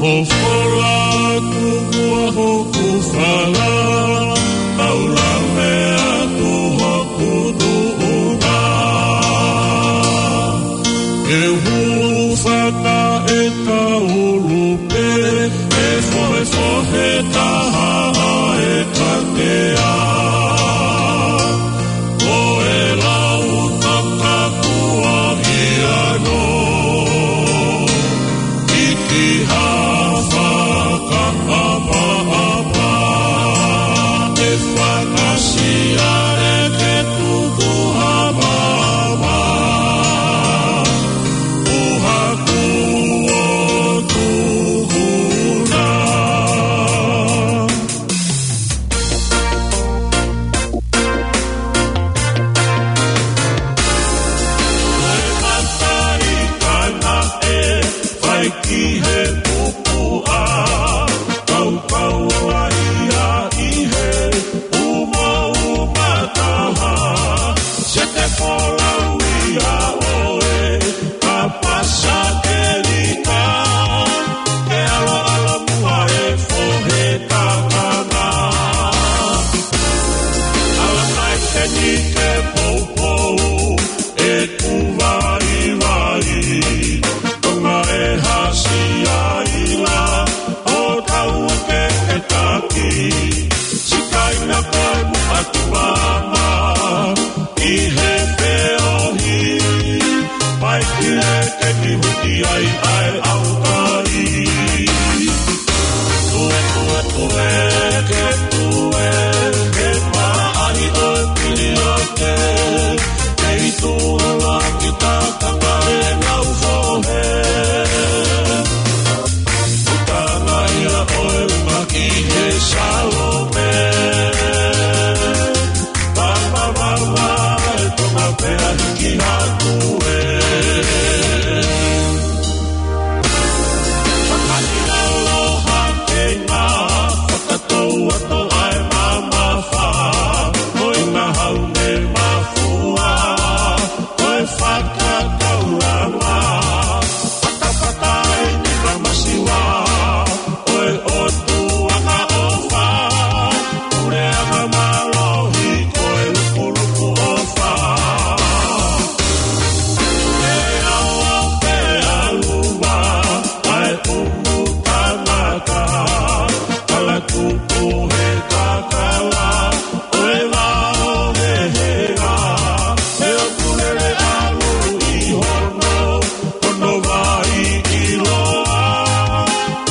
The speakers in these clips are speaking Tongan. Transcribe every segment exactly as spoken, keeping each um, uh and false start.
ʻOku fola atu ʻa hoku fala, kau lave atu hoku tuʻunga. Ke hūfanga ʻe taulu pē, ʻe fohefohe taha ʻa e katea. Ko e lau takakuahi ano, ʻi ha fakaʻapaʻapa, ʻe fakasiale ke tuku ha maama, ʻo haku ʻo tuku na. Ko e matai kae naʻe fai ki he pupuʻa, kaukau ai ia ʻi he umauma taha, se te folau ia ʻoe, ka pasa ke lika, ke ʻaloʻalo muʻa e fohe kakanga. Ala mai ke ni ke poupou, ʻeku vaivai, Tonga e hasi ai la, ʻo tau ke ke taki, sikaina ko e muʻaki maama, ʻi he feohi, pai ki he ke ni huti ai ʻa e ʻaukai. Tue, tue, tue, ke tue, ke maʻali ʻo e piliote, kei tuʻu la ki takanga e ngau fohe. Utanga ia ʻo e uma ki he Salome. Papa, papa, e Tonga pea hiki hake ē. Fakaʻiloa ke ngā fakatou atu ai mamafa, ko e ngahau ne mafua, ko e fakakaulanga, fatafata ʻi ni kamasiva, ko e ʻOtua ʻofa, puleʻanga mālohi, ko e lukuluku ʻofa. Ke ao pea luma, ʻa e pumu tangata, kala tupu he kakala, ʻo e vao he hea, he ʻoku lele ʻalu ʻi hono, hono vai ʻiloa.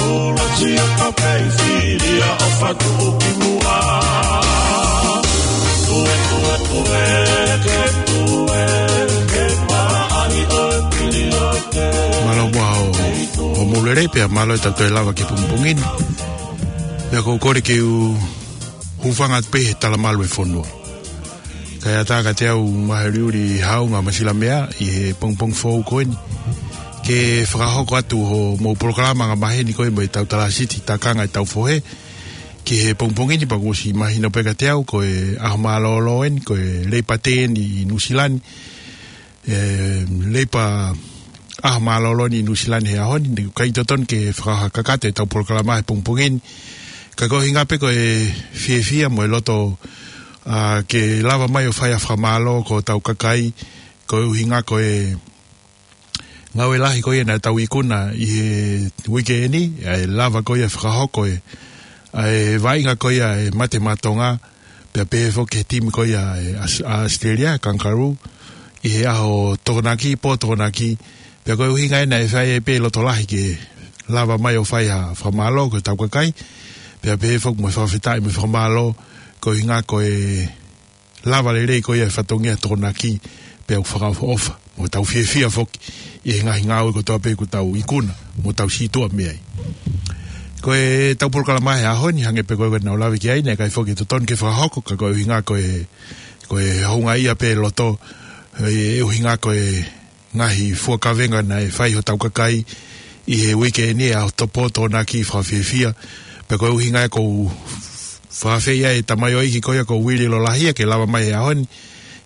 Ula sia ka pei filia ʻo fatu ki muʻa. Tue, tue, tue, ke tue, ke maʻali ʻo e piliote. Mālō muʻa hoʻomou lelei pea mālō e tau toe lava ki he pongipongi ni. Pea ʻoku ou kole ke u hūfanga atu pē he talamalu e fonua. Kae ʻatā kiate au Maheuli Haʻunga Masilamea ʻi he pongipongi foʻou ko eni, ke fakahoko atu hoʻomou polokalama angamaheni ko ē mo e tau talāsiti takanga e tau fohe ki he pongipongi ni, pea kuo ʻosi mahino pē kiate au ko e ʻaho mālōlō eni, ko e Leipa Tē eni ʻi Nuʻusila ni. E, Leipa ʻAho Mālōlō eni ʻi Nuʻusila ni he ʻaho ni, ne ʻikai totonu ke fakahā kakato e tau polokalama he pongipongi ni. Ka ko e ʻuhinga pē ko e fiefia mo e loto, ʻa, ke lava mai ʻo fai ʻa e fakamālō ki hotau kakai, ko e ʻuhinga ko e ngāue lahi ko ia naʻa tau ikuna ʻi he uike eni, ʻa e lava ko ia fakahoko e, ʻa e vaʻinga ko ia e Mate Maʻa Tonga, pea pehē foki ki he timi ko ia e Aus-, ʻa ʻAositelēlia, Kangaroo, ʻi he ʻaho Tokonaki, pō Tokonaki, pea ko e ʻuhinga ena e fai ai pē loto lahi ke lava mai ʻo fai ha fakamālō ki hotau kakai, pea pehē foki mo e fakafetaʻi mo e fakamālō, ko e ʻuhinga ko e lava lelei ko ia e fatongia Tokonaki, pea ʻoku fakaʻofoʻofa, mo tau fiefia foki ʻi he ngaahi ngāue kotoa pē ʻoku tau ikuna, mo tau sītuʻa mei ai. Ko e tau polokalama he ʻaho ni, hangē pē ko e naʻa ku lave ki ai, naʻe ʻikai foki totonu ke fakahoko, ka ko e ʻuhinga ko e, ko e houngaʻia pē loto, e ʻuhinga ko e ngaahi fua kavenga naʻe fai hotau kakai ʻi he uike eni, ʻa e ʻaho Topo Tokonaki, fakafiefia. Pea ko e ʻuhinga ia ʻoku ou fakaafeʻi ai e tamaioʻeiki ko ia ko Uili Lolahia ke lava mai he ʻaho ni,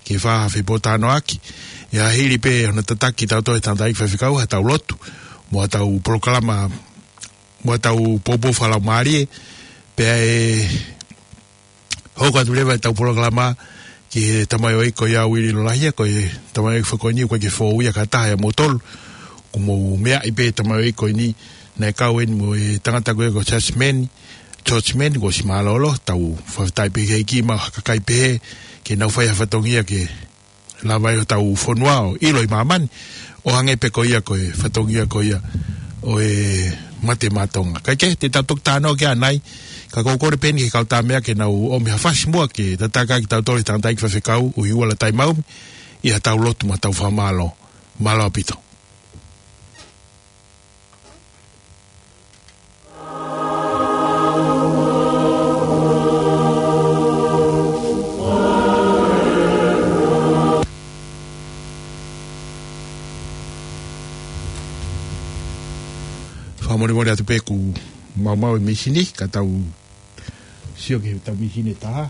ke fakafepōtalanoaʻaki. ʻI he hili pē hono tataki kitautolu ʻe he tangataʻeiki faifekau, ha tau lotu, mo ha tau polokalama mo ʻetau poupou fakalaumālie, pea ʻe hoko atu leva ʻetau polokalama ki he tamaioʻeiki ko ia Uili Lolahia, ko e tamaioʻeiki foki ko eni ʻoku ʻikai ke fou ia ka taha ia moutolu. Kuo mou meaʻi pē tamaioʻeiki ko eni naʻe kau eni mo e tangata ko ia ko Jasmine, George Mann, kuo ʻosi mālōlō, tau fakafetaʻi pē ki he ʻEiki mo e kakai pehē, ke nau fai ha fatongia ke lava ai hotau fonua ʻo ʻilo ʻi māmani, ʻo hangē pē ko ia ko e fatongia ko ia ʻo e Mate Maʻa Tonga. Kae kehe, te tau toki talanoa ki ai ʻanai, ka ʻoku ou kole pē eni ki he kau tama ke nau ʻomi ha fasi muʻa ke tataki kitautolu ʻe he tangataʻeiki faifekau, ʻUhiʻuala Taimaumi, ʻi haʻatau lotu mo haʻatau fakamālō. Mālō ʻaupito. Fakamolemole atu pē kuo maumau e mīsini, ka tau sio ki heʻetau mīsini ʻe taha.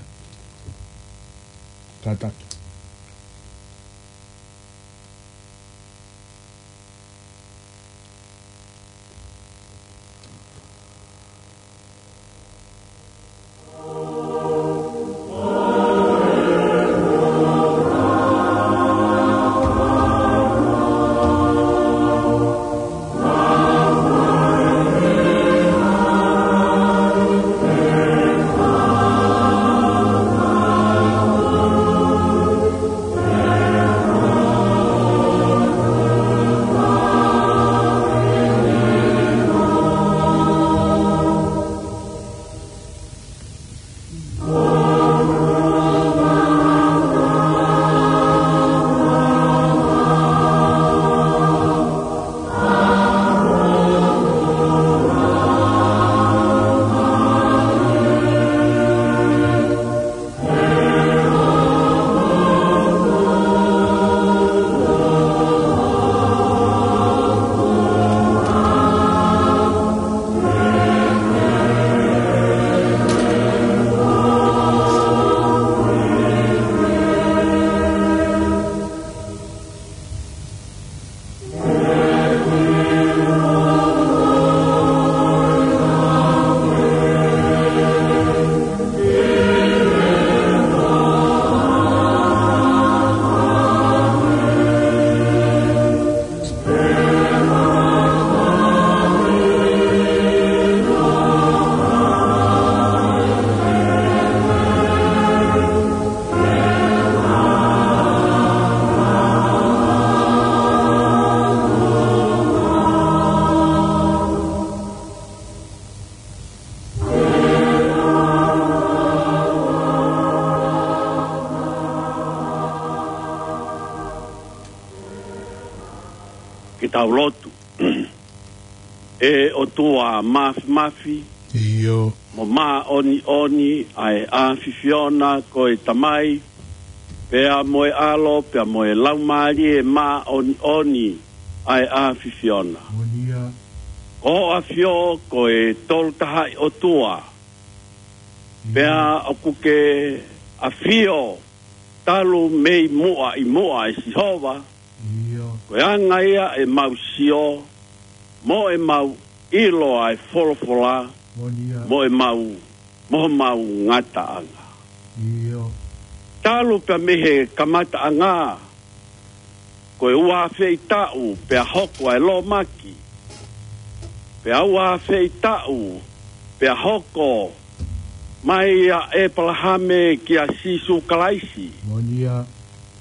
Kātaki. Ke tau lotu. ʻE ʻOtua Māfimafi, ʻio, mo Māʻoniʻoni ʻa e ʻAfiona, ko e Tamai, pea mo e ʻAlo, pea mo e Laumālie Māʻoniʻoni ʻa e ʻAfiona. Moʻoni ia. Ko ho ʻAfio ko e Tolu Tahaʻi ʻOtua. ʻIo. Pea ʻoku ke ʻafio talu mei muʻa ʻi muʻa, ʻe Sihova. ʻIo. Ko e anga ia ʻemau sio, mo ʻemau ʻilo ʻa e folofola, moʻoni ia, mo ʻemau, mo homau ngataʻanga. ʻIo. Talu pea mei he kamataʻanga, ko e ua afe ʻi taʻu pea hoko ʻa e lōmaki, pea ua afe ʻi taʻu pea hoko mai ʻa ʻEpalahame kia Sīsū Kalaisi. Moʻoni ia.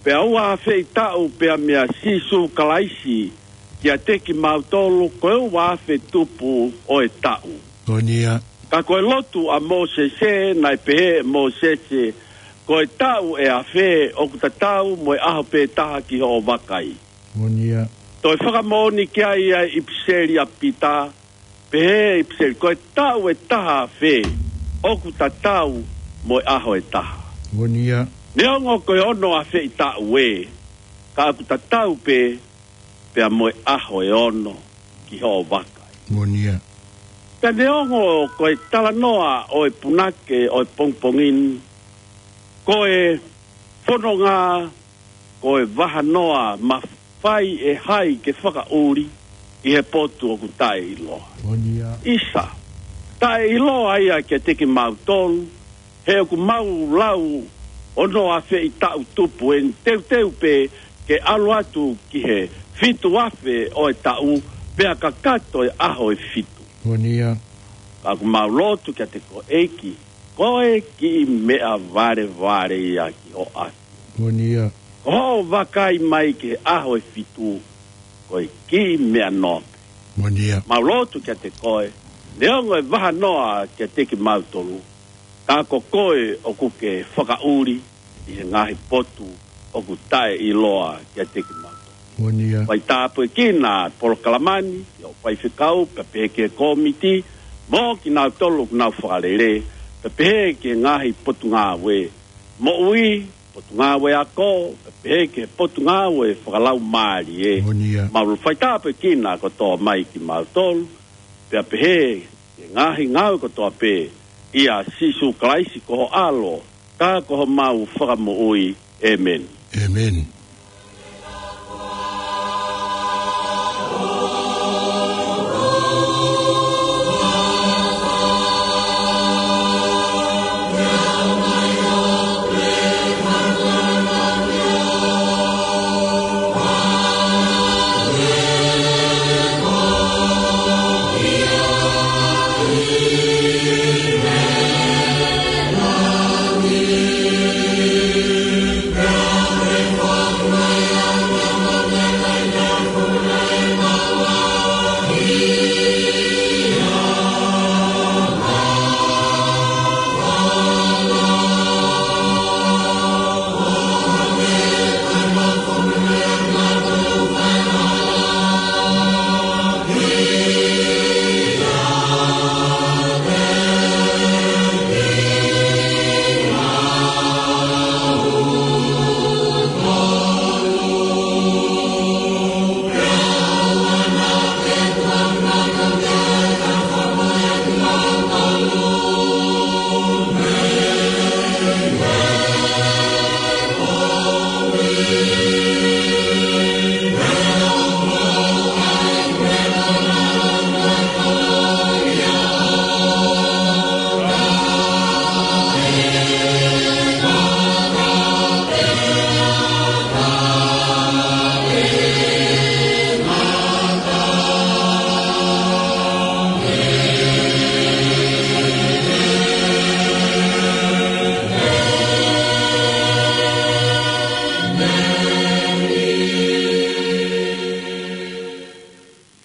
Pea ua afe ʻi taʻu pea meia Sīsū Kalaisi kiate kimautolu, ko e ua afe tupu ʻo e taʻu. Moʻoni ia. Ka ko e lotu ʻa Mōsese, naʻe pehē ʻe Mōsese, ko e taʻu ʻe afe ʻoku tatau mo e ʻaho pē taha ki hoʻo vakai. Moʻoni ia. Toe fakamoʻoni ki ai ʻa e ʻipiseli ʻa Pita, pehē ʻe he ʻipiseli, ko e taʻu ʻe taha afe ʻoku tatau mo e ʻaho ʻe taha. Moʻoni ia. Neongo ko e ono afe ʻi taʻu ē, ka ʻoku tatau pē pea mo e ʻaho ʻe ono ki hoʻo vakai. Moʻoni ia. Pea neongo ko e talanoa ʻo e punake ʻo e pongipongi ni, ko e fononga, ko e vahanoa mafai ʻe hai ke fakaʻuli, ʻi he potu ʻoku taʻeʻiloa. Moʻoni ia. ʻIsa, taʻeʻiloa ia kiate kimautolu, he ʻoku mau lau ono afe ʻi taʻu tupu eni, teuteu pē ke ʻalu atu ki he fitu afe ʻo e taʻu, pea kakato e ʻaho ʻe fitu. Moʻoni ia. Ka ʻoku mau lotu kiate koe ʻEiki, ko e kiʻi meʻa valevale ia ki hoʻo ʻapi. Moʻoni ia. Ko hoʻo vakai mai ki he ʻaho ʻe fitu, ko e kiʻi meʻa noa pē. Moʻoni ia. Mau lotu kiate koe, neongo e vahanoa kiate kimautolu, ka ko koe ʻoku ke fakaʻuli ʻi he ngaahi potu ʻoku taʻeʻiloa kiate kimautolu. Moʻoni ia. Fai tāpuekina polokalama ni, ʻi hoʻo faifekau, pea pehē ki he kōmiti, mo kinautolu ʻoku nau fakalele, pea pehē ki he ngaahi potungāue moʻui, potungāue ako, pea pehē ki he potungāue fakalaumālie. Moʻoni ia. Mau fai tāpuekina kotoa mai kimautolu, pea pehē ki he ngaahi ngāue kotoa pē, ʻia Sīsū Kalaisi ko ho ʻAlo, ka ko homau Fakamoʻui. ʻĒmeni. ʻĒmeni.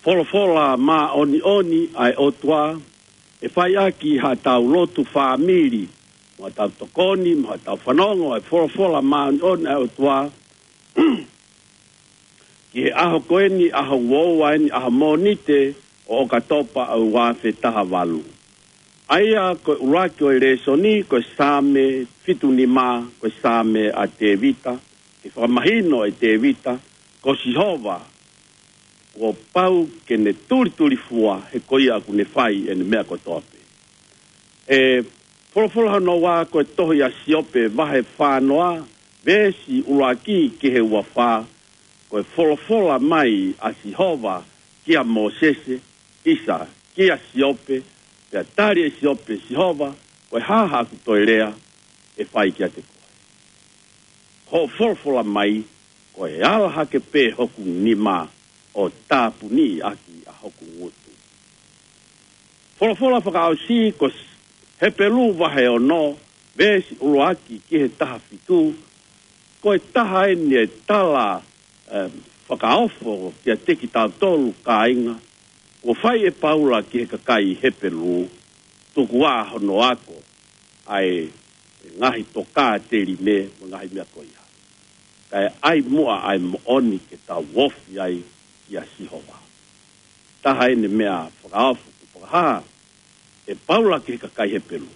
Folofola māʻoniʻoni ʻa e ʻOtua, ʻe fai ʻaki haʻatau lotu fāmili, mo haʻatau tokoni, mo haʻatau fanongo ʻa e folofola māʻoniʻoni ʻa e ʻOtua, ki he ʻaho ko eni, ʻaho uaua eni, ʻaho Mōnite ʻo ʻOkatopa ʻo e ua afe taha valu. ʻA ia ko e ʻuluaki ʻo e lēsoni, ko e Saame fitu nima, ko e Saame ʻa Tēvita, ke fakamahino ʻe Tēvita, ko Sihova, kuo pau ke ne tulitulifua, he ko ia ʻoku ne fai ʻene meʻa kotoa pē. ʻE folofola hono ua ko e tohi ʻa Siope vahe fā noa, veesi ʻuluaki ki he ua fā, ko e folofola mai ʻa Sihova kia Mōsese, ʻisa, kia Siope, pea tali ʻe Siope, Sihova, ko e hā haʻaku toe lea ʻe fai kiate koe? Hoʻo folofola mai, ko e ala hake pē hoku nima ʻo tāpuni ʻaki ʻa hoku ngutu. Folofola fakaʻosi ko Hepelū vahe ono, veesi ʻuluaki ki he taha fitu, ko e taha eni e tala, eh, fakaofo kiate kitautolu kāinga, kuo fai ʻe Paula ki he kakai Hepelū, tuku ā hono ako ʻa e ngaahi tokāteline mo e ngaahi meʻa ko ia. Kae ʻai muʻa ʻa e moʻoni ke tau ofi ai kia Sihova. Taha eni e meʻa fakaofo kuo fakahā ʻe Paula ki he kakai Hepelū.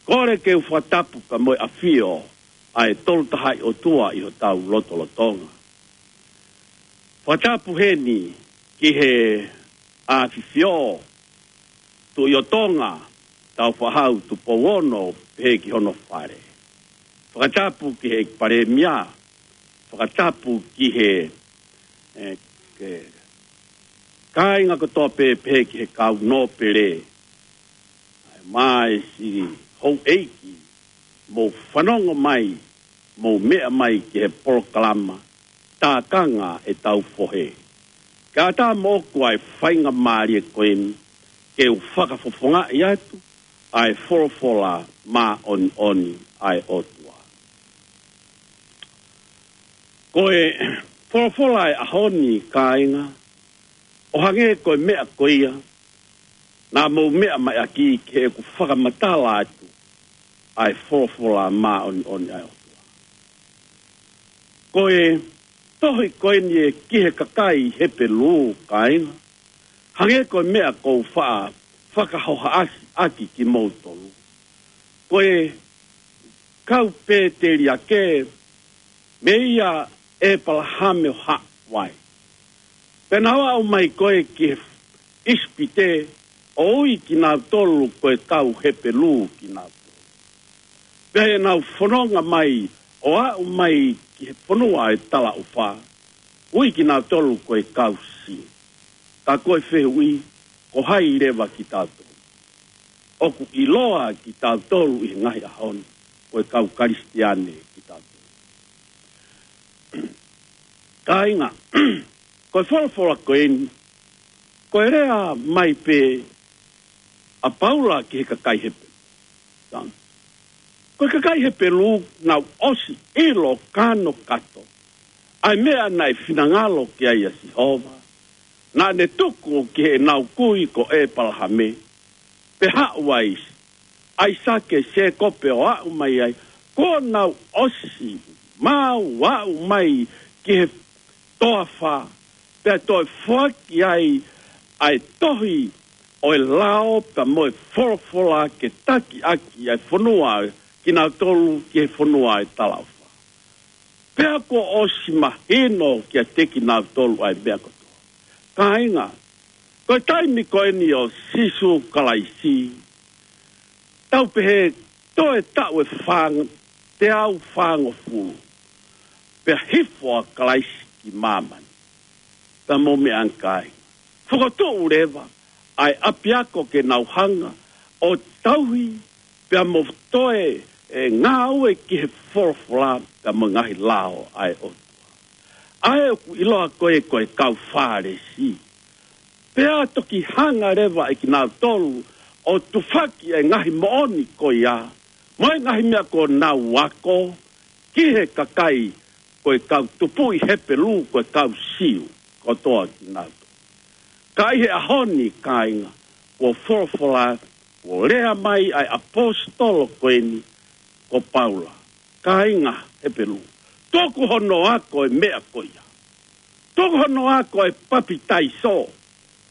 Kole ke u fakatapu pea mo e ʻafio ʻa e Tolu Tahaʻi ʻOtua ʻi hotau lotolotonga. Fakatapu heni ki he ʻAfifio, Tuʻi ʻo Tonga, Taufaʻāhau Tupou Ono, pehē ki hono fale. Fakatapu ki he ʻEiki Palēmia, fakatapu ki he, eh, ke, Kāinga kotoa pē, pehē ki he kau nōpele, ʻa e māesi houʻeiki, mou fanongo mai, mou meʻa mai ki he polokalama Tākanga ʻEtau Fohe. Kae ʻatā moʻoku ʻa e faingamālie ko eni ke u fakafofongaʻi atu ʻa e folofola māʻoniʻoni ʻa e ʻOtua. Ko e folofola ʻo e ʻaho ni, kāinga, ʻo hangē ko e meʻa ko ia naʻa mou meʻa mai ʻaki, ke u fakamatala atu ʻa e folofola māʻoniʻoni ʻa e ʻOtua. Ko e tohi ko eni ē ki he kakai Hepelū, kāinga, hangē ko e meʻa ʻoku ou faʻa fakahohaʻasi ʻaki kimoutolu. Ko e kau pēteliake, meia ʻĒpalahame ʻo haʻu ai. Pea nau aʻu mai ko ē ki he ʻIsipite, ʻo ui kinautolu ko e kau Hepelū kinautolu. Pea ʻi heʻenau fononga mai ʻo aʻu mai ki he fonua ʻo e talaʻofa, ui kinautolu ko e kau Siu. Ka ko e fehuʻi, ko hai leva kitautolu? ʻOku ʻiloa kitautolu ʻi he ngaahi ʻaho ni, ko e kau Kalisitiane kitautolu. Kāinga, ko e folofola ko eni, ko e lea mai pē ʻa Paula ki he kakai Hepelū. Ko e kakai Hepelū, nau ʻosi ʻilo kanokato ʻa e meʻa naʻe finangalo ki ai ʻa Sihova, naʻa ne tuku ki heʻenau kui ko ʻĒpalahame, pea haʻu ai ʻAisake, Sēkope ʻo aʻu mai ai, kuo nau ʻosi maʻu, aʻu mai ki he toafa, pea toe foaki ai ʻa e tohi ʻo e lao pea mo e folofola ke taki ʻaki ʻa e fonua kinautolu ki he fonua ʻo e talaʻofa. Pea kuo ʻosi mahino kiate kinautolu ʻa e meʻa kotoa. Kāinga, ko e taimi ko eni ʻo Sīsū Kalaisi, tau pehē toe taʻu ʻe fāng-, teau fāngofulu, pea hifo ʻa Kalaisi ki māmani. Pea mou meʻa ange, kāinga. Fokotuʻu leva ʻa e ʻapiako ke nau hanga ʻo tauhi, pea mo toe, ē, ngāue ki he folofola, pea mo e ngaahi lao ʻa e ʻOtua. ʻA ē ʻoku ʻiloa ko ē ko e kau Fālesi. Pea toki hanga leva ʻe kinautolu ʻo tufaki ʻa e ngaahi moʻoni ko ia, mo e ngaahi meʻa kuo nau ako, ki he kakai ko e kau tupuʻi Hepelū, ko e kau Siu kotoa kinautolu. Ka ʻi he ʻaho ni, kāinga, kuo folofola, kuo lea mai ʻa e ʻaposetolo ko eni ko Paula. Kāinga Hepelū, tuku hono ako e meʻa ko ia. Tuku hono ako e papitaiso.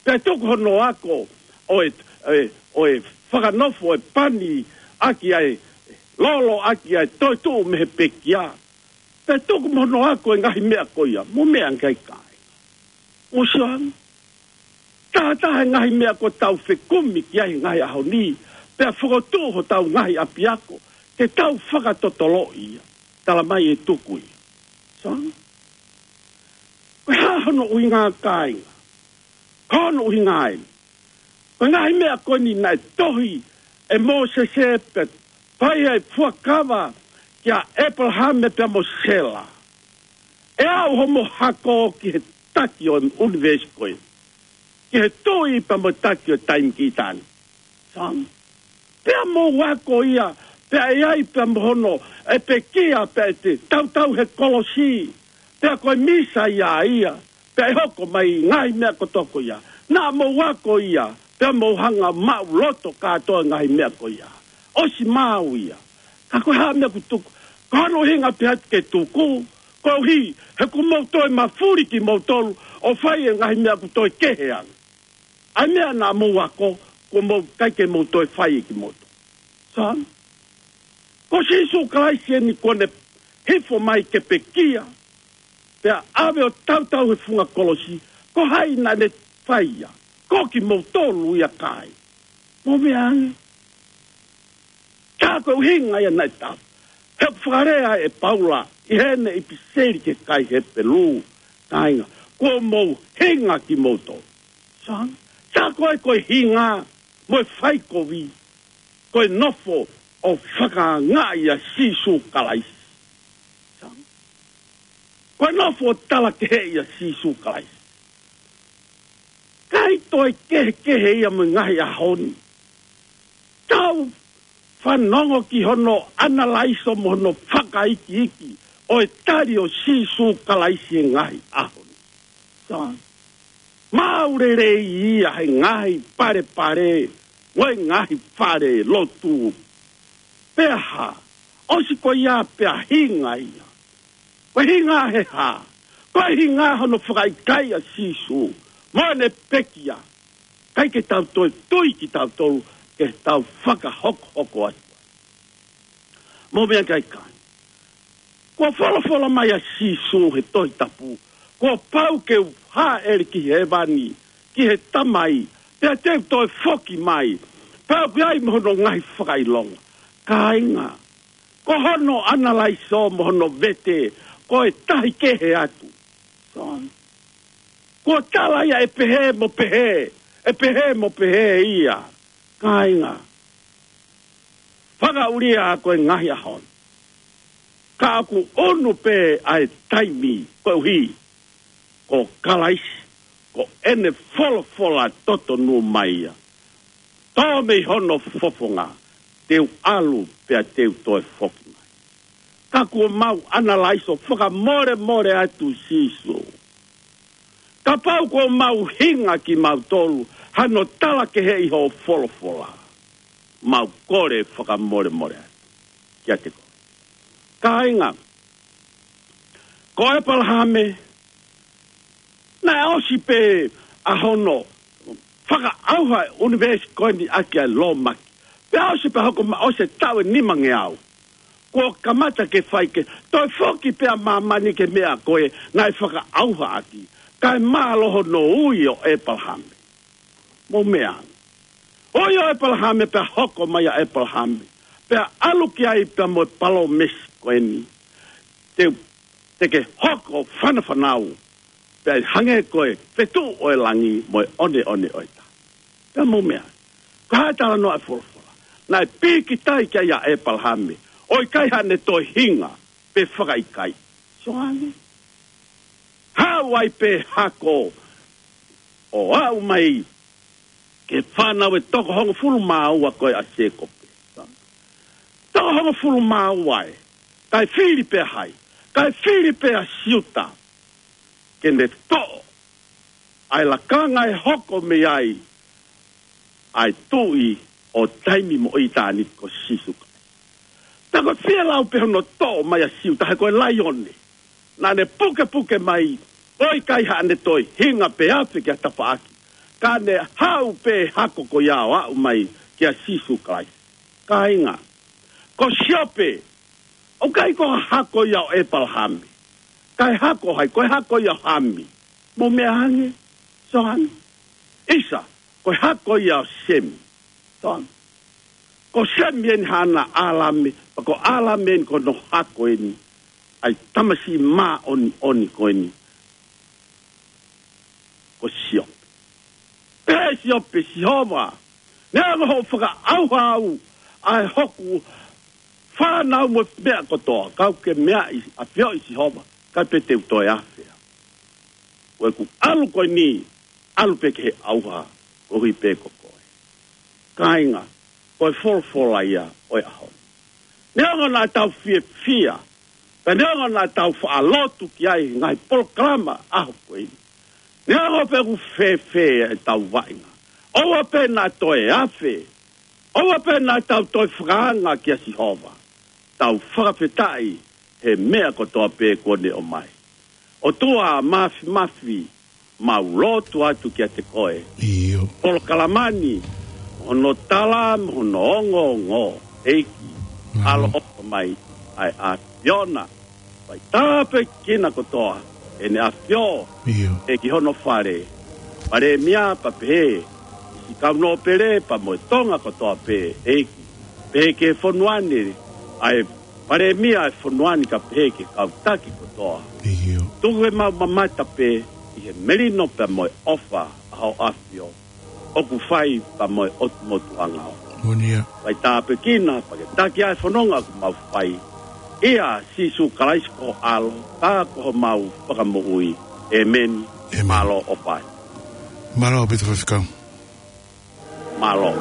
Pea tuku hono ako ʻo e, ʻo e, ʻo e fakanofo e pani ʻaki ʻa e lolo ʻaki ʻa e toetuʻu mei he pekia. Pea tuku mo hono ako e ngaahi meʻa ko ia. Mou meʻa ange, kāinga. Mou sio ange. Taha taha e ngaahi meʻa kuo tau fekumi ki ai he ngaahi ʻaho ni, pea fokotuʻu hotau ngaahi ʻapiako ke tau fakatotoloʻi ia. Tala mai ʻe tuku ia. Sio ange. Ko e hā hono ʻuhinga, kāinga? Ko hono ʻuhinga eni. Ko e ngaahi meʻa ko eni naʻe tohi ʻe Mōsese pea fai ai e fuakava kia ʻĒpalahame pea mo Sela. ʻE aʻu hoʻomo hako ki he taki ʻo e ʻunivēsi ko ē, ki he tuʻi pea mo e taki ʻo e taimi kiʻi taʻane. Sio ange. Pea mou ako ia, pea ʻe ʻi ai pea mo hono, ʻe pekia pea ʻe tautau he kolosi, pea ko e Mīsaia ia, pea ʻe hoko mai e ngaahi meʻa kotoa ko ia. Naʻa mou ako ia, pea mou hanga ʻo maʻuloto kātoa e ngaahi meʻa ko ia. ʻOsi maʻu ia. Ka ko e hā e meʻa ʻoku tuku? Ko hono ʻuhinga pē ʻoku tuku, koeʻuhi he kuo mou toe mafuli kimoutolu ʻo fai e ngaahi meʻa ʻoku toe kehe ange. ʻA e meʻa naʻa mou ako, kuo mou ʻikai ke mou toe fai ʻe kimoutolu. Sio ange. Ko Sīsū Kalaisi eni kuo ne hifo mai ke pekia, pea ʻave ʻo tautau he funga kolosi. Ko hai naʻa ne fai ia? Ko kimoutolu ia, kāinga. Mou meʻa ange. Ka ko e ʻuhinga ia naʻe tau. He ʻoku fakalea ʻe Paula ʻi heʻene ʻipiseli ki he kakai Hepelū, kāinga, kuo mou hinga kimoutolu. Sa, sa ko e, ko e hinga mo e faikovi, ko e nofo ʻo fakaangaʻi ʻa Sīsū Kalaisi. Sa, ko e nofo ʻo talakeheʻi ʻa Sīsū Kalaisi. ʻIkai toe kehekehe ia mo e ngaahi ʻaho ni. Tau fanongo ki hono ʻanalaiso mo hono fakaikiiki ʻo e tali ʻo Sīsū Kalaisi he ngaahi ʻaho ni. Sa, maʻu lelei ia he ngaahi palepale mo e ngaahi fale lotu. Pea hā, ʻosi ko ia pea hinga ia. Ko e hinga he hā? Ko e hinga hono fakaʻikaiʻi ʻa Sīsū mo ʻene pekia. ʻIkai ke tau toe tui kitautolu ke tau fakahokohoko atu. Mou meʻa ki ai, kāinga. Kuo folofola mai ʻa Sīsū he Tohi Tapu, kuo pau ke u hāʻele ki hēvani, ki he Tamai, pea te u toe foki mai, pea u ʻi ai mo hono ngaahi fakaʻilonga. Kāinga, ko hono ʻanalaiso mo hono vete, ko e tahi kehe atu. Sa, kuo tala ia ʻe pehē mo pehē, ʻe pehē mo pehē ia. Kāinga, fakaʻulia ko e ngaahi ʻaho ni. Ka ʻoku ʻunu pē ʻa e taimi koeʻuhi ko Kalaisi, ko ʻene folofola totonu mai ia. Tō mei hono fofonga, te u ʻalu pea te u toe foki mai. Ka kuo mau ʻanalaiso fakamolemole atu Sīsū. Kapau kuo mau hinga kimautolu hano talakeheʻi hoʻo folofola, mau kole fakamolemole atu kiate koe. Kāinga, ko ʻEpalahame, naʻe ʻosi pē ʻa hono fakaʻauha e ʻunivēsi ko eni ʻaki ʻa e lōmaki. Pea ʻosi pē hoko mai, ʻosi e taʻu ʻe nimangeau kuo kamata ke fai ke toe foki pē ʻa māmani ki he meʻa ko ē naʻe fakaʻauha ʻaki. Kae mālō hono ui ʻo ʻEpalahame. Mou meʻa. Ui ʻo ʻEpalahame pea hoko mai ʻa ʻEpalahame. Pea ʻalu ki ai pea mo e palōmesi ko eni. Te, te ke hoko fanafanau. Pea hangē ko e fetuʻu ʻo e langi mo e ʻoneʻone ʻo e tahi. Pea mou meʻa. Ko e hā e talanoa e folofola? Naʻe pīkitai ki ai ʻa ʻEpalahame ʻo ʻikai haʻane toe hinga pe fakaʻikaiʻi. Sio ange. Haʻu ai pē hako ʻo aʻu mai ki he fānau ʻe toko hongofulu mā ua ko ē ʻa Sēkope. Toko hongofulu mā ua ē. Kae fili pē ʻa hai? Kae fili pē ʻa Siuta ke ne toʻo ʻa e lakanga ʻe hoko mei ai ʻa e Tuʻi ʻo taimi mo ʻitāniti ko Sīsū Kalaisi. Pea ko e fielau pē hono toʻo mai ʻa Siuta he ko e laione. Naʻa ne pukepuke mai ʻo ʻikai haʻane toe hinga pe afe ki ha tafaʻaki. Ka ne haʻu pē hako ko ia ʻo aʻu mai kia Sīsū Kalaisi. Kāinga, ko Siope, ʻoku ʻikai ko ha hako ia ʻo ʻEpalahame. Kae hako hai? Ko e hako ia ʻo Hami. Mou meʻa ange, Sohani. ʻIsa, ko e hako ia ʻo Semi. Sohani. Ko Semi eni haʻana ʻAlame, pea ko ʻAlame eni ko hono hako eni ʻa e tamasiʻi māʻoniʻoni ko eni. Ko Siope. Pehē Siope, Sihova, neongo hoʻo fakaʻauha au ʻa e hoku fānau mo e meʻa kotoa, ka u ke meaʻi, ʻafioʻi Sihova, ʻikai pē te u toe afe au. Ko ʻeku ʻalu ko eni, ʻalu pē ki he ʻauha, koeʻuhi pē ko koe. Kāinga, ko e folofola ia ʻo e ʻaho ni. Neongo naʻa tau fiefia, pea neongo naʻa tau faʻa lotu ki ai he ngaahi polokalama ʻaho ko eni. Neongo pe ʻoku fēfē ʻetau vaʻinga, ʻoua pē naʻa toe afe, ʻoua pē naʻa tau toe fakaanga kia Sihova. Tau fakafetaʻi he meʻa kotoa pē kuo ne ʻomai. ʻOtua Māfimafi, mau lotu atu kiate koe. ʻIo. Polokalama ni, hono tala mo hono ongoongo, ʻEiki, ʻaloʻofa mai ʻa e ʻAfiona. Fai tāpuekina kotoa ʻEne ʻAfio, ʻio, ʻEiki, hono fale. Palēmia pea pehē, siʻi kau nōpele pea mo e Tonga kotoa pē, ʻEiki. Pehē ki he fonua ni, ʻa e Palēmia e fonua ni, kae pehē ki he kau taki kotoa. ʻIo. Tuku ke mau mamata pē ʻi he melino pea mo e ʻofa ʻa ho ʻAfio, ʻoku fai pea mo e ʻOtu Motu ʻAngaʻofa. Moʻoni ia. Fai tāpuekina pea ke taki ʻa e fononga ʻoku mau fai. ʻIa Sīsū Kalaisi ko ho ʻAlo, ka ko homau Fakamoʻui. ʻĒmeni. ʻĒmeni. Mālō ʻo pau. Mālō ʻaupito Faifekau. Mālō.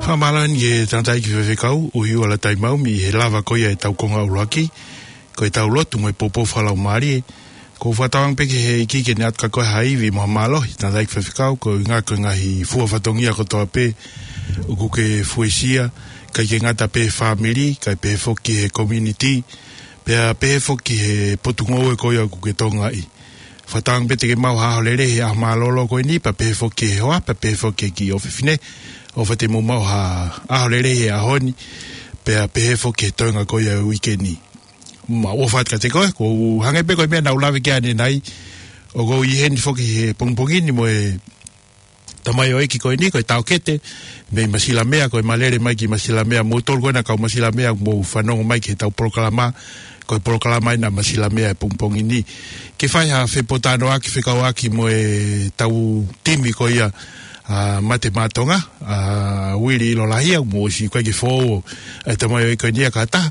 Fakamālō ʻeni ki he tangataʻeiki faifekau, ʻUhiua Lataimau, mei he lava ko ia ʻetau konga ʻuluaki, ko ʻetau lotu mo e poupou fakalaumālie. ʻOku ou fakatauange pē ki he ʻEiki ke ne ʻatu kia koe ha ivi mo ha mālohi, tangataʻeiki faifekau, koeʻuhi ko e ngaahi fua fatongia kotoa pē ʻoku ke fuesia, ʻikai ke ngata pē he fāmili, kae pehē foki he community, pea pehē foki he potungāue ko ia ʻoku ke tokangaʻi. Fakatauange pē te ke maʻu ha ʻaho lelei he ʻaho mālōlō ko eni, pea pehē foki he hoa, pea pehē foki ki he ʻofefine. ʻOfa te mou maʻu ha ʻaho lelei he ʻaho ni, pea pehē foki he toenga ko ia ʻo e uike ni. Mau ʻofa atu kiate koe, ʻoku hangē pē ko e meʻa naʻa ku lave ki ai ʻanenai, ʻoku ou ʻi heni foki he pongipongi ni mo e tamaioʻeiki ko eni, ko e taʻokete mei Masilamea, ko e Malele mai ki Masilamea, moutolu ko ena kau Masilamea, mou fanongo mai ki heʻetau polokalama, ko e polokalama ena Masilamea he pongipongi ni. Ke fai ha fepōtalanoaʻaki fekauʻaki mo ʻetau timi ko ia, ʻa Mate Maʻa Tonga, ʻa Uili ʻIlolahia, mou ʻosi ko e kiʻi foʻou ʻa e tamaioʻeiki ko eni ʻa Kata,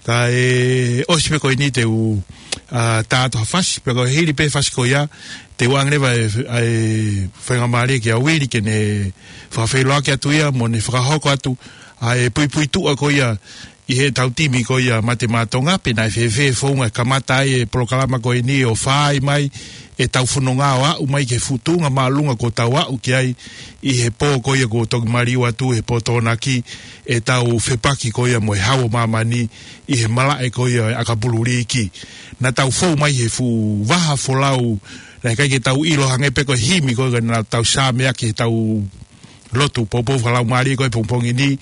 kae ʻosi pē ko eni te u, ʻa, tā atu ha fasi, pea ko e hili pē fasi ko ia, te u ʻoange leva ʻa e, ʻa e faingamālie kia Uili ke ne fakafeʻiloaki atu ia, mo ne fakahoko atu ʻa e puipuituʻa ko ia ʻi heʻetau timi ko ia Mate Maʻa Tonga, pe naʻe fēfē e founga ʻe kamata ai e polokalama ko eni ʻo fai mai ʻetau fononga ʻo aʻu mai ki he fuʻu tuʻunga māʻolunga kuo tau aʻu ki ai ʻi he pō ko ia kuo toki maliu atu he pō Tokonaki, ʻetau fepaki ko ia mo e Hau ʻo Māmani ʻi he malaʻe ko ia ʻo e ʻakapulu liiki. Naʻa tau fou mai he fuʻu vaha folau, naʻe ʻikai ke tau ʻilo hangē pē ko e himi ko ia naʻa tau sāmeaki heʻetau lotu poupou fakalaumālie ko e pongipongi ni,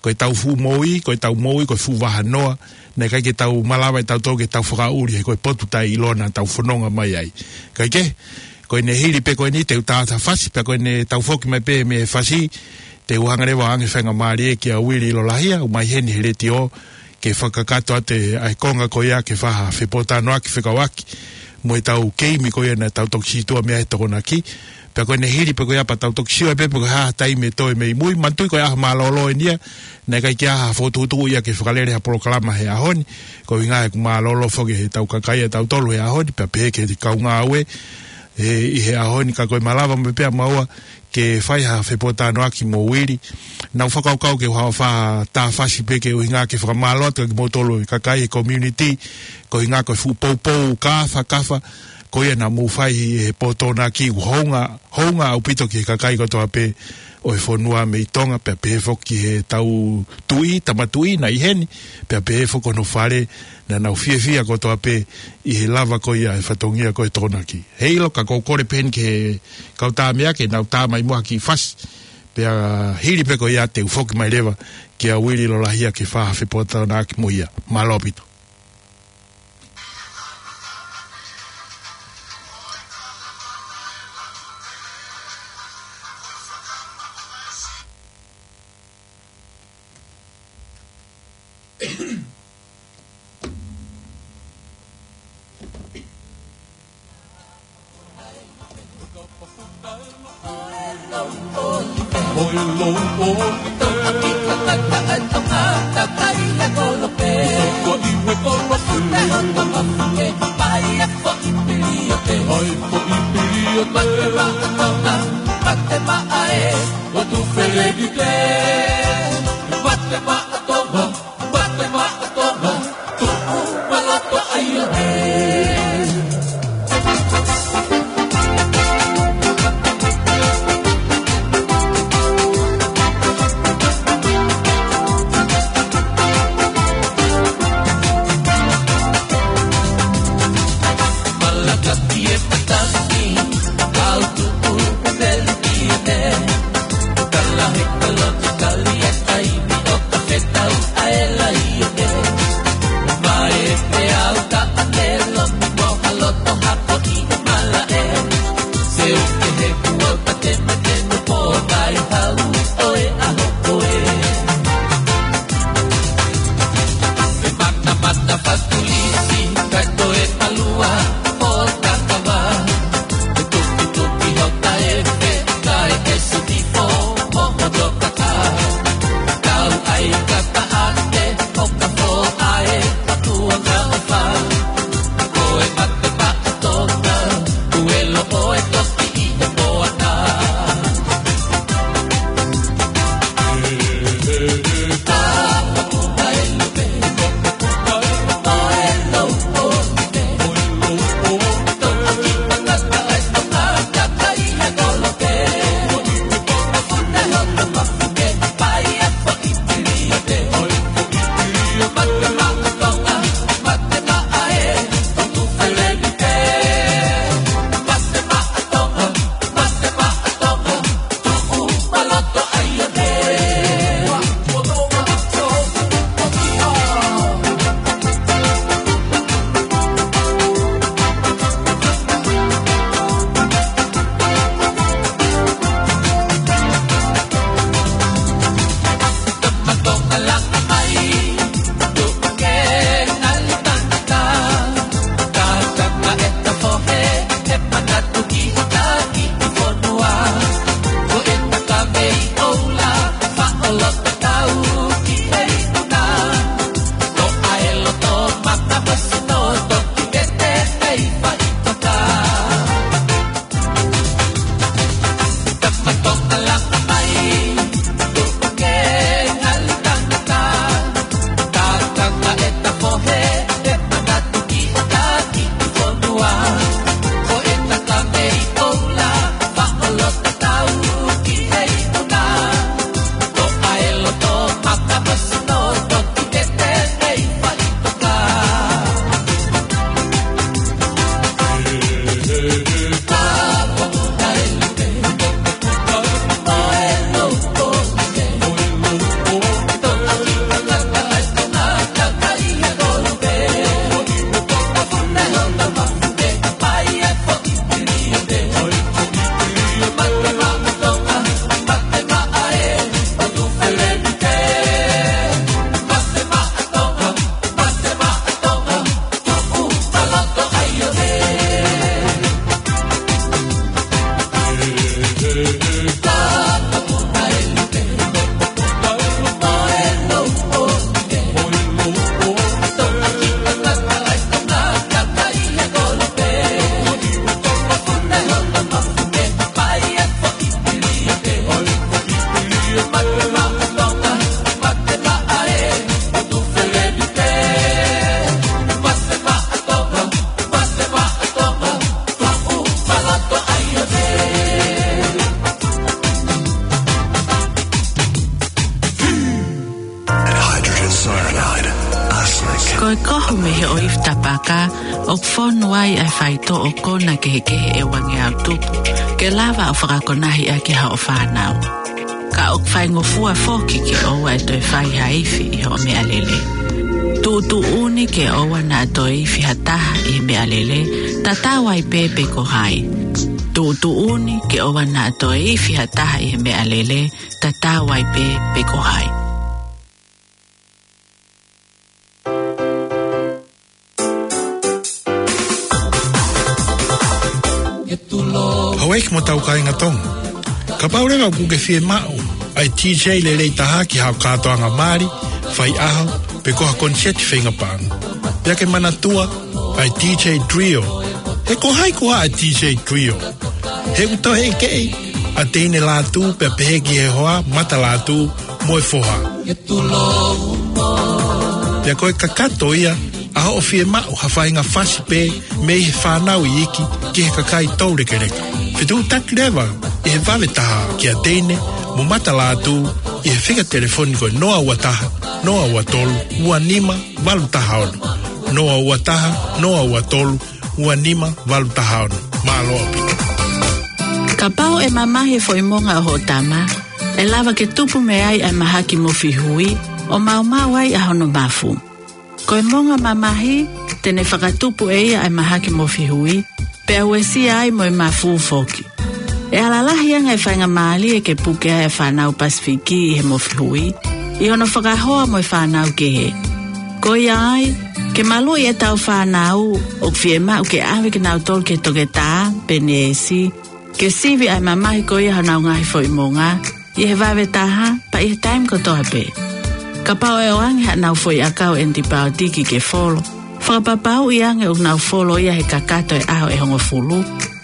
ko ʻetau fuʻu moʻui, ko ʻetau moʻui, ko e fuʻu vahanoa, naʻe ʻikai ke tau malava ʻe tautolu ke tau fakaʻuli he ko e potu taʻeʻiloa naʻa tau fononga mai ai. Kae kehe, ko ʻene hili pē ko eni te u tā atu ha fasi, pea ko ʻene tau foki mai pē mei he fasi, te u hanga leva ʻo ʻoange faingamālie kia Uili ʻIlolahia, ʻomai heni he letiō, ke fakakakato atu ʻa e konga ko ia ke fai ha fepōtalanoaʻaki fekauʻaki mo ʻetau keimi ko ia naʻa tau toki sītuʻa mei ai he Tokonaki. Pea ko ʻene hili pē ko ia pea tau toki sio ai pē pe ko e hā ha taimi ʻe toe mei mui. Manatuʻi ko e ʻaho mālōlō eni ia, naʻe ʻikai ke ʻi ai ha fokotuʻutuʻu ia ke fakalele ha polokalama he ʻaho ni, koeʻuhi he ʻoku mālōlō foki heʻetau kakai ʻa tautolu he ʻaho ni, pea pehē ki he kau ngāue ʻi he ʻaho ni, ka ko e malava mai pē ʻa maua ke fai ha fepōtalanoaʻaki mo Uili. Naʻa ku fakakaukau ke u haʻu ʻo fai ha fasi pē koeʻuhi ke fakamālō atu kia kimoutolu e kakai e community, koeʻuhi ko e fuʻu poupou kāfakafa ko ia naʻa mou fai he pō Tokonaki, ʻoku hounga, hounga ʻaupito ki he kakai kotoa pē ʻo e fonua mei Tonga, pea pehē foki ki heʻetau tuʻi, tama tuʻi naʻe ʻi heni, pea pehē foki ki hono fale naʻa nau fiefia kotoa pē ʻi he lava ko ia e fatongia ko e Tokonaki. Heiʻilo ka ʻoku ou kole pē heni ki he kau tāmea ke nau tā mai muʻa ha kiʻi fasi. Pea hili pē ko ia te u foki mai leva kia Uili ʻIlolahia ke fai ha fepōtalanoaʻaki mo ia. Mālō ʻaupito. ʻo e ifi tapaka, ʻoku fonu ai ʻa e faitoʻo kona kehekehe ʻe uangeau tupu, ke lava ʻo fakakonahi ʻaki haʻo fānau. Ka ʻoku faingofua foki ke ʻoua ʻe toe fai ha ifi ʻi hoʻo meʻalele. Tuʻutuʻuni ke ʻoua naʻa toe ifi ha taha ʻi he meʻalele, tatau ai pē pe ko hai. Tuʻutuʻuni ke ʻoua naʻa toe ifi ha taha ʻi he meʻalele, tatau ai pē pe ko hai. Houʻeiki mo hotau kāinga Tonga. Kapau leva ʻoku ke fiemaʻu ʻa e DJ lelei taha ki haʻo kātoanga mali, faiʻaho, pe ko ha koniseti feinga paʻanga, pea ke manatua ʻa e DJ Trio. He ko hai koā ʻa e DJ Trio? He ʻoku tauhi ʻe he ʻEiki ʻa e teine lātū pea pehē ki he hoa, mata lātū mo e foha. Pea ko e kakato ia ʻa hoʻo fiemaʻu ha faʻahinga fasi pē mei he fānau iiki ki he kakai toulekeleka. Fetuʻutaki leva ʻi he vave taha kia teine mo mata lātū ʻi he fika telefoni ko e noa ua taha, noa ua tolu, ua nima valu taha ono. Noa ua taha, noa ua tolu, ua nima valu taha ono. Mālō ʻaupito. Kapau ʻe mamahi e foʻi monga ʻo hoʻo tama, ʻe lava ke tupu mei ai ʻa e mahaki mofi hui, ʻo maumau ai ʻa hono mafu. Ko e monga mamahi, te ne fakatupu ʻe ia ʻa e mahaki mofi hui, pea uesia ai mo e mafu foki. ʻE ala lahi ange e faingamālie ke puke ai ʻa e fānau Pasifiki ʻi he mofi hui, ʻi hono fakahoa mo e fānau kehe. Ko ia ai, ke maluʻi ʻetau fānau, ʻoku fiemaʻu ke ʻave kinautolu ki he toketā, pe neesi, ke sivi ʻa e mamahi ko ia honau ngaahi foʻi monga, ʻi he vave taha, pea ʻi he taimi kotoa pē. Kapau ʻe ʻoange haʻanau foʻi ʻakau ʻenitipaotiki ke folo, fakapapauʻi ange ʻoku nau folo ia he kakato e ʻaho ʻe hongofulu,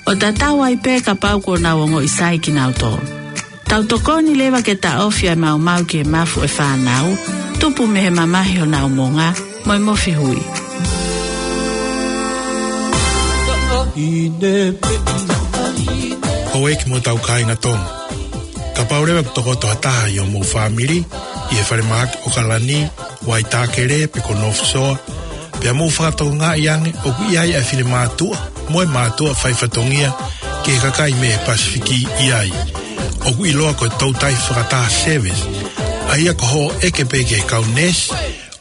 ʻo tatau ai pē kapau kuo nau ongoʻi sai kinautolu. Tau tokoni leva ke taʻofi ʻa e maumau ki he mafu ʻo e fānau, tupu mei he mamahi honau monga, mo e mofi hui. Houʻeiki mo hotau kāinga Tonga. Kapau leva ʻoku tokoto ha taha ʻi hoʻomou fāmili, ʻi he falemahaki ʻOkalani, Waitākele, pe ko North Shore, pea mou fakatokangaʻi ange ʻoku ʻi ai ʻa e finemātuʻa mo e mātuʻa faifatongia ki he kakai mei he Pasifiki ʻi ai. ʻOku ʻiloa ko e toutai fakataha service, ʻa ia ko hoʻo ʻeke pē ki he kau neesi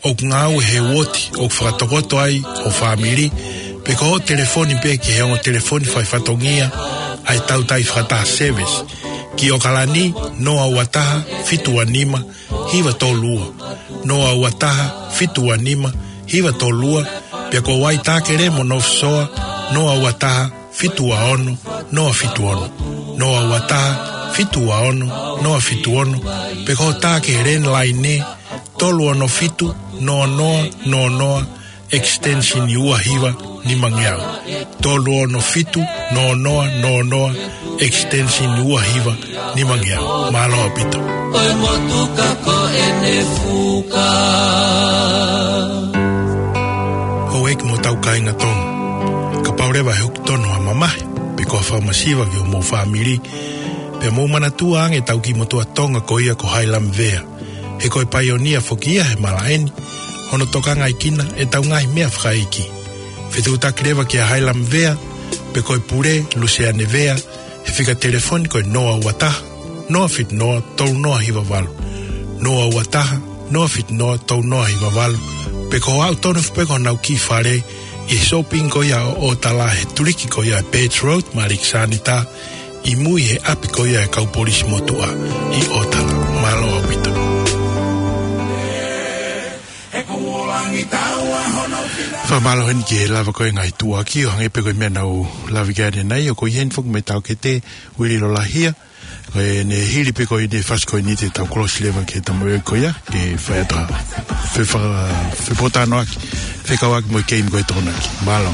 ʻoku ngāue he uooti ʻoku fakatokoto ai ho fāmili, pe ko hoʻo telefoni pē ki he ongo telefoni faifatongia ʻa e toutai fakataha service. Ki ʻOkalani, noa ua taha, fitu ua nima, hiva tolu ua. Noa ua taha, fitu ua nima, hiva tolu ua, pea ko Waitākele mo North Shore, noa ua taha, fitu ua ono, noa fitu ono. Noa ua taha, fitu ua ono, noa fitu ono, pe ko hoʻo tā ki he landline, tolu ono fitu, noa noa noa noa, extension ua hiva nima ngeau. Tolu ono fitu, noa noa noa noa, extension ua hiva nima ngeau. Mālō ʻaupito. Ko e motuka ko ʻene fuka. Houʻeiki mo hotau kāinga Tonga. Kapau leva ʻe hoko tonu ha mamahi, pe ko ha fakamasiva ki hoʻomou fāmili, pea mou manatua ange ʻetau kiʻi motuʻa Tonga ko ia ko Hailam Vea. He ko e paionia foki ia he malaʻe ni, hono tokangaʻi kinautolu ʻe heʻetau ngaahi meʻa fakaʻeiki. Fetuʻutaki leva kia Hailam Vea, pe ko e pule, Luseane Vea, he fika telefoni ko e noa ua taha, noa fitu noa, tolu noa hiva valu. Noa ua taha, noa fitu noa, tolu noa hiva valu. Pe ko e aʻu tonu foki pē ki honau kiʻi fale, ʻi he shopping ko ia ʻo ʻOtala he tuliki ko ia ʻa e Birch Road, Malikisānita, ʻi mui he ʻapi ko ia ʻa e kau polisi motuʻa ʻi ʻOtala. Mālō ʻaupito. Fakamālō heni ki he lava ko ē ngaahi tuʻuaki ʻo hangē pē ko e meʻa naʻa ku lave ki ai ʻanenai, ʻoku ʻi heni foki mo e taukete, Uili Lolahia, ko ʻene hili pē ko ʻene fasi ko eni te tau kolosi leva ki he tamaioʻeiki ko ia, ke fai atu ha fefa-, fepōtalanoaʻaki, fekauʻaki mo e keimi ko e Tokonaki. Mālō.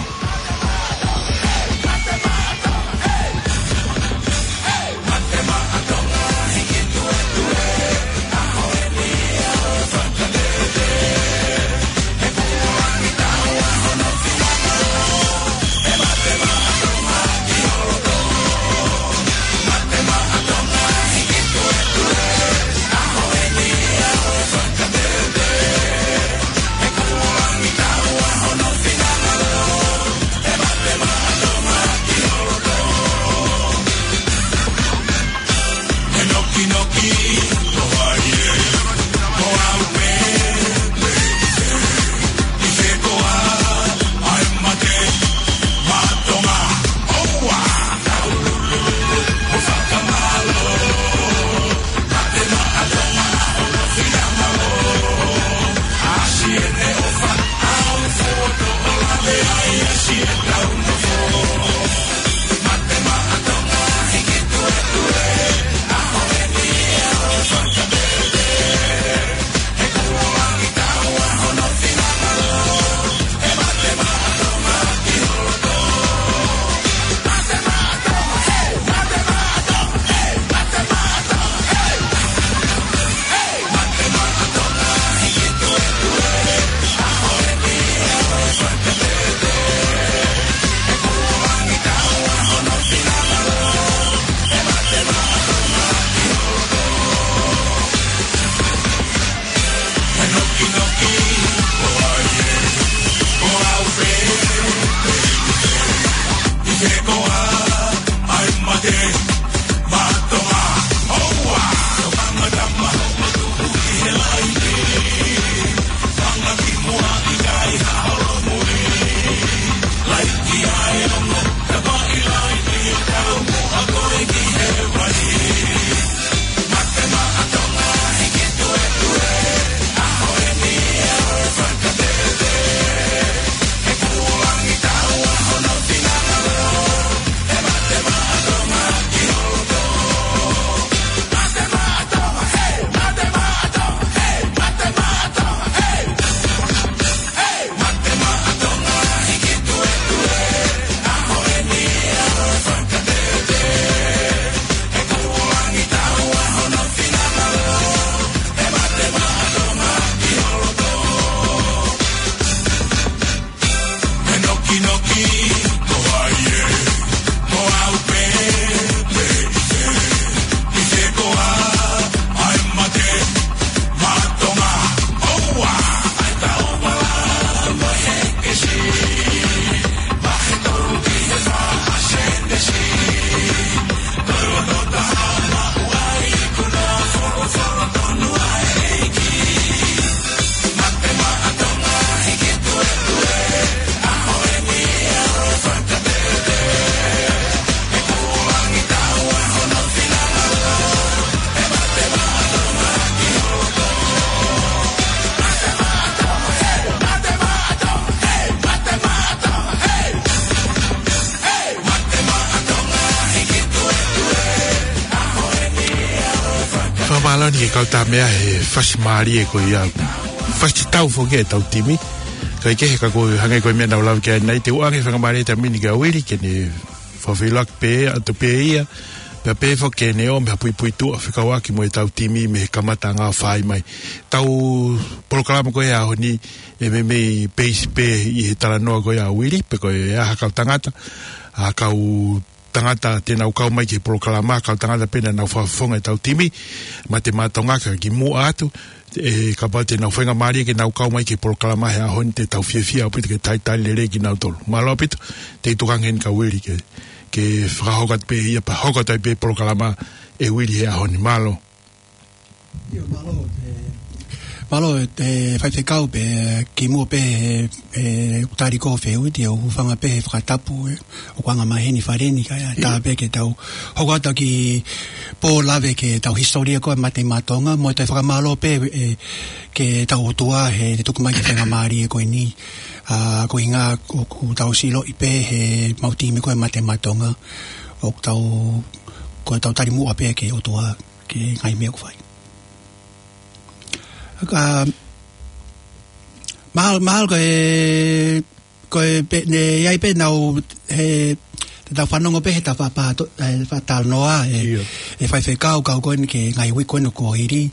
Fakamālō eni ki he kau tāmea he fasi mālie ko ia. Fasi tau foki e tau timi. Ka ʻi he ka ko e hangē ko e meʻa naʻa ku lave ki ai ʻanenai, te u ʻoange fakamālō atu mini kia Uili ke ne fakafeʻiloaki pē atu pē ia. Pea pehē foki ke ne ʻomai ha puipuituʻa fekauʻaki mo e tau timi mei he kamataʻanga ʻo fai mai. Tau polokalama ko ia he ʻaho ni ʻe meimei peisi pē ʻi he talanoa ko ia ʻa Uili, pe ko e hā ha kau tangata, ha kau tangata te nau kau mai ki he polokalama, kau tangata pē naʻa nau fakafofonga e tau timi, Mate Maʻa Tonga ka kimuʻa atu, ʻe kapau te nau faingamālie ke nau kau mai ki he polokalama he ʻaho ni te tau fiefia ʻaupito ke talitali lelei kinautolu. Mālō ʻaupito, te u tokanga heni kia Uili ke, ke fakahoko atu pē ia pea hoko atu ai pē polokalama ʻe Uili he ʻaho ni. Mālō. ʻIo, mālō, ʻe, mālō, ʻe, faifekau pē, kimuʻa pē, ʻe, ʻe, tali ko fehuʻi, te u hūfanga pē he fakatapu, ʻe, ʻoku anga maheni fale ni, ka ʻe, tā pē ke tau hoko atu ki he pō lave ki he tau hisitōlia ko e Mate Maʻa Tonga, mo e toe fakamālō pē, ʻe, ki he tau ʻOtua, he te tuku mai ki he faingamālie ko eni, ʻa, ko e ʻuhinga ʻoku tau ʻilo pē he mau timi ko e Mate Maʻa Tonga, ʻoku tau, ko e tau tali muʻa pē ki he ʻOtua, ki he ngaahi meʻa ʻoku fai. Ka, mahalo, mahalo ko e, ko e pē, ne, ʻi ai pē nau, he, te tau fanongo pē he ta fa-, fa-, to-, ʻe, fatalanoa, ʻe, ʻIo. ʻe faifekau, kau ko eni ki he ngaahi uike ko eni kuo hili.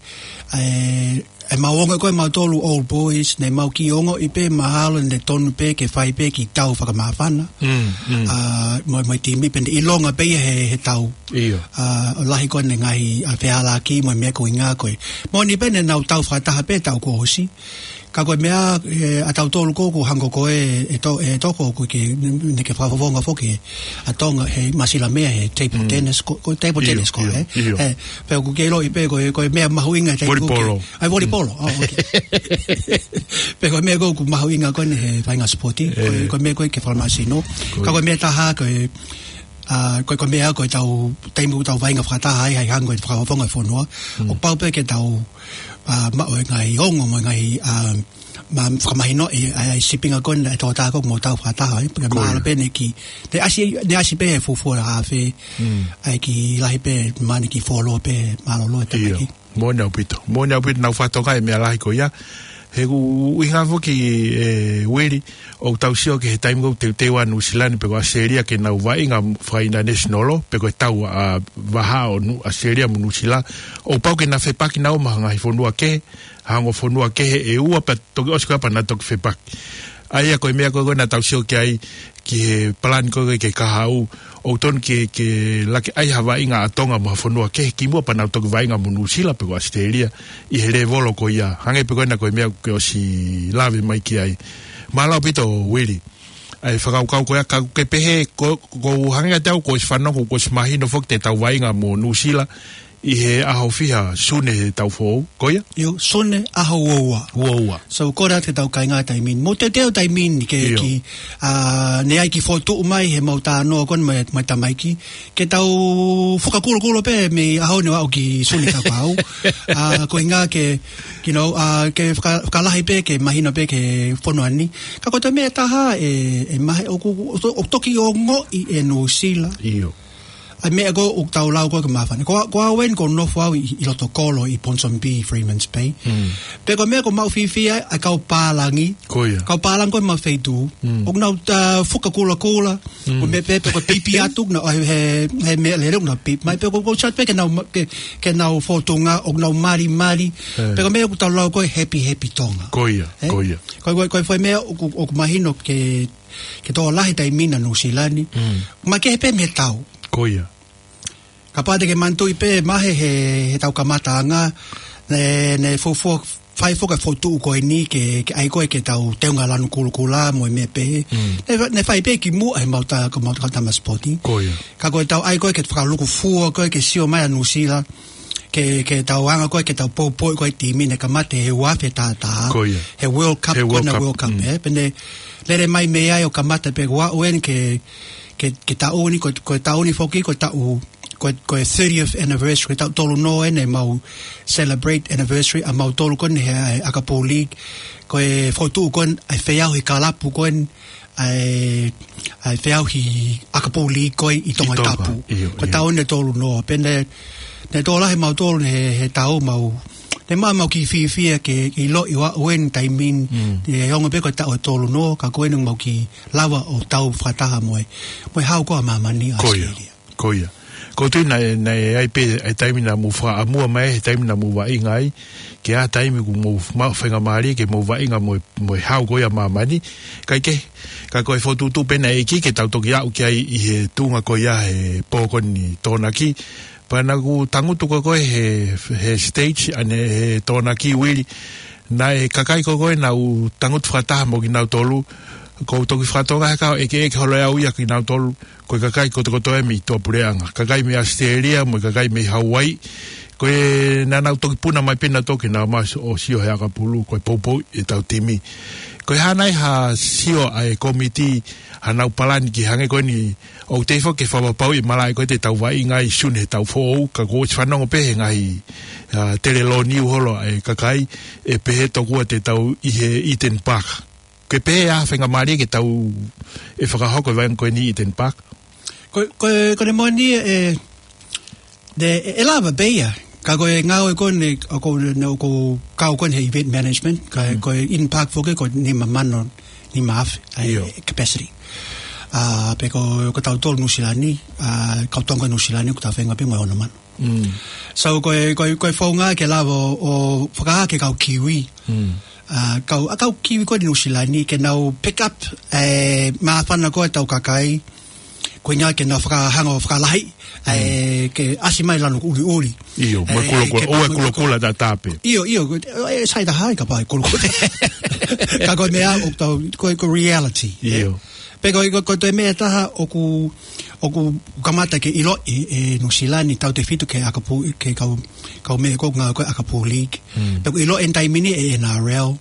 ʻE, ʻe mau ongo ko e mau tolu old boys, ne mau kiʻi ongoʻi pē mahalo ne tonu pē ke fai pē kiʻi tau fakamāfana. Mm, mm. ʻA, mo, mo e timi pē ne ʻilonga pē ia he, he tau. ʻIo. ʻA, ʻo lahi ko eni ngaahi, ʻa, fehālaaki mo e meʻa ko e ʻuhinga ko e. Moʻoni pē ne nau tau fakataha pē tau kuo ʻosi. Ka ko e meʻa, ʻe, ʻa tautolu ko ē ʻoku hangē ko ē, ʻe to-, ʻe toko ʻoku ke, ne, ne ke fakafofonga foki, ʻa Tonga, he Masilamea, he table Mm. tennis, ko, ko table ʻIo, tennis ko, ʻio, ʻe? ʻIo. ʻE, pea ʻoku ke ʻiloʻi pē ko e, ko e meʻa mahuʻinga he taimi ko ē ke Volipolo. ʻAi, volipolo. Mm. Oh, okay. Pea ko e meʻa ko ē ʻoku mahuʻinga ko eni he faʻahinga sipoti, ko e, ʻE. ko e meʻa ko ē ke fakamāsino. Ko e. Ka ko e meʻa ʻe taha ko e, ʻA, ko e, ko e meʻa ko ʻetau, taimi ʻoku tau vaʻinga fakataha ai, ʻa e hangē ko e fakafofonga e fonua. Mm. ʻOku pau pē ke tau, ʻa, maʻu e ngaahi ongo mo e ngaahi, ʻa, ma-, fakamahinoʻi ʻa e, ʻa e sīpinga ko eni ʻa e tokotaha ko ē ʻoku tau fakataha ai. Pea Ko ia. mahalo pē ʻene kiʻi, ʻene ʻasi, ʻene ʻasi pē he fuofua ʻa e afe, Mm. ʻa e kiʻi lahi pē, mahalo kiʻi fuoloa pē, mālōlō e Ia. tapaʻaki. Moʻoni ʻaupito. Moʻoni ʻaupito ʻenau fakatokangaʻi e meʻa lahi ko ia. He ʻoku ʻuhinga foki ē Uili, ʻoku tau sio ki he taimi ko ē ʻoku teuteu ai ʻa Nuʻusila ni pe ko ʻAositelēlia ke nau vaʻinga fakainitanasinolo, pe ko e tau ʻa vahaʻa ʻo Nu-, ʻAositelēlia mo Nuʻusila. ʻOku pau ke na fepaki naua mo ha ngaahi fonua kehe, ha ongo fonua kehe ʻe ua pea toki ʻosi ko ia pea na toki fepaki. ʻA ia ko e meʻa ko ē ko ē naʻa tau sio ki ai, ki he palani ko ē ke kahaʻu, ʻoku tonu ke, ke laki ʻai ha vaʻinga ʻa Tonga mo ha fonua kehe kimuʻa pea nau toki vaʻinga mo Nuʻusila pe ko ʻAositelēlia ʻi he lēvolo ko ia. Hangē pē ko ena ko e meʻa ʻoku ke ʻosi lave mai ki ai. Mālō ʻaupito Uili. ʻA e fakakaukau ko ia ka ke pehē, ko, ko hangē kiate au kuo ʻosi fanongo, kuo ʻosi mahino foki te tau vaʻinga mo Nuʻusila ʻi he ʻaho fiha Sune he taʻu foʻou, ko ia? ʻIo, Sune ʻaho uaua. Uaua. So, ko ena te tau kāinga taimi ni. Mou teuteu taimi ni ke ʻIo. ki, ʻa, ne ʻai ke fokotuʻu mai he mau talanoa ko eni mo e, mo e tamaiki. Ke tau fakakulokula pē mei he ʻaho ni ʻo aʻu ki Sune ka pau. ʻA, ko e ʻuhinga ke, you know, ʻa, ke faka-, fakalahi pē, ke mahino pē ki he fonua ni. Ka ko e toe meʻa ʻe taha ē, ē Mahe, ʻoku, ʻoku, ʻoku toki ongoʻi ʻe Nuʻusila. ʻIo. ʻA e meʻa ko ē ʻoku tau lau ko ē ke māfana. Ko, ko au eni ʻoku ou nofo au ʻi, ʻi loto kolo ʻi Ponsonby, Freeman's Bay. Mm. Pea ko e meʻa ʻoku ou maʻu fiefia ai, ʻa e kau pālangi. Ko ia. Kau pālangi ko ē ʻemau feituʻu. Mm. ʻOku nau, ʻa, fakakulokula. Mm. Ko e meʻa pē, pe ko e pipi atu, nau, he, he, he meʻalele, ʻoku nau pipi mai, pe ko, ko e chat pē ke nau ma-, ke, ke nau fotunga, ʻoku nau malimali. Eh. Pea ko e meʻa ʻoku tau lau ko ē happy, happy Tonga. Ko ia, Eh? ko ia. Ko, ko, ko e foʻi meʻa ʻoku, ʻoku mahino ke, ke tokolahi taimi ni ʻa Nuʻusila ni. Mm. Makehe pē mei he tau. Ko ia. Kapau te ke manatuʻi pē Mahe he, he tau kamataʻanga, ne, ne fuofua fai foki e fokotuʻu ko eni ke, ke ʻai ko ē ke tau teunga lanu kulokula mo e meʻa pehē. Mm. Ne, ne fai pē kimuʻa he mau ta-, ko e mau ta-, tama sipoti. Ko ia. Ka ko e tau ʻai ko ē ke fakalūkufua ko ē ke sio mai ʻa Nuʻusila, ke, ke tau hanga ko ē ke tau poupou ko ē timi ne kamata he ua afe taha taha. Ko ia. He World Cup, He World ko ena Cup, World Cup, mm. eh? Pea ne lele mai mei ai ʻo kamata pē ko ʻeni ke, ke, ke taʻu ni, ko, ko e taʻu ni foki, ko e taʻu, ko, ko e thirtieth anniversary, ko e taʻu tolu noa eni ʻemau celebrate anniversary ʻa mautolu ko eni he, he ʻAkapū League. Ko e fokotuʻu ko eni ʻa e feʻauhi kalapu ko eni, ʻa e, ʻa e feʻauhi ʻAkapū League ko ē ʻi Tonga ʻI Tonga, Tapu. ʻIo, Ko e ʻio. taʻu eni ʻe tolu noa. Pea ne, ne tokolahi mautolu he, he taʻu mau. Ne mau, mau kiʻi fiefia ke, ke ʻiloʻi ʻa ʻeni taimi ni. Mm. ʻE ongo pē ko e taʻu ʻe tolu noa, ka ko eni mau kiʻi lava ʻo tau fakataha mo e, mo e Hau ko ē ʻa Māmani ʻa ʻAositelēlia. Ko ia. Ko ia. ʻOku ou tui naʻe, naʻe ʻi ai pē e taimi naʻa mou fakaʻamua mai, he taimi naʻa mou vaʻinga ai, ke ʻi ai ha taimi ʻoku mou maʻu faingamālie ke mou vaʻinga mo e, mo e Hau ko ia ʻa Māmani. Kae kehe, ka ko e fokotuʻutuʻu pē ʻa e ʻEiki ke tau toki aʻu ki ai ʻi he tuʻunga ko ia he pō ko eni Tokonaki. Pea naʻa ku tangutu ko ē he, he stage ʻanenai he Tokonaki Uili. Naʻe kakai ko ē naʻa ku tangutu fakataha mo kinautolu, ʻoku ou toki fakatokangaʻi he ʻikai ke ʻeke holo ʻe au ia kinautolu, ko e kakai kotokotoa ia mei tuʻapuleʻanga. Kakai mei ʻAositelēlia, mo e kakai mei Hauaiʻi. Ko e naʻa nau toki puna mai pē nautolu ke nau ō mai ʻo sio he ʻakapulu, ko e poupou ʻetau timi. Ko e hā nai ha sio ʻa e kōmiti, haʻanau palani ki he hangē ko eni, ʻoku tefito ke fakapapauʻi e malaʻe ko ē te tau vaʻinga ai ʻi Sune he taʻu foʻou, ka kuo ʻosi fanongo pē he ngaahi, ʻa, telelōniu holo ʻa e kakai, ʻe pehē tokua te tau ʻi he Eden Park. Ke pehē ʻa e faingamālie ke tau ʻe fakahoko e vaʻinga ko eni ʻi Eden Park. Ko, ko, ko ʻene moʻoni ē, ne, ʻe, ʻe lava pē ia. Ka ko e ngāue ko eni, ʻoku, ne, ʻoku kau ko eni he event management, ka Mm. ko e Eden Park foki ko e nima mano, nima afe, ʻa e ʻIo. capacity. ʻA, pea ko, ko tautolu Nuʻusila ni, ʻa, kau Tonga Nuʻusila ni, ko ʻetau feinga pē mo e ono mano. Mm. So, ko e, ko e, ko e founga ke lava ʻo, ʻo fakahā ki he kau Kiwi. Mm. ʻA, kau, ʻa e kau Kiwi ko eni Nuʻusila ni, ke nau pick up, ʻe, māfana ko ē ʻetau kakai, ko e ʻuhinga ke nau fakahanga ʻo fakalahi, ʻe, Mm. ke ʻasi mai lanu ʻuliʻuli. ʻIo, mo e ʻE, kulokula, ke ʻo e mo e kulokula taʻatape. ʻIo, ʻio, ʻe, ʻe, sai taha ai kapau ʻe kulokula. Ka ko e meʻa ʻoku tau, ko e, ko e reality. ʻIo. Pea ko, ko, ko e toe meʻa ʻe taha ʻoku, ʻoku kamata ke ʻiloʻi ʻe Nuʻusila ni tautefito ki he ʻakapū, ki he kau, kau meʻa ko ē ngāue ko ē ʻakapū league. Mm. Pea ʻoku ʻiloʻi ʻeni taimi ni ʻe N R L.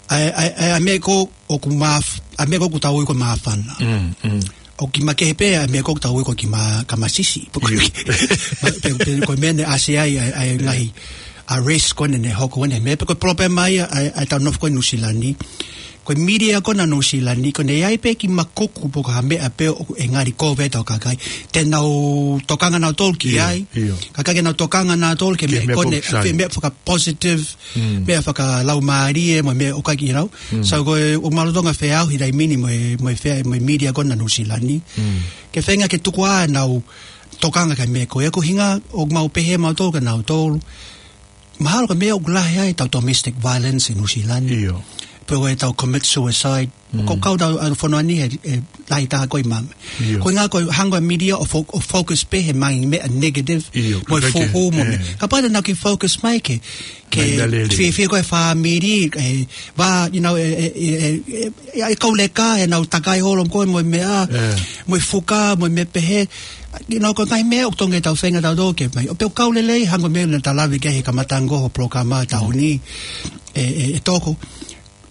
ʻA e, ʻa e, ʻa e, ʻa e meʻa ko ē ʻoku māf-, ʻa e meʻa ko ē ʻoku tau ui ko e māfana. Mm, mm. ʻoku kiʻi makehe pē ʻa e meʻa ko ē ʻoku tau ui ko e kiʻi ma-, kamasisi. Pe ko e, pe, pe ko e meʻa naʻe ʻasi ai ʻa e, ʻa e ngaahi, ʻa e race ko eni naʻe hoko ko eni. Meʻa pe ko e palopalema ia ʻa e, ʻa e tau nofo ko ē Nuʻusila ni. Ko e media ko ena Nuʻusila ni, ko ʻene ʻi ai pē kiʻi makuku pe ko ha meʻa pē ʻoku ngali kovi ai ʻetau kakai, te nau tokanga nautolu ki ai. Ka ʻikai ke nau tokanga nautolu ki he meʻa ko eni, meʻa faka-positive, meʻa fakalaumālie, mo e meʻa ʻoku ʻikai ke nau. So ko e, ʻoku mālō Tonga feʻauhi taimi ni mo e, mo e fea-, mo e media ko ena Nuʻusila ni. Ke feinga ke tuku ā ʻenau tokanga ki he meʻa ko ē, ko e ʻuhinga ʻoku mau pehē mautolu kia nautolu. Mahalo ko e meʻa ʻoku lahi ai ʻetau domestic violence ʻi Nuʻusila ni. Pe ko ʻetau commit suicide. Ko e kau tau ʻa e fonua ni he, he lahi taha ko ē ʻi māmani. Ko e ʻuhinga ko e hanga ʻe he media ʻo fo-, ʻo focus pē he ngaahi meʻa negative. Mo e fuhu mo e meʻa. Kapau te nau kiʻi focus mai ki he, ki he fiefia ko ē ʻa e fāmili, ʻe, vā, you know, ʻe, ʻe, ʻe, ʻe, ʻe, ʻe kau leka, ʻenau takai holo ko ē mo e meʻa, mo e fuka, mo e meʻa pehē. You know, ko e ngaahi meʻa ʻoku totonu ke tau feinga tautolu ke mai. ʻO pea ʻoku kau lelei, hangē ko e meʻa naʻa ta lave ki ai he kamataʻanga ko ē ʻo e polokalama ʻo e taʻu ni. ʻE, ʻe, ʻe Toko.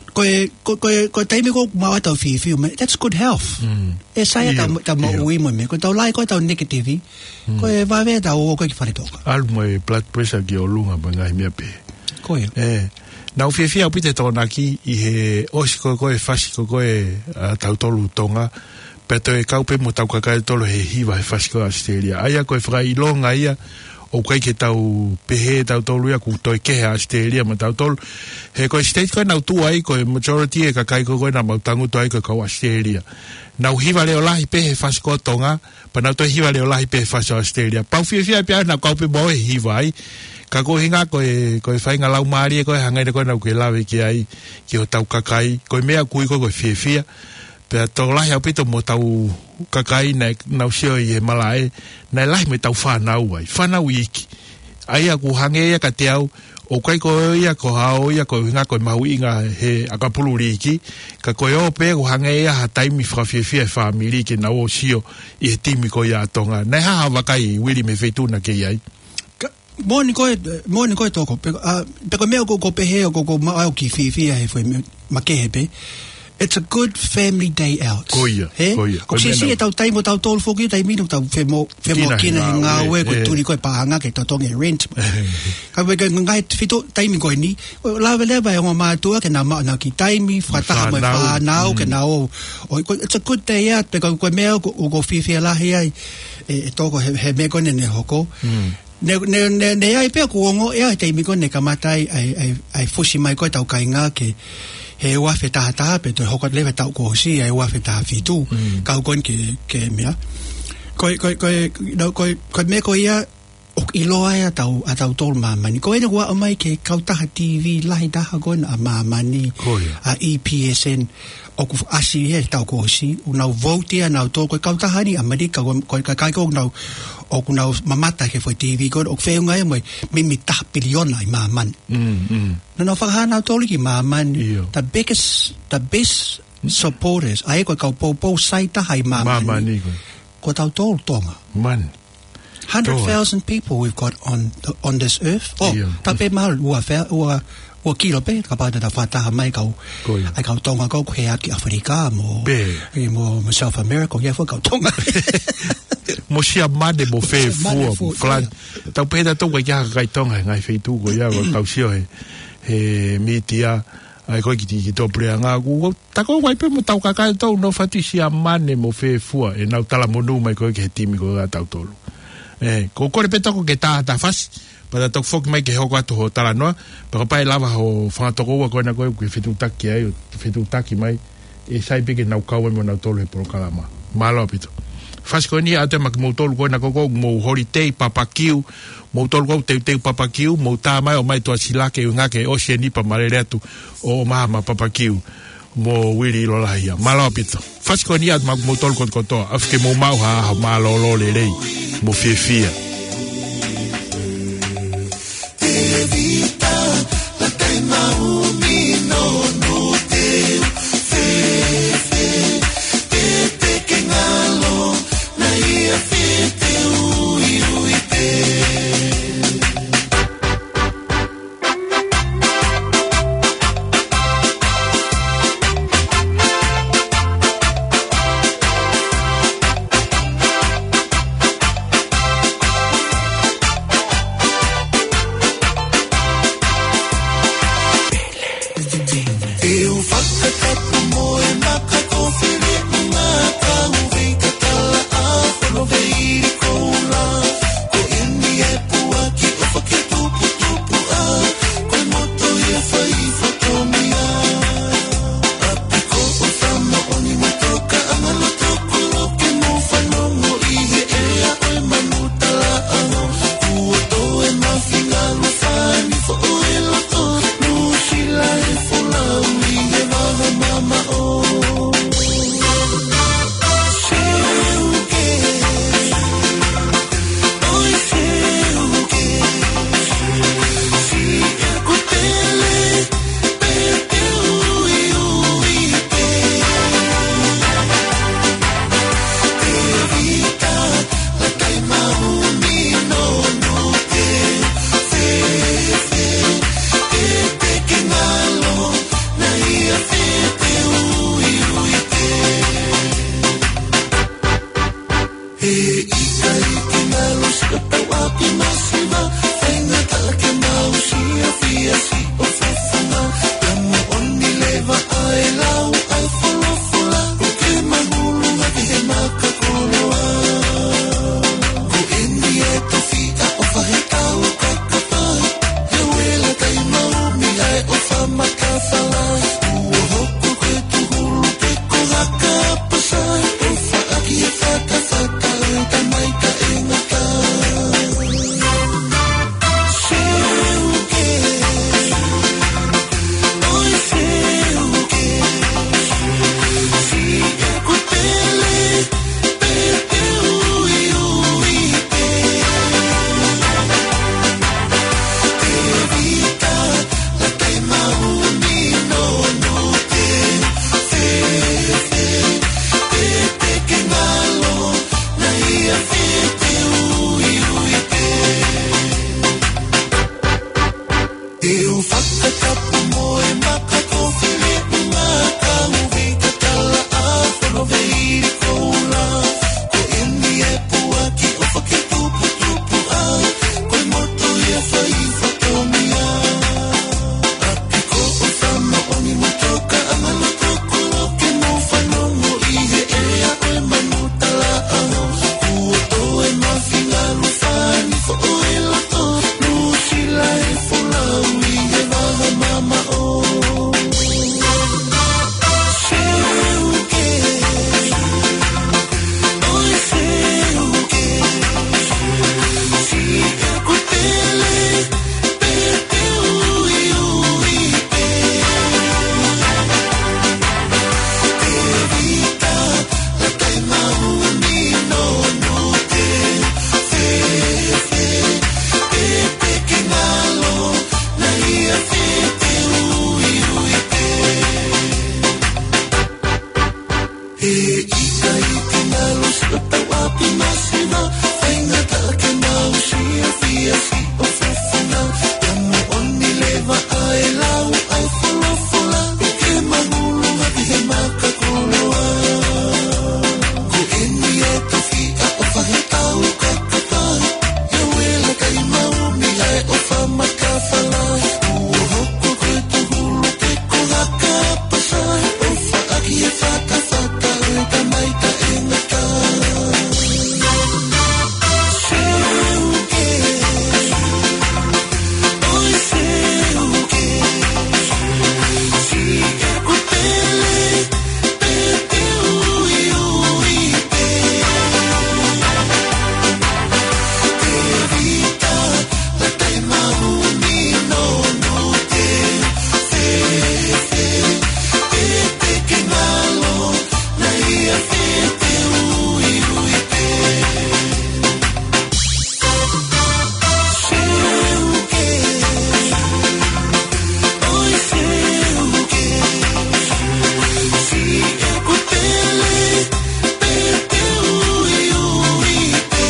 Ko e, ko, ko e, ko e taimi ko ē ʻoku maʻu ai ʻetau fiefia, man, that's good health. ʻE sai ʻetau, ʻetau moʻui mo e meʻa. Ko ʻetau lahi ko ē ʻetau negative. Ko e vave ʻetau ō ko ē ki fale Tonga. ʻAlu mo e blood pressure ki ʻolunga mo e ngaahi meʻa pehē. Ko ia. ʻE, naʻá ku fiefia ʻaupito he Tokonaki ʻi he ʻosi ko ē ko e fasi ko ē ko ē ʻa tautolu Tonga. Pea toe kau pē mo hotau kakai ʻe tolu he hiva he fasi ko ē ʻa ʻAositelēlia. ʻA ia ko e fakaʻilonga ia, ʻoku ʻikai ke tau pehē tautolu ia kuo toe kehe ʻa ʻAositelēlia mo tautolu. He ko e state ko ē naʻá ku tuʻu ai, ko e majority e kakai ko ē ko ē naʻa mau tangutu ai ko e kau ʻAositelēlia. Nau hiva leʻo lahi pē he fasi ko ē ʻo Tonga, pea nau toe hiva leʻo lahi pē he fasi ʻo ʻAositelēlia. Pea u fiefia pē au naʻá ku kau pē mo au he hiva ai. Ka ko e ʻuhinga ko e, ko e faʻahinga laumālie ko ē hangē ko ē naʻá ku lave ki ai, ki hotau kakai. Ko e meʻa ʻoku ui ko ē ko e fiefia. Pea tokolahi ʻaupito mo hotau kakai naʻa nau sio ʻi he malaʻe, naʻe lahi mo ʻetau fānau ai, fānau iiki. ʻA ia ʻoku hangē ia kiate au, ʻoku ʻikai ko ia ko haʻo ia ko e ʻuhinga ko e mahuʻinga he ʻakapulu liiki, ka ko e ō pē ʻoku hangē ia ha taimi fakafiefia e fāmili ke nau ō ʻo sio ʻi he timi ko ia ʻa Tonga. Naʻe hā haʻo vakai Uili mei he feituʻu naʻá ke ʻi ai? Ka, moʻoni ko ē, moʻoni ko ē Toko, pe, ʻa, pe ko e meʻa ʻoku, ʻoku pehē ʻoku, ʻoku maʻu ai ʻeku kiʻi fiefia he foʻi meʻa makehe pē. It's a good family day out. Ko ia, ko ia. Ko e meʻa siʻisiʻi ʻetau taimi ʻo tautolu foki, taimi ni ʻoku tau femo-, femoʻuekina he ngāue, ko e tuli ko ē paʻanga ke totongi e rent. Ka ko e ngaahi feituʻu taimi ko eni, ʻo lava leva e ongo mātuʻa ke nau maʻu ʻenau kiʻi taimi, fakataha mo e fānau, ke nau ō. ʻO, ko, it's a good day out, pe ko, ko e meʻa ʻoku, ʻoku ou fiefia lahi ai, ʻe, ʻe Toko he, he meʻa ko eni naʻe hoko. Ne, ne, ne, ne ʻi ai pē ʻeku ongoʻi he taimi ko ē naʻe kamata ai, ʻa e, ʻa e, ʻa e fusi mai ko ē ʻetau kāinga ki he ua afe taha taha pea toe hoko atu leva he taʻu kuo ʻosi, ʻa e ua afe taha fitu. Kau ko eni ke, ke meʻa. Ko e, ko e, ko e, no, ko e, ko e meʻa ko ia ʻoku ʻiloa ai ʻa tau, ʻa tautolu ʻi māmani. Ko eni kuo aʻu mai ki he kautaha T V lahi taha ko ena ʻa māmani, ʻa E P S N. ʻOku ʻasi he taʻu kuo ʻosi, ʻoku nau vote ia nautolu, ko e kautaha ni ʻa ʻAmelika, ko, ko e kakai ko ē ʻoku nau, ʻoku nau mamata ki he foʻi T V ko ē, ʻoku feʻunga ia mo e mimi taha piliona ʻi māmani. Naʻa nau fakahā nautolu ki māmani, the biggest, the best supporters, ʻa ia ko e kau poupou sai taha ʻi māmani. Māmani ko ē. Ko tautolu Tonga. Hundred thousand people we've got on the, on this earth. ʻIo. Tape mahalo ua fea, ua, ua kilo pē, kapau te ta fakataha mai kau, ʻa e kau Tonga ko ē ʻoku ʻi he ʻAfilika mo, ʻi mo, mo South America, ʻoku ʻi ai foki e kau Tonga. Mo Siamane, mo Fefua, mo Falani. Tau pehē tautolu ʻoku ʻikai ke ʻi ai ha kakai Tonga he ngaahi feituʻu ko ia, ʻoku tau sio he, he mītia, ʻa ia ko ē ki, ki tuʻapuleʻanga, ʻoku, ʻoku, ta ko ē ʻi ai pē mo hotau kakai ʻoku nofo atu ʻi Siamane mo Fefua, ʻenau talamonū mai ko ē ki he timi ko ē ʻa tautolu. ʻE, ko e kole pē Toko ke tā atu ha fasi, pea ta toki foki mai ke hoko atu hoʻo talanoa, pea kapau ʻe lava hoʻo fanga tokoua ko ena ko ē ʻoku ke fetuʻutaki ai, ʻo fetuʻutaki mai, ʻe sai pē ke nau kau ai mo nautolu he polokalama. Mālō ʻaupito. Fasi ko eni ʻoatu maʻa kimoutolu ko ena ko ē ʻoku mou holiday, papakiu, moutolu ʻoku teuteu papakiu, mou tā mai ʻo ʻomai tuʻasila ke ʻuhinga ke ʻosi eni pea ma lele atu ʻo ʻomai ha papakiu mo Uili ʻIlolahia. Mālō ʻaupito. Fasi ko eni ʻoatu maʻa kimoutolu kotokotoa. ʻAfio ke mou maʻu ha ʻaho mālōlō lelei mo fiefia. ʻIkai ke ngalo siʻotau ʻapi masiva, faingataʻa ke mau siʻi afiafi ʻo fafanga. Ka moʻoni leva ʻa e lau ʻa e folofola, ʻoku ke mahulu hake he maka koloa. Ko eni e tofiʻa ʻo fahetau kakapai, ʻio e lakai maumi ʻa e ʻofa makafala. Kuo hoko ko e tuhulu pe ko haka pasa, ʻofa ʻaki e fatafata ʻo e tamai taʻengata. Seuke, ʻoi seuke, siʻeku pele, pete uiuite. Tēvita, lakai maumi nonote. Fēfē, pete ke ngalo, naʻa ia fete uiuite. Te u fakatapu mo e maka kofi leʻu ngata mo vei tatala ʻa hono veili koula. Ko eni e puaki ʻofa ke tuputupu ai, ko e moto ia fai fatongia. ʻApiko ʻofa moʻoni mo tokaʻanga loto koloke mo fanongo ʻi he ʻea ʻo e manu talaʻaho. Kuo toe mafi ngalu fani foʻo e loto, Nuʻusila e folau ʻi he vaha mamaʻo. Seuke, ʻoi seuke, siʻeku pele, pete uiuite. Tēvita, lakai maumi nonote. Fēfē, pete ke ngalo, naʻa ia fete uiuite. He ʻikai ke ngalo siʻotau ʻapi masiva, faingataʻa ke mau siʻi afiafi ʻo fafanga. Ka moʻoni leva ʻa e lau ʻa e folofola, ʻoku ke mahulu hake he maka koloa. Ko eni e tofiʻa ʻo fahetau kakapai, ʻio e lakai maumi ʻa e ʻofa makafala. Kuo hoko ko e tuhulu pe ko haka pasa, ʻofa ʻaki e fatafata ʻo e tamai taʻengata. Seuke, ʻoi seuke, siʻeku pele, pete uiuite. Tēvita, lakai maumi nonote. Fēfē, pete ke ngalo, naʻa ia fete uiuite. Seuke, ʻoi seuke, siʻeku pele, pete uiuite.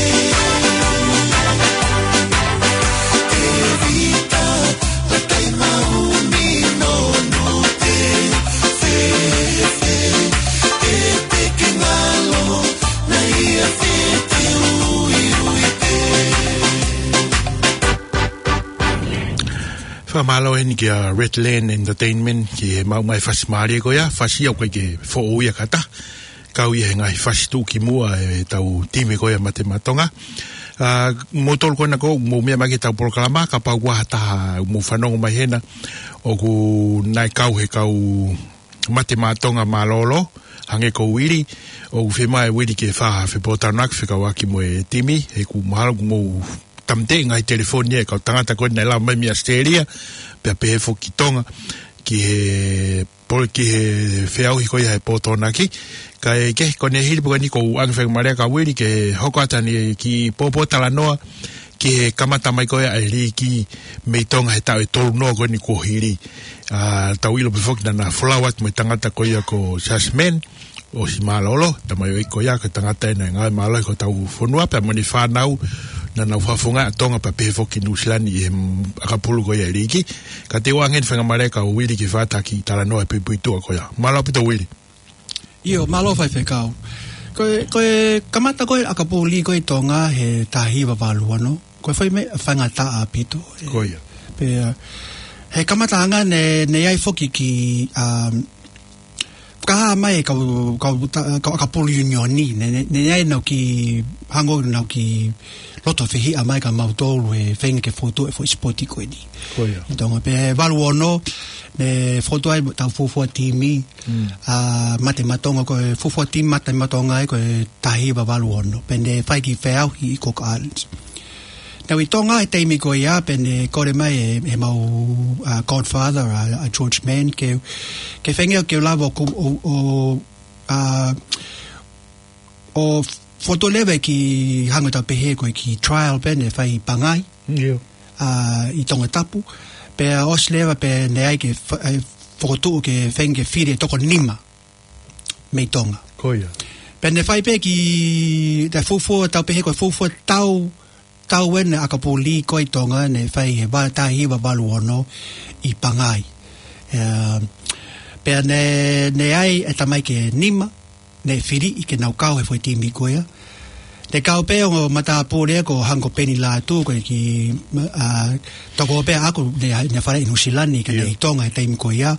Tēvita, lakai maumi nonote. Fēfē, pete ke ngalo, naʻa ia fete uiuite. Fakamālō heni kia Redland Entertainment, ki he maʻu mai fasi mālie ko ia, fasi ʻoku ʻikai ke foʻou ia kātaki. Kau ia he ngaahi fasi tuʻukimuʻa ʻetau timi ko ia Mate Maʻa Tonga. ʻA, mou tolu ko ena ʻoku mou meʻa mai ki heʻetau polokalama, kapau ʻoku ʻi ai ha taha ʻoku mou fanongo mai hena, ʻoku nau kau he kau Mate Maʻa Tonga mālōlō, hangē ko Uili, ʻoku fiemaʻu ʻe Uili ke fai ha fepōtalanoaʻaki fekauʻaki mo e timi, he ʻoku mahalo ʻoku mou tāmateʻi e ngaahi telefoni ʻa e kau tangata ko ē naʻe lava mai mei ʻAositelēlia, pea pehē foki ki Tonga, ki he pole ki he feʻauhi ko ia he pō Tokonaki. Kae kehe ko eni hili pē ko eni ʻoku ou ʻoange faingamālie kia Uili ke hoko atu ʻene kiʻi pōpōtalanoa ki he kamata mai ko ia ʻa e liiki mei Tonga he taʻu ʻe tolu noa ko eni kuo hili. ʻA, tau ʻilo pē foki naʻa na folau atu mo e tangata ko ia ko Jasmine, ʻosi mālōlō, tamaioʻeiki ko ia, ko e tangata ʻena ʻe ngāue mālohi ki hotau fonua, pea mo ʻene fānau, naʻa nau fakafofongaʻi ʻa Tonga pea pehē foki Nuʻusila ni ʻi he ʻakapulu ko ia ʻa e liiki. Ka te u ʻoange heni faingamālie kia Uili ke fai ha kiʻi talanoa he puipuituʻa ko ia. Mālō ʻaupito Uili. ʻIo, mālō faifekau. Ko e, ko e kamata ko ē ʻakapulu liki ko ē ʻi Tonga he taha hiva valu ono. Ko e fai mai, faingataʻa ʻaupito. Ko ia. Pea, he kamataʻanga ne, ne ʻi ai foki ki, um, fakahā mai e kau, kau ta-, kau ʻakapulu unioni, ne, ne, ne ʻi ai ʻenau kiʻi hangē ʻenau kiʻi loto fehiʻa mai kia mautolu he feinga ke fokotuʻu e foʻi sipoti ko eni. Ko ia. ʻI Tonga pea he valu ono, ne fokotuʻu ai ʻetau fuofua timi, Mm. ʻa Mate Matonga, ko e fuofua timi Mate Matonga ē, ko e taha hiva valu ono. Pea ne fai e kiʻi feʻauhi ʻi Cook Islands. Naʻá ku ʻi Tonga he taimi ko ia, pea ne kole mai e, ʻemau, ʻa, godfather, ʻa, ʻa George Mann, ke, ke feinga ke lava ʻo ku-, ʻo, ʻo, ʻa, ʻo fokotuʻu leva e kiʻi hangē ʻoku tau pehē ko e kiʻi trial pea ne fai ʻi Pangai. ʻIo. ʻA, ʻi Tongatapu. Pea ʻosi leva pea ne ʻai ke fa-, ʻai fokotuʻu ke feinga ke fili e toko nima mei Tonga. Ko ia. Pea ne fai pē ki he fuofua, tau pehē ko e fuofua tau, tau ʻeni ʻakapulu liki ko ē ʻi Tonga, ne fai he va-, taha hiva valu ono ʻi Pangai. Ē, pea ne, ne ʻai e tamaiki ʻe nima, ne fili ke nau kau he foʻi timi ko ia. Ne kau pē ʻo matāpule ko hangē ko Peni Lātū, ko e kiʻi, ʻa, tokoua pē ʻaʻaku ne, ne fale ʻi Nuʻusila ni, ka ne ʻIo. ʻi Tonga he taimi ko ia.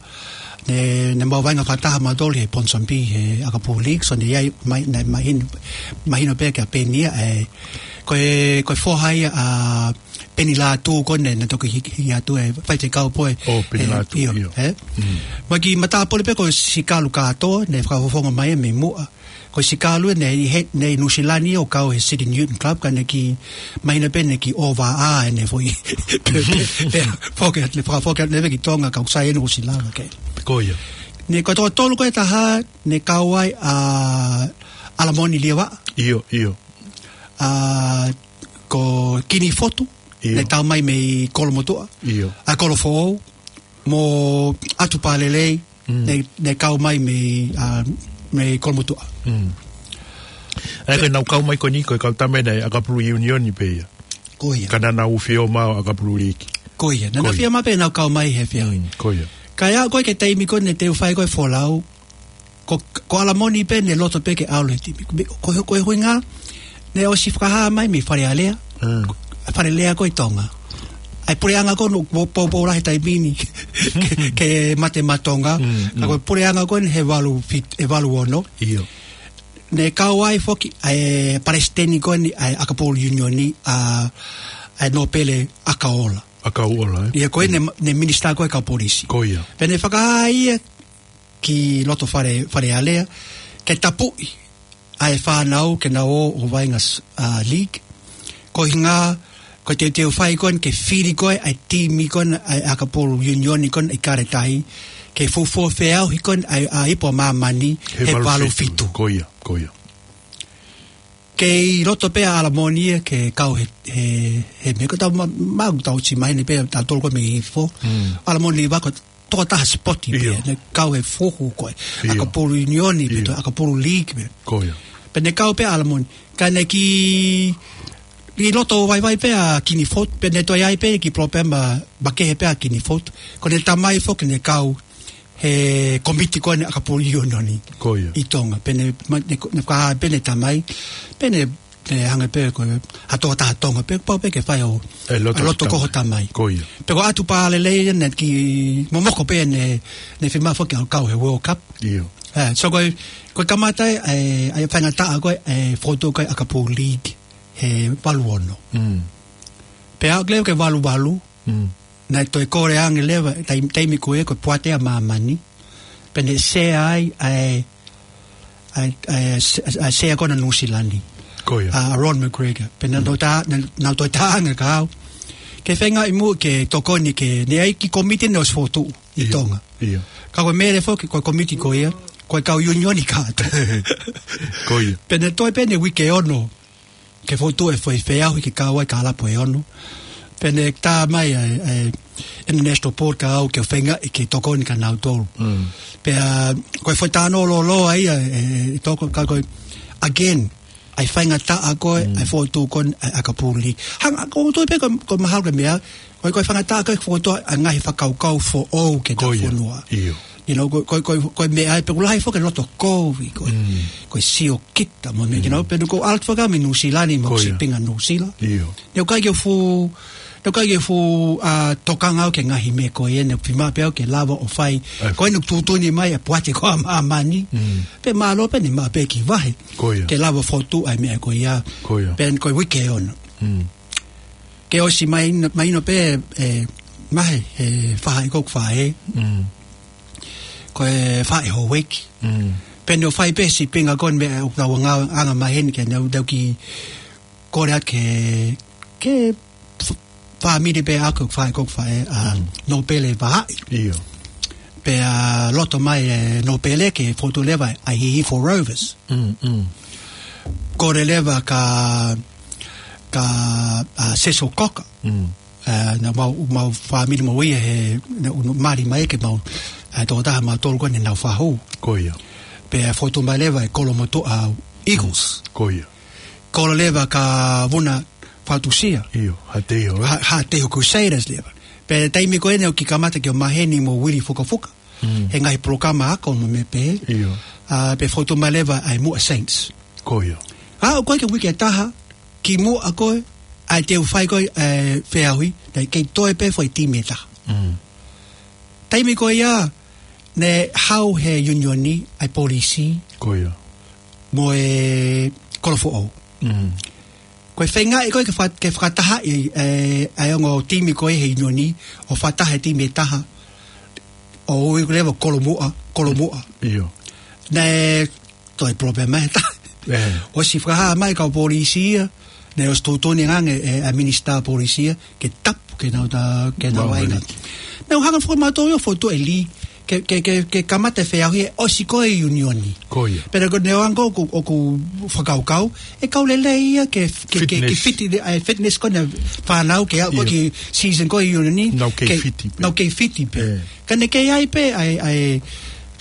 Ne, ne mau vaʻinga fakataha mautolu he Ponsonby, he ʻakapulu liki, so ne ʻi ai, mai, ne mahino, mahino pē kia Peni ia, ē, ko e, ko e foha ia ʻa Peni Lātū ko ē ne, ne toki hiki, hiki atu e faifekau pē. ʻO Peni ē, Lātū, ʻio, ʻio. Ē? Mm. Mai ki matāpule pē ko Sikalu Kātoa, ne fakafofonga mai mei muʻa. Ko Sikalu ne ʻi he, ne ʻi Nuʻusila ni ʻo kau he City Newton Club, ka ne kiʻi mahino pē ne kiʻi ʻova ʻa ʻene foʻi. Pea, pea, foki, ne fakafoki atu leva ki Tonga, kau sai ʻene Nuʻusila, ke. Ko ia. Ne ko e toko tolu ko ē taha, ne kau ai ʻa ʻAlamoni Liavaʻa. ʻIo, ʻio. ʻA, ko Kini Fotu, ʻIo. ne tau mai mei Kolomotuʻa. ʻIo. ʻA Kolofoʻou, mo ʻAtu Palelei, Mm. ne, ne kau mai mei, ʻa, mei Kolomotuʻa. Mm. ʻA ia ko ʻenau kau mai ko eni, ko e kau tama ʻeni ʻakapulu unioni pē ia. Ko ia. Ka naʻa nau fiemaʻu ʻakapulu liki. Ko ia. Naʻa nau Ko ia. fiemaʻu pē ʻenau kau mai he fia. Mm, ko ia. Kae ʻalu ko ē ki he taimi ko ē ne teu fai ko ē folau, ko, ko ʻAlamoni pē ne loto pē ke ʻalu he timi. Ko, ko, ko e ʻuhinga, ne ʻosi fakahā mai mei Fale Alea. Mm. Fale Alea ko ē ʻi Tonga. ʻA e puleʻanga ko ē naʻe poupou lahi he taimi ni ke, ke Mate Matonga. Mm, Ka ko e mm. puleʻanga ko ē he valu fit-, he valu ono. ʻIo. Ne kau ai foki ʻa e palesiteni ko eni ʻa e ʻakapulu unioni ʻa, ʻa Nōpele ʻAkaola. ʻAkaola, ē? ʻIo, ko ē ne, ne minisitā ko ē kau polisi. Ko ia. Pea ne fakahā ia ki loto Fale, Fale Alea, ke tapuʻi ʻa e fānau ke nau ō ʻo vaʻinga s-, ʻa, league. Ko e ʻuhinga, ko e teuteu fai ko ē ke fili ko ē ʻa e timi ko ē ʻa e ʻakapulu unioni ko ē ʻi Kaletahi, ke fuofua feʻauhi ko ē ʻa e, ʻa e ipu ʻa māmani he valu fitu. He valu fitu. Ko ia, ko ia. Kei loto pē ʻa ʻAlamoni ia ke kau he, he, he meʻa ko ē tau ma-, ma-, tau ʻosi maheni pē tautolu ko ē mei hifo. Mm. ʻAlamoni Liavaʻa ko e tokotaha sipoti pē, ʻIo. ne kau he fuhu ko ē. ʻIo. ʻAkapulu unioni pē, ʻIo. ʻAkapulu league pē. Ko ia. Pea ne kau pē ʻa ʻAlamoni. Ka ne kiʻi, kiʻi loto vaivai pē ʻa Kini Fotu, pea ne toe ʻi ai pē kiʻi palopalema makehe pē ʻa Kini Fotu. Ko ʻene tamai foki ne kau he komiti ko eni ʻakapulu unioni Ko ia. ʻi Tonga. Pea ne, ma-, ne, ne fakahā pē ʻene tamai, pea ne, ne hanga pē ko e ha tokotaha Tonga pē, pau pē ke fai ʻo, ʻE loto ʻa e loto ki ko ho tamai. tamai. Ko ia. Pea ko ʻAtu Palelei ne kiʻi momoko pē ne, ne fiemaʻu foki ke kau he World Cup. ʻIo. Ē, so ko e, ko e kamata e, e, e faingataʻa ko ē, e fokotuʻu ko ē ʻakapulu league he valu ono. Mm. Pea aʻu leva ki he valu valu, Mm. naʻe toe kole ange leva, taim-, taimi ko ē, ko e poate ʻa māmani. Pea ne sea ai, ʻa e, ʻa e, ʻa e, ʻa e sea ko ena Nuʻusila ni. Ko ia. ʻA Ron McGregor. Pea naʻa Mm. nau tā, naʻa, naʻa nau toe tā ange kia au. Ke feinga ʻi muʻa ke tokoni ke, ne ʻi ai e kiʻi komiti ne ʻosi fokotuʻu ʻi ʻIo, Tonga. ʻio. Ka ko e meʻa leva foki, ko e komiti ko ia, ko e kau unioni kātoa. Ko ia. Pea ne toe pē ʻene uike ʻe ono. Ke fokotuʻu e foʻi feʻauhi ke kau ai e kalapu ʻe ono. Pea ne tā mai ʻa e, ʻa e International Board kia au ke feinga ke tokoni kia nautolu. Mm. Pea ko e foʻi talanoa lōloa ia, ʻe, ʻe toko ka ko e, again, ʻa e faingataʻa ko ē, Mm. ʻa e fokotuʻu ko ē, ʻa e ʻakapulu league. Hanga, ko e toe pē ko, ko e mahalo ko e meʻa, ko e, ko e faingataʻa ko ē fokotuʻu ʻa e ngaahi fakakaukau foʻou ki he Ko ia. fonua. ʻIo. You know, ko, ko, ko, ko e meʻa ia pē ʻoku lahi foki e loto kovi, ko, ko e siokita mo e meʻa, you know, pea naʻá ku ʻalu foki au mei Nuʻusila ni mo e sipinga Nuʻusila. ʻIo. Naʻe ʻikai ke u fuʻu, naʻe ʻikai ke u fuʻu, ʻa, tokanga au ki he ngaahi meʻa ko ia, naʻe fiemaʻu pē au ke lava ʻo fai. Ko eni ʻoku tuʻutuʻuni mai e poate ko ē ʻa māmani. Pea mālō pē naʻe maʻu pē e kiʻi vahe. Ko ia. Ke lava ʻo fokotuʻu ʻa e meʻa ko ia. Ko ia. Pea ko e uike ʻe ono. Ke ʻosi mai, mahino pē, ʻe, mahe, he faʻahi ko ē ʻoku faʻē. Ko e faʻē houʻeiki. Pea naʻe fai pē sipinga ko eni meʻa ʻoku tau anga, anga maheni ke nau, tau kiʻi kole atu ki he, ki he f-, fāmili pē ʻaʻaku, faʻē ko ē ʻoku faʻē, ʻa Nōpele Vahaʻi. ʻIo. Pea loto mai e Nōpele ke fokotuʻu leva ʻa e Hihifo Rovers. Kole leva kia, kia, ʻa, Cecil Cocker. ʻA, naʻa mau, mau fāmili mo ia he, naʻa nau mali mai ke mau, ʻa, tokotaha mautolu ko eni naʻa nau fahu. Ko ia. Pea fokotuʻu mai leva e Kolomotuʻa Eagles. Ko ia. Kole leva kia Vuna Fatusia. ʻIo, Haʻateiho Rovers. Ha-, Haʻateiho Crusaders leva. Pea taimi ko eni ʻoku kiʻi kamata ke u maheni mo Willie Fukafuka. He ngaahi polokalama ako mo e meʻa pehē. ʻIo. ʻA, pea fokotuʻu mai leva ʻa e Muʻa Saints. Ko ia. ʻA, ʻoku ʻikai ke uike ʻe taha, kimuʻa ko ē, ʻa e teu fai ko ē, ʻa e feʻauhi, naʻe kei toe pē foʻi timi ʻe taha. Taimi ko ia, naʻe hau he ʻiunioni, ʻa e polisi. Ko ia. Mo e kolo foʻou. Ko e feingaʻi ko ē ke fa-, ke fakatahaʻi, ʻe, ʻa e ongo timi ko ē he ʻiunioni, ʻo fakataha he timi ʻe taha, ʻo ui leva Kolomuʻa, Kolomuʻa. ʻIo. Naʻe toe palopalema ʻe taha. ʻOsi fakahā mai kau polisi ia, naʻe ʻosi tuʻutuʻuni ange ʻe, ʻa e minisitā polisi ia, ke tapu, ke nau ta-, ke nau vainga. Naʻa nau hanga foki mautolu ʻo fokotuʻu e lī, ke, ke, ke, ke kamata e feʻauhi ʻosi ko ē ʻiunioni. Ko ia. Pea ko e ʻuhinga ko ē ʻoku, ʻoku fakakaukau, ʻe kau lelei ia ke, ke, ke, ke fiti, ʻa e fitness ko eni ʻa e fānau ke aʻu ko ē ki he season ko ē ʻiunioni. Nau kei fiti pē. Nau kei fiti pē. Ka naʻe kei ʻi ai pē, ʻa e, ʻa e,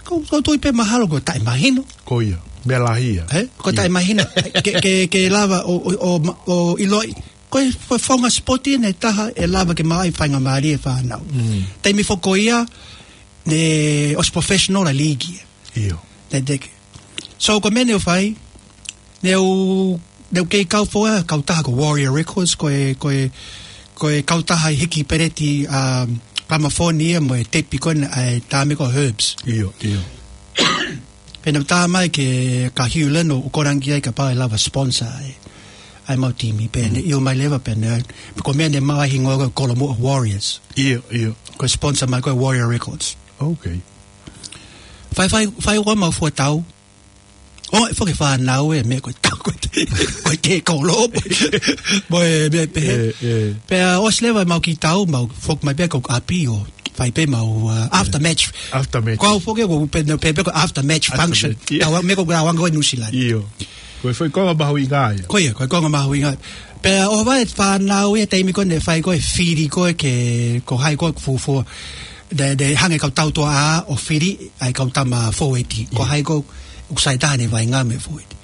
ko, ko e tui pē mahalo ko e taʻemahino. Ko ia. Meʻa lahi ia. Ko e taʻemahino. Ke, ke, ke lava ʻo, ʻo, ʻo, ʻo ʻiloʻi. Ko e, ko e founga sipoti ʻe taha ʻe lava ke maʻu ai e faingamālie e fānau. Taimi foki ko ia, naʻe ʻosi professional ʻa e lī ia. ʻIo. Naʻe teke. So, ko e meʻa naʻe fai, naʻe, naʻe kei kau foʻi kautaha ko Warrior Records, ko e, ko e, ko e kautaha ʻi he hiki peleti, um, gramafoni ia mo e tepi ko eni ʻa e taʻahine ko Herbs. ʻIo, ʻio. Pea naʻe tā mai kia Hugh Lynn ʻo kole ange ki ai kapau ʻe lava sponsor ai ʻa e mau timi, pea naʻe ʻio mai leva pea naʻe, ko e meʻa naʻe maʻu ai e hingoa ko e Kolomuʻa Warriors. ʻIo, ʻio. Ko e sponsor mai ko e Warrior Records. Okay. Fai, fai, fai ʻo mau fua tau. ʻO, ʻe foki e fānau e meʻa ko e tau ko ē, ko e kolo, mo e meʻa pehē. Pea ʻosi leva mau kiʻi tau, mau foki mai pē ki hoku ʻapi ʻo fai pē mau, uh, after match. After match. Ko au foki ko e pehē, pehē ko e after match function. Tau meʻa ko e ʻaonga ko ē Nuʻusila ni. ʻIo. Ko e foʻi konga mahuʻinga ia. Ko ia, ko e konga mahuʻinga. Pea ʻohovale e fānau ia he taimi ko ē naʻe fai ko ē e fili ko ē ke, ko hai ko ē ʻoku fuofua. Naʻe, naʻe hanga ʻe he kau tautuaʻā ʻo fili ʻa e kau tama fōueti. Ko hai ko ē ʻoku sai taha ʻene vaʻinga mo e fōueti.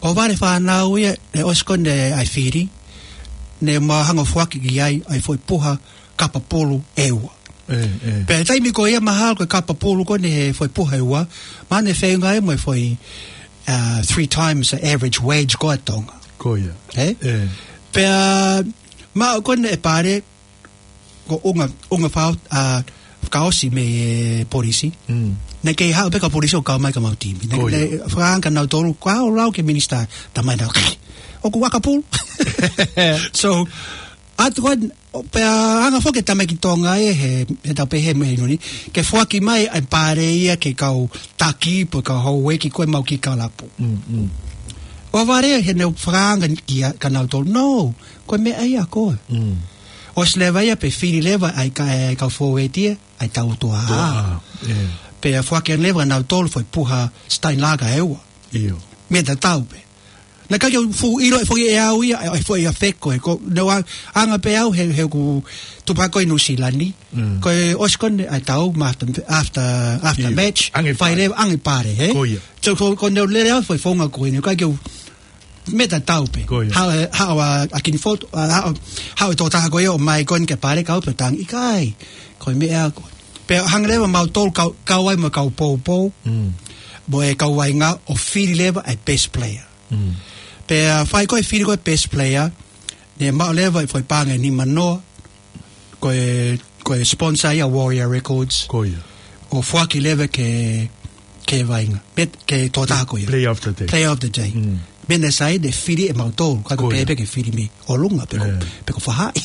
ʻOhovale e fānau ia, naʻe ʻosi ko ē ʻa e fili, naʻa mau hanga ʻo foaki ki ai ʻa e foʻi puha kapa pulu ʻe ua. Pea taimi ko ia mahalo ko e kapa pulu ko eni he foʻi puha ʻe ua, mahalo naʻe feʻunga ia mo e foʻi, uh, three times the average wage ko ē ʻa Tonga. Ko ia. Pea maʻu ko eni ʻe Pale, ko e ʻuhinga, ʻuhinga fau, ʻa, fakaʻosi mei he polisi. Naʻe kei haʻu pē kau polisi ʻo kau mai ki homau timi. Naʻe, naʻe fakaanga kia nautolu, ko au lau ki he minisitā, tā mai nau, ʻoku ʻakapulu. So, ʻalu ko ē, pea hanga foki e tamaiki Tonga ia he, he tau pehē mei he ʻiunioni, ke foaki mai ʻa e pale ia ki he kau taki, pe ko e kau houʻeiki ko ē ʻemau kiʻi kalapu. ʻOhovale he naʻe fakaanga kia, kia nautolu, no, ko e meʻa ia ko ē. ʻOsi leva ia pea fili leva ʻa e ka-, ʻa e kau fōueti ia, ʻa e tautuaʻā. Pea foaki leva kia nautolu foʻi puha Steinlager ʻe ua. ʻIo. Meʻa tatau pē. Naʻe ʻikai ke u fuʻu ʻilo ʻe foki ʻe au ia, ʻa e foʻi ʻafeko ē. Ko, naʻe ʻoange pē au he, he ʻoku tupu hake ko ē ʻi Nuʻusila ni. Ko e ʻosi ko eni ʻa e tau, ma after, after, after match, fai leva, ʻoange pale, hē? Ko ia. So, ko, ko e naʻe lele au foʻi founga ko eni, ʻikai ke u meʻa tatau pē. Ko ia. Haʻu, haʻu ʻa, ʻa Kini Fotu, ʻa, haʻu, haʻu e tokotaha ko ia ʻo ʻomai ko eni ke pale kau pē tangi ʻikai. Ko e meʻa ko ē. Pea hanga leva mautolu kau, kau ai mo e kau poupou, Mm. mo e kau vaʻinga ʻo fili leva e best player. Mm. Pea fai ko e fili ko e best player, ne maʻu leva e foʻi paʻanga ʻe nima noa, ko e, ko e sponsor ia Warrior Records. Ko ia. ʻO foaki leva ke, ke vaʻinga. Pea ke tokotaha ko ia. Player of the day. Player of the day. Mm. Meʻa naʻe sai ne fili ʻe mautolu, ka Ko ia. pehē pē ke fili mei ʻolunga pe ko, Eh. pe ko faʻahi.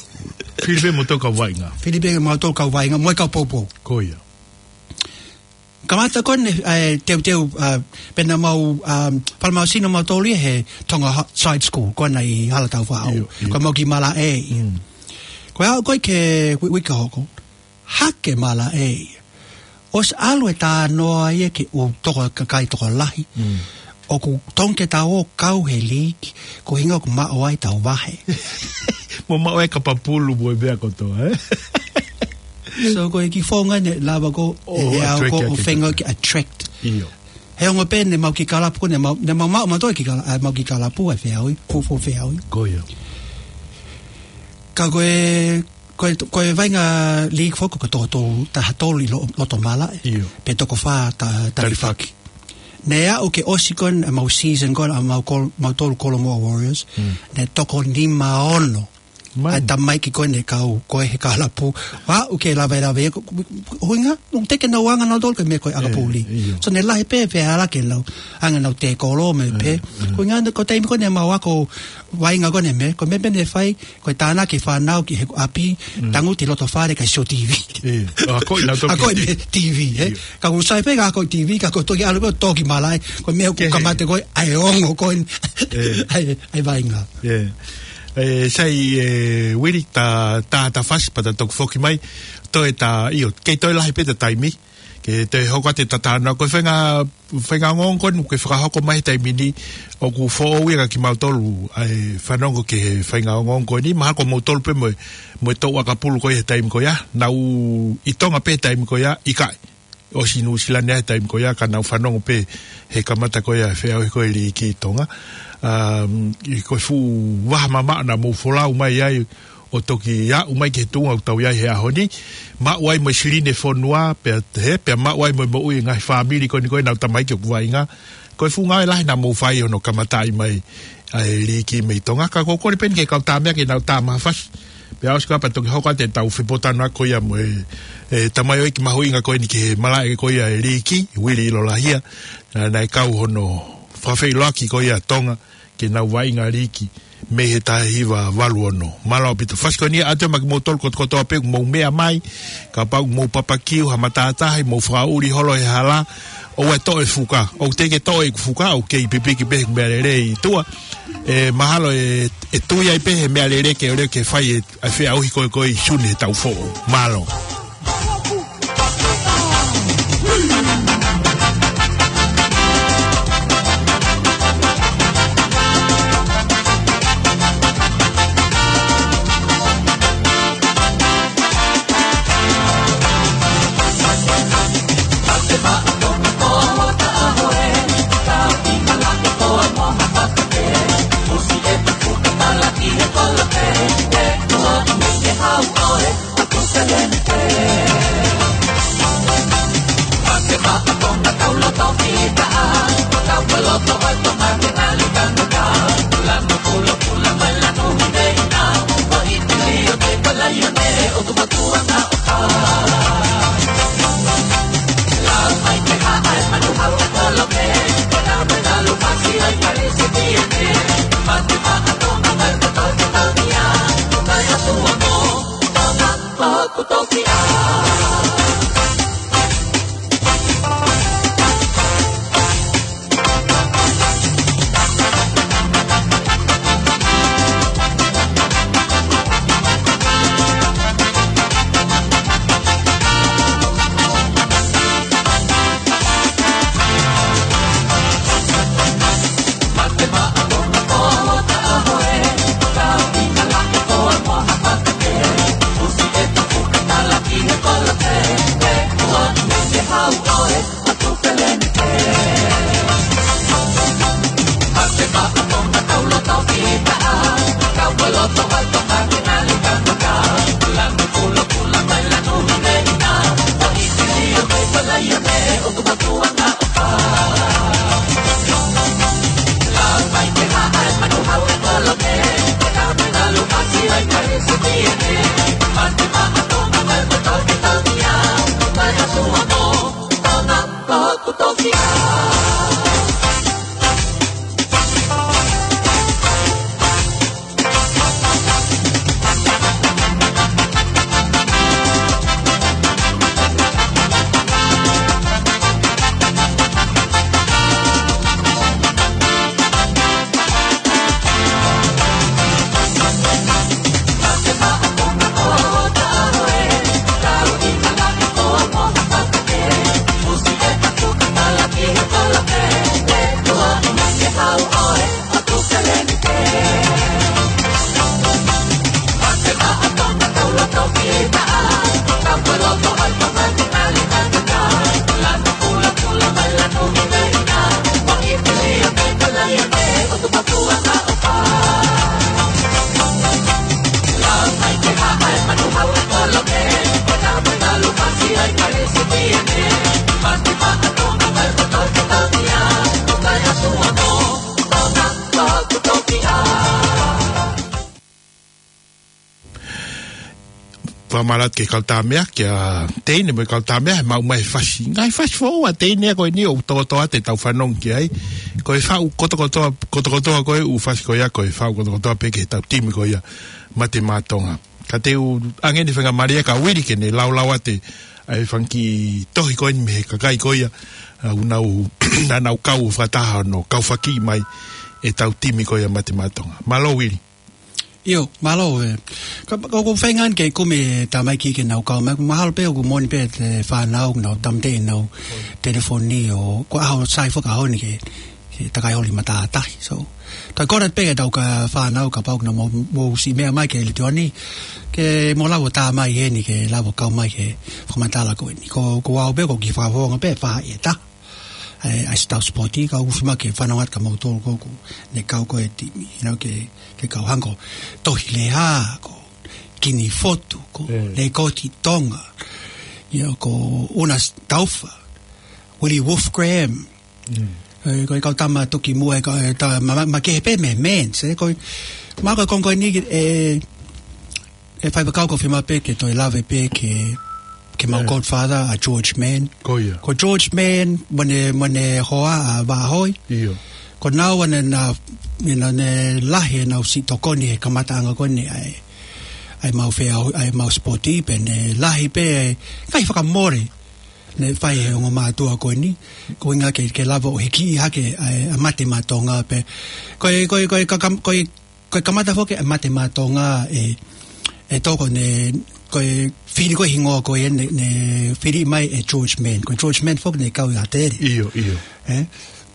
Fili pē mautolu kau vaʻinga. Fili pē mautolu kau vaʻinga, mo e kau poupou. Ko ia. Kamata ko ē ne, eh, teuteu, ah, pea naʻa mau, ah, falemahino mautolu ia he Tonga Ho-, Side School, ko ena ʻi Halatau Faʻao. Io, io. Ko e mau ki malaʻe. Mm. Ko e aʻu ko ē ki he ui-, uike hoko. Hake malaʻe. ʻOsi ʻalu e talanoa ia ki he ʻū toko kakai tokolahi. Mm. ʻOku tonu ke tau ō kau he liiki, ko e ʻuhinga ʻoku maʻu ai ʻetau vahe. Mo maʻu ai e kapa pulu mo e meʻa kotoa, eh? So ko e kiʻi founga ne lava ko ʻo e, e au attract ko ia ʻo ke feinga kau. ke attract. Io. He ongo pē ne mau kiʻi kalapu ko ē, ne mau, ne mau maʻu mautolu kiʻi kala-, ʻa, mau kiʻi kalapu ʻa e feʻauhi, fuofua feʻauhi. Ko ia. Ka ko e, ko e, ko e vaʻinga liiki foki ko e toko tolu, taha tolu ʻi lo-, loto malaʻe. Io. Pea toko fā ta-, talifaki. Talifaki. Ne aʻu ke ʻosi ko ē ʻemau season ko ē, ʻa mau kol-, mautolu Kolomoa Warriors. Mm. Ne toko nima ono. Man. ʻA e tamaiki ko ē ne kau, ko ē he kalapu. Aʻu ke lave lave, ko, ko, ko, ʻuhinga, ʻoku teʻeki ke nau anga nautolu ki he meʻa ko ē ʻakapulu. Eh, io. So ne lahi pē feala ke nau, anga nau tēkolo mo e Eh, pē. eh. Ko e ʻuhinga, ko e taimi ko ē ne mau ako vaʻinga ko ē ne meʻa, ko e meʻa pē ne fai, ko e tānaki e fānau ki he ʻapi, Mm. tangutu ʻi loto fale kae sio T V. Eh, akoʻi nautolu Akoʻi ki he T V, eh. Io. Ka ʻoku sai pē ke akoʻi T V, ka ko e toki ʻalu ko ē ʻo tō ki malaʻe, ko e meʻa ʻoku Kehe. kamata ko ē, ʻa e ongo ko ē, Eh. ʻa e, ʻa e vaʻinga. Yeah. Eh, sai, eh, Uili, ta, ta, ta fasi pea ta toki foki mai. Toe ta, ʻio, kei toe lahi pē ʻeta taimi. Ke toe hoko atu ʻeta talanoa. Ko e faʻahinga, faʻahinga ongoongo ko eni, ke fakahoko mai he taimi ni, ʻoku foʻou ia kia kimautolu, ʻa e fanongo ki he faʻahinga ongoongo ko eni, mahalo ko moutolu pē mo e, mo e toʻu ʻakapulu ko ia he taimi ko ia, nau ʻi Tonga pē he taimi ko ia, ʻikai. ʻOsi Nuʻusila ni he taimi ko ia, ka nau fanongo pē he kamata ko ia e feʻauhi ko ē liiki ʻi Tonga. Um, ʻi ko e fuʻu vaha mamaʻo naʻa mou folau mai ai, ʻo toki aʻu mai ki he tuʻunga ʻoku tau ʻi ai he ʻaho ni. Maʻu ai mo e silini e fonua, pea he, pea maʻu ai mo e moʻui e ngaahi fāmili ko eni ko ē ʻenau tamaiki ʻoku vaʻinga. Ko e fuʻu ngāue lahi naʻa mou fai hono kamataʻi mai ʻa e liiki mei Tonga. Ka ʻoku ou kole pē eni ki he kau tāmateʻi ke nau tā maha fasi. Pea ʻosi ko ia pea toki hoko atu ʻetau fepōtalanoaʻaki ko ia mo e, e tamaioʻeiki mahuʻinga ko eni ki he malaʻe ko ia e liiki, Uili ʻIlolahia. Naʻa, naʻe kau hono fakafeʻiloaki ko ia Tonga ke nau vaʻinga liiki mei he taha hiva valu ono. Mālō ʻaupito. Fasi ko eni ʻoatu ia maʻa kimoutolu kotokotoa pē ʻoku mou meʻa mai, kapau ʻoku mou papakiu ha matātahi, mou fakaʻuli holo he hala, ʻoua ʻe toʻo e fuka. ʻOku teʻeki ke toʻo ʻeku fuka, ʻoku kei pipiki pē he meʻalele ʻi tuʻa. ʻE mahalo ʻe, ʻe tui ai pē he meʻalele ke ʻoua ke fai e, ʻa e feʻauhi ko ē ko ē ʻi Sune he taʻu foʻou. Mālō. fakamālō atu ki he kau Tāmea, kia Teine mo e kau Tāmea, he maʻu mai e fasi. Ngaahi fasi foʻou ʻa Teine ko eni ʻoku tokotoa ʻetau fanongo ki ai. Ko e faʻu kotokotoa, kotokotoa ko ē ʻū fasi ko ia, ko e faʻu kotokotoa pē ki heʻetau timi ko ia, Mate Maʻa Tonga. Ka te u ʻoange eni e faingamālie kia Uili ke ne laulau atu ʻa e fanga kiʻi tohi ko eni mei he kakai ko ia, ʻa, ʻoku nau, naʻa nau kau fakataha hono kau faki mai ʻetau timi ko ia Mate Maʻa Tonga. Mālō Uili. ʻIo, mālō ē. Ka, ka, ko e feinga eni ke kumi e tamaiki ke nau kau mai, mahalo pē ʻoku moʻoni pē e fānau, nau tāmateʻi ʻenau telefoni ʻo, ko e ʻaho sai foki ʻaho ni ke, ke takai holi matātahi. So, toe kole pē ke tau ka fānau kapau ʻoku nau mou, mou siʻi meʻa mai ki he letiō ni, ke mou lava ʻo tā mai heni ke lava ʻo kau mai ki he fakamatala ko eni. Ko, ko au pē ko e kiʻi fakafofonga pē faʻahi ʻe taha. ʻA e, ʻa e Star Sport, ka ʻoku fiemaʻu ke fanongo atu kia moutolu ko ē ʻoku ne kau ko ē he timi, you know, ke, ke kau hangē ko Tohi Leha, ko Kini Fotu, ko Lekoti Tonga, you know, ko Una Taufa, Willie Wolf Graham, ē, ko e kau tama toki muʻa, ē, ka, ē, tā, ma, ma, makehe pē mei he Manx, ē, ko e, ma ko e konga ko eni, ē, ʻe faifekau ko e fiemaʻu pē ke toe lave pē ke, ke mau godfather ʻa George Mann. Ko ia. Ko George Mann, mo ʻene, mo ʻene hoa ʻa Vaʻa Hoi. ʻIo. Ko naua naʻa, naʻa, naʻa ne lahi ʻenau siʻi tokoni he kamataʻanga ko eni ʻa e, ʻa e mau fea, ʻa e mau sipoti pē, ne lahi pē, ngaahi fakamole ne fai he ongo mātuʻa ko eni, ko e ʻuhinga ke, ke lava ʻo hikiʻi hake ʻa e, ʻa Mate Maʻa Tonga pē. Ko e, ko e, ko e, ka, kam-, ko e, ko e kamata foki ʻa Mate Maʻa Tonga ʻe, ʻe toko ne, ko e fili ko e hingoa ko ē ne, ne fili mai ʻe George Mann. Ko George Mann foki ne kau ʻi ʻAtele. ʻIo, ʻio. Ē?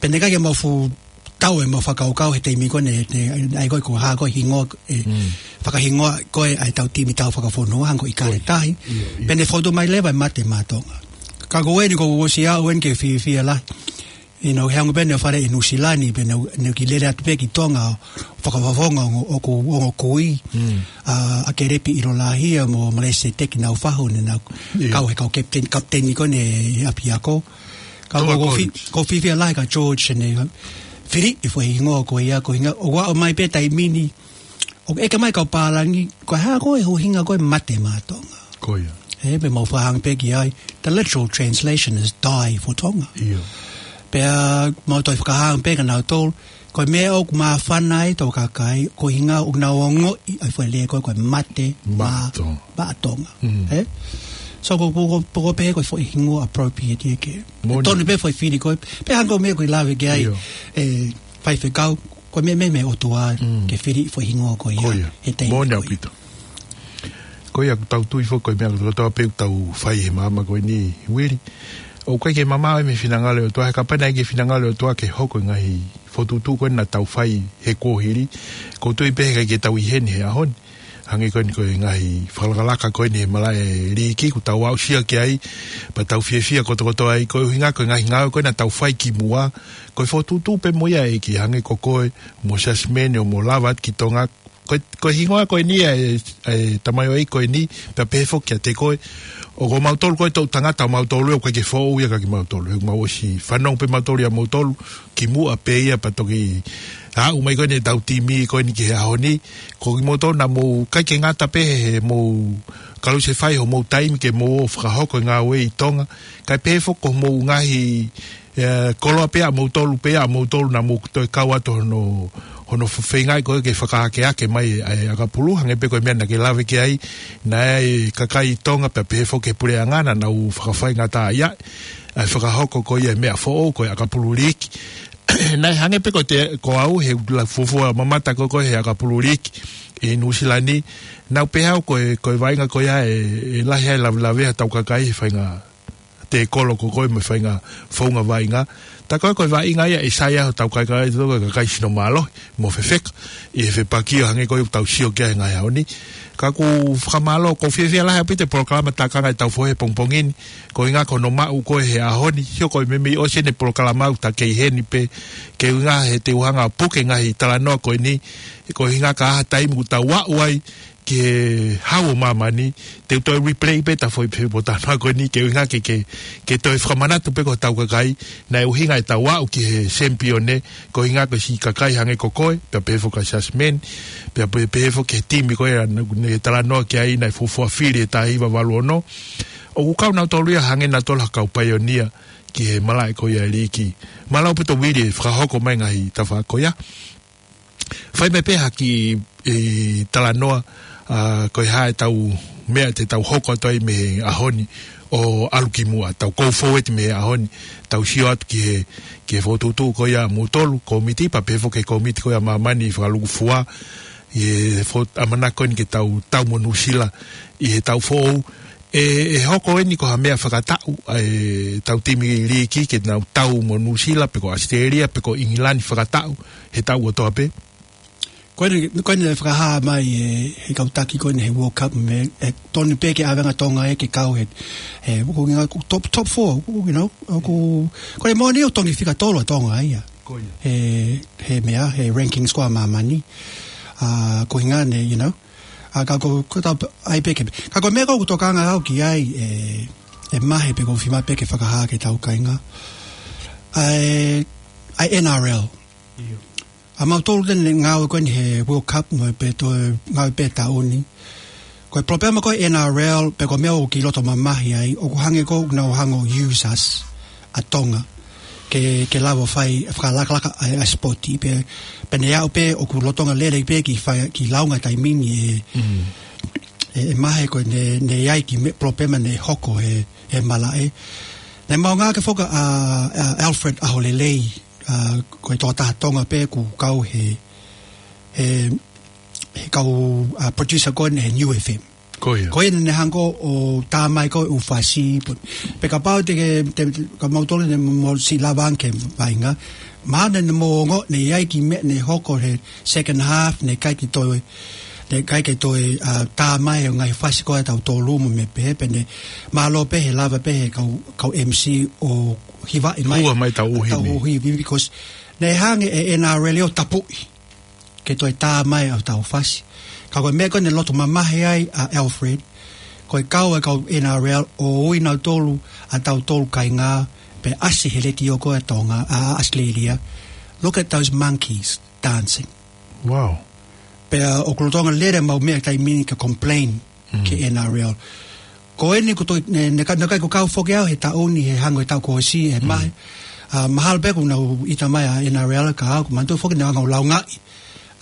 Pea naʻe ʻikai ke mau fuʻu tau ʻemau fakakaukau he taimi ko ē ne, ne, ʻai ko ē ko e hā ko e hingoa, ē, fakahingoa ko ē ʻa ʻetau timi tau fakafonua, hangē ko ʻIkale Tahi. ʻIo, ʻio. Pea ne fotu mai leva ʻa Mate Maʻa Tonga. Ka ko eni ko ʻosi ʻaʻu eni ke fiefia lahi. ʻI heʻenau hanga pē ʻenau fale ʻi Nuʻusila ni, pea nau, nau kiʻi lele atu pē ki Tonga ʻo fakafofonga ʻo, ʻo, ʻo, ʻo kui. ʻA, ʻa Kelepi ʻIlolahia mo Malese Teki Naufahu ne nau kau he kau captain, kapiteni ko eni ʻapiako. Ka ko, ko fi-, ko e fiefia lahi kia George ne fili e foʻi hingoa ko ia, ko e ʻuhinga, ʻo aʻu mai pē taimi ni, ʻoku ʻeke mai kau pālangi, ko e hā ko e ʻuhinga ko e Mate Maʻa Tonga. Ko ia. Ē, pea mau fakahanga pē ki ai, the literal translation is die for Tonga. ʻIo. Pea mau toe fakahanga pē kia nautolu, ko e meʻa ʻoku māfana ai ʻetau kakai, ko e ʻuhinga ʻoku nau ongoʻi ʻa e foʻi lea ko ē ko e Mate Maʻa Tonga. Maʻa Tonga. Ē? So ko, ko, ko, ko e pehē ko e foʻi hingoa appropriate ia ke. Moʻoni. Tonu pē foʻi fili ko ē, pea hangē ko e meʻa ʻoku ke lave ki ai, ʻe faifekau, ko e meʻa, meʻa, meʻa ʻOtua ke fili foʻi hingoa ko ia. Ko ia. He taimi ko ia. Moʻoni ʻaupito. Ko ia ʻoku tau tui foki ko e meʻa kotoa pē ʻoku tau fai he māmani ko eni Uili. ʻOku ʻikai ke mamaʻo ia mei he finangalo ʻo e ʻOtua, he kapau naʻe ʻikai ke finangalo ʻo e ʻOtua ke hoko e ngaahi fokotuʻutuʻu ko ena naʻa tau fai he kuohili. ʻOku ou tui pē he ʻikai ke tau ʻi heni he ʻaho ni. Hangē ko eni ko e ngaahi fakalakalaka ko eni he malaʻe liiki ʻoku tau aʻusia ki ai, pea tau fiefia kotokotoa ai, ko e ʻuhinga ko e ngaahi ngāue ko ena naʻa tau fai kimuʻa, ko e fokotuʻutuʻu pē mo ia ʻEiki hangē ko koe, mo Siaosi Mene ʻo mo lava atu ki Tonga, ko e, ko e hingoa ko eni ʻa e, ʻa e tamaioʻeiki ko eni, pea pehē foki kiate koe. ʻOku mautolu ko e toʻu tangata ʻo mautolu ʻoku ʻikai ke foʻou ia kia kimautolu. He ʻoku mau ʻosi fanongo pē mautolu ia moutolu, kimuʻa pē ia pea toki aʻu mai ko eni ʻetau timi ko eni ki he ʻaho ni. Ko kimoutolu naʻa mou ʻikai ke ngata pē he mou kalusefai hoʻomou taimi ke mou ō fakahoko e ngāue ʻi Tonga. Kae pehē foki ko hoʻomou ngaahi ʻE, koloa pē ʻamoutolu, pē ʻamoutolu naʻa mou toe kau atu hono, hono feingaʻi ko ē ke fakaakeake mai ʻa e ʻakapulu, hangē pē ko e meʻa naʻa ke lave ki ai, naʻe ʻi ai e kakai Tonga pea pehē foki ki he puleʻanga naʻa nau fakafaingataʻaʻia ʻa e fakahoko ko ia e meʻa foʻou ko e ʻakapulu liiki. Naʻe hangē pē ko te, ko au he la fuofua mamata ko ē ko ē he ʻakapulu liiki ʻi Nuʻusila ni, naʻa ku pehē au ko e, ko e vaʻinga ko ia ʻe, ʻe lahi ai e lavelavea ʻetau kakai he faʻahinga te kolo ko koe mo e faʻahinga founga vaʻinga. Tā ko ē ko e vaʻinga ia ʻe sai ai hotau kakai, tau kakai sino mālohi mo fefeka ʻi he fepaki ʻo hangē ko ia ʻoku tau sio ki ai he ngaahi ʻaho ni. Ka ʻoku ou fakamālō, ʻoku ou fiefia lahi ʻaupito he polokalama Takanga ʻi he Tau Fohe he pongipongi ni. Ko e ʻuhinga ko hono maʻu ko ē he ʻaho ni, sio ko e meimei ʻosi eni e polokalama ʻoku ta kei heni pē, ko e ʻuhinga he te u hanga ʻo puke e ngaahi talanoa ko eni, ko e ʻuhinga ka ʻi ha taimi ʻoku tau aʻu ai, ki he Hau ʻo Māmani, te u toe replay pē ʻetau foʻi pē pōtalanoa ko eni ke ʻuhinga ke, ke, ke toe fakamanatu pē ki hotau kakai, naʻe ʻuhinga ʻetau aʻu ki he sempione, ko e ʻuhinga ko e siʻi kakai hangē ko koe, pea pehē foki kia Jasmine, pea pehē, pehē foki ki he timi ko ē naʻa ne talanoa ki ai naʻe fuofua fili he taha hiva valu ono. ʻOku kau nautolu ia hangē nautolu ha kau paionia ki he malaʻe ko ia e liiki. Mālō ʻaupito Vili e fakahoko mai ngaahi tafaʻaki ko ia. Fai mai pē ha kiʻi talanoa, ʻa, ko e hā ʻetau meʻa te tau hoko atu ai mei he ʻaho ni ʻo ʻalu ki muʻa, tau go forward mei he ʻaho ni, tau sio atu ki he, ki he fokotuʻutuʻu ko ia ʻamoutolu, kōmiti, pea pehē foki ki he kōmiti ko ia ʻa Māmani ʻi Fakalukufua, ʻi he fo-, ʻamanaki ko eni ke tau tau mo Nuʻusila ʻi he taʻu foʻou. ʻE, ʻe hoko eni ko ha meʻa fakataʻu, ʻa ʻetau timi liiki ke nau tau mo Nuʻusila, pe ko ʻAositelēlia, pe ko ʻIngilani fakataʻu, he taʻu kotoa pē. Ko eni, ko eni naʻe fakahā mai ʻe, he kau taki ko eni he World Cup mei, ʻe tonu pē ke ʻave ange ʻa Tonga ē ke kau he, he, ko e ʻuhinga ko e top, top four, ko e ʻuhinga, ko, ko e moʻoni ʻoku tonu fika tolu ʻa Tonga ia. Ko ia. He, he meʻa, he rankings ko ia ʻa Māmani. ʻA, ko e ʻuhinga eni, you know, ʻa, ka ko, ko e tau, ʻai pē ke, ka ko e meʻa ko ē ʻoku tokanga au ki ai, ʻe, ʻe Mahe pe ko e fiemaʻu pē ke fakahā ki he tau kāinga. ʻA e, ʻa e N R L. ʻIo. ʻA mautolu te ne ngāue ko eni he World Cup mo e pē toe ngāue pē taʻu ni. Ko e palopalema ko e N R L, pe ko e meʻa ʻoku kiʻi loto mamahi ai, ʻoku hangē ko ē ʻoku nau hanga ʻo use us ʻa Tonga ke, ke lava fai, fakalakalaka ʻa e, ʻa e sipoti, pea, pea ne aʻu pē ʻoku lolotonga lele pē kiʻi fai, kiʻi lāunga taimi ni ʻe, ʻe, ʻe Mahe ko ē ne, ne ʻi ai e kiʻi meʻa palopalema ne hoko he, he malaʻe. Naʻe maʻu ange foki ʻa, ʻa Alfred ʻAholelei, ʻa, ko e tokotaha Tonga pē ʻoku kau he, he, he kau, ʻa, producer ko eni he Niu F M. Ko ia. Ko ia naʻa ne hanga ʻo tā mai ko ē ʻū fasi, pea kapau te ke, te, ka mautolu ne mo siʻi lava ange ke vaʻinga. Mahalo ne mo ongoʻi naʻe ʻi ai e kiʻi meʻa ne hoko he second half, naʻe ʻikai ke toe, naʻe ʻikai ke toe, ʻa, tā mai ʻa e ngaahi fasi ko ia ʻa tautolu mo e meʻa pehē, pea ne mālō pē he lava pē he kau, kau M C ʻo hivaʻi mai. Hua mai ʻetau ʻū himi. ʻEtau ʻū himi, because naʻe hanga ʻe he N R L ʻo tapuʻi ke toe tā mai ʻetau fasi. Ka ko e meʻa ko ē naʻe loto mamahi ai ʻa Alfred, ko e kau ʻa e kau N R L ʻo ui nautolu, ʻa tautolu kāinga, pea ʻasi he letiō ko ē ʻa Tonga, ʻa, ʻa ʻAositelēlia. "Look at those monkeys dancing." Wow. Pea ʻoku lolotonga lele ʻemau meʻa taimi ni ke complain ki he N R L. Ko eni ko e toe, ne, ne ka-, ne ʻikai ke u kau foki au he taʻu ni he hangē ko e taʻu kuo ʻosi ʻe Mahe. ʻA, mahalo pē kuo nau ʻita mai ʻa e N R L ka au, ʻoku ou manatuʻi foki naʻa nau hanga ʻo lāungaʻi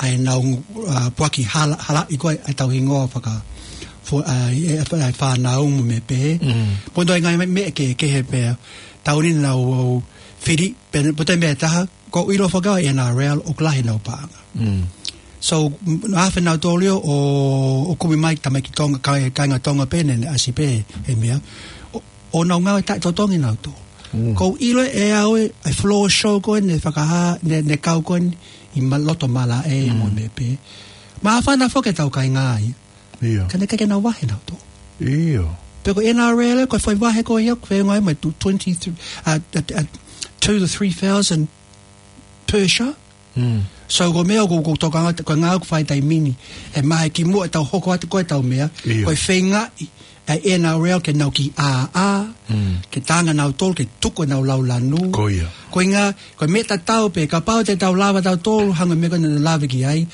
ʻa ʻenau, ʻa, puaki hala, halaʻi ko ē ʻetau hingoa faka-, fo-, ʻa, ʻe, ʻe, ʻe fānau mo e meʻa pehē. Pea toe ngaahi meʻa kehekehe pea taʻu ni naʻa nau fili, pea, pea toe meʻa ʻe taha, ʻoku ou ʻilo foki au ʻa e N R L ʻoku lahi ʻenau paʻanga. So, m-, naʻe afe nautolu ʻo, ʻo kumi mai tamaiki Tonga, kai-, kāinga Tonga pē naʻe, naʻe ʻasi pē he meʻa. ʻO, ʻo nau ngāue taʻetotongi nautolu. ʻOku ou ʻilo ʻe au ʻa e, ʻa e floor show ko ē naʻe fakahā, naʻe, naʻe kau ko eni ʻi ma-, loto malaʻe mo e meʻa pehē. Māfana foki ʻetau kāinga ia. ʻIo. Ka naʻe ʻikai ke nau vahe nautolu. ʻIo. Pea ko e N R L, ko e foʻi vahe ko ia, ko e ngāue mai tu-, twenty-three, ʻa, ʻa, ʻa, two to three thousand per show. So, ko e meʻa ʻoku, ʻoku ou tokanga, ko e ngāue ʻoku fai taimi ni ʻe Mahe kimuʻa ʻetau hoko atu ko ē ʻetau meʻa, ʻio, ko e feingaʻi ʻa e N R L ke nau kiʻi ʻāʻā, ke tā ange nautolu, ke tuku ʻenau lau lanu. Ko ia. Ko e ʻuhinga, ko e meʻa tatau pē, kapau te tau lava tautolu, hangē ko e meʻa ko ē naʻa nau lave ki ai,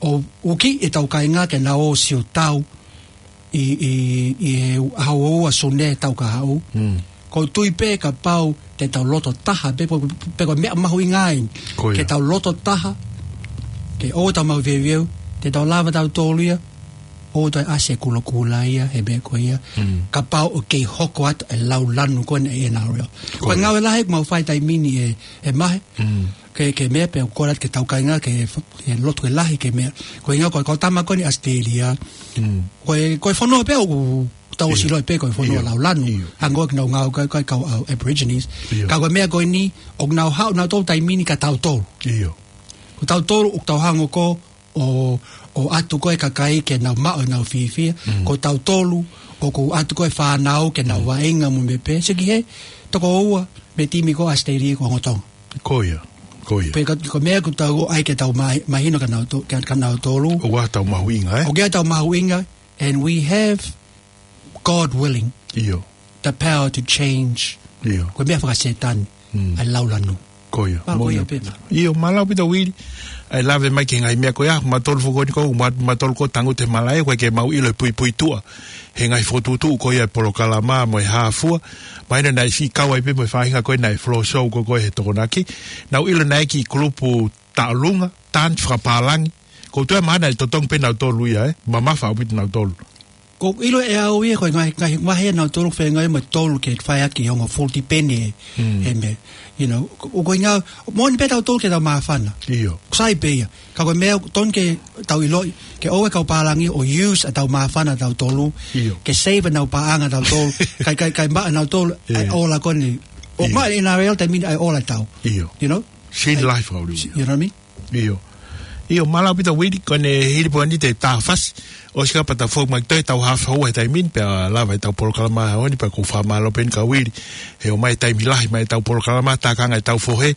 ʻo uki ʻetau kāinga ke nau ō ʻo sio tau ʻi, ʻi, ʻi he ʻaho ua Sune taʻu kahaʻu. ʻOku ou tui pē kapau te tau loto taha, pea ko, pea ko e meʻa mahuʻinga eni. Ko ia. Ke tau loto taha, ke ʻoua te tau maveuveu, te tau lava tautolu ia ʻo toe ʻasi e kulokula ia, he meʻa ko ia. Kapau ʻoku kei hoko atu e lau lanu ko eni ʻa e N R L. Ko ia. Ko e ngāue lahi ʻoku mau fai taimi ni ʻe, ʻe Mahe. Ke, ke meʻa pea ʻoku ou kole atu ki heʻetau kāinga ke f-, ke lotu ke lahi ke meʻa. Ko e ʻuhinga ko e kau tama ko eni ʻAositelēlia. Ko e, ko e fonua pē ʻoku tau ʻosi ʻilo pē ko e fonua lau lanu. ʻIo. Hangē ko ē ʻoku nau ngāue ko ē, ko e kau, ʻa, Aborigines. ʻIo. Ka ko e meʻa ko eni, ʻoku nau haʻu nautolu taimi ni kia tautolu. ʻIo. Ko tautolu ʻoku tau hanga ko ē ʻo, ʻo ʻatu ko ē kakai ke nau maʻu ʻenau fiefia. Ko tautolu ʻoku ʻatu ko ē fānau ke nau vaʻinga mo e meʻa pehē. Sio ki he toko ua mei he timi ko ē ʻAositelēlia ko e ongo Tonga. Ko ia. Ko ia. Pea ka, ko e meʻa ʻoku tau ʻai ke tau ma-, mahino kia nautolu, kia, kia nautolu. ʻOku ʻi ai ʻetau mahuʻinga, ē? ʻOku ʻi ai ʻetau mahuʻinga, and we have, God willing, ʻIo. the power to change. ʻIo. Ko e meʻa fakasetani, Mm. ʻa e lau lanu. Ko ia. Pea ko ia Moʻoni. pē na. ʻIo, mālō ʻaupito Uili. ʻA e lave mai ki he ngaahi meʻa ko ia, mautolu foki ko eni ko, ma-, mautolu ko e tangutu he malaʻe, ʻoku ʻikai ke mau ʻilo e puipuituʻa he ngaahi fokotuʻutuʻu ko ia e polokalama mo e hā fua. Mahino naʻe siʻi kau ai pē mo e faʻahinga ko ē naʻe floor show ko ē he Tokonaki. Naʻá ku ʻilo naʻe ʻi ai e kiʻi kulupu taʻolunga, tanti fakapālangi. Ko e toe mahalo naʻe totongi pē nautolu ia, ē? Mamafa ʻaupito nautolu. ʻOku ou ʻilo ʻe au ia ko e ngaahi, ngaahi, ngaahi ʻa nautolu feinga mo e tolu ke fai ʻaki e ongo full depend ē, Mm. he meʻa. You know, ʻoku, ʻoku ʻikai ngā, moʻoni pē tautolu ke tau māfana. ʻIo. Sai pē ia. Ka ko e meʻa ʻoku totonu ke tau ʻiloʻi, ke ʻoua ʻe kau pālangi ʻo use ʻetau māfana ʻatautolu, ʻIo. ke save ʻenau paʻanga ʻatautolu, kae, kae, kae maʻa ʻe nautolu, ʻa e ʻIo. ola ko eni. ʻO ʻIo. maʻa ʻe N R L taimi ni ʻa e ola ʻatautolu. ʻIo. You know? Sini lahi fakaʻuli. You know what I mean? ʻIo. ʻIo, mālō ʻaupito Uili, ko ʻene hili pē eni ʻetau fasi. ʻOsi ka pata fou mai toe ʻetau hā fua he taimi ni, pea lava ʻetau polokalama ʻaho ni, pea ʻoku ou fakamālō pē eni kia Uili he ʻomai e taimi lahi mai ʻetau polokalama, tākanga ʻetau fohe.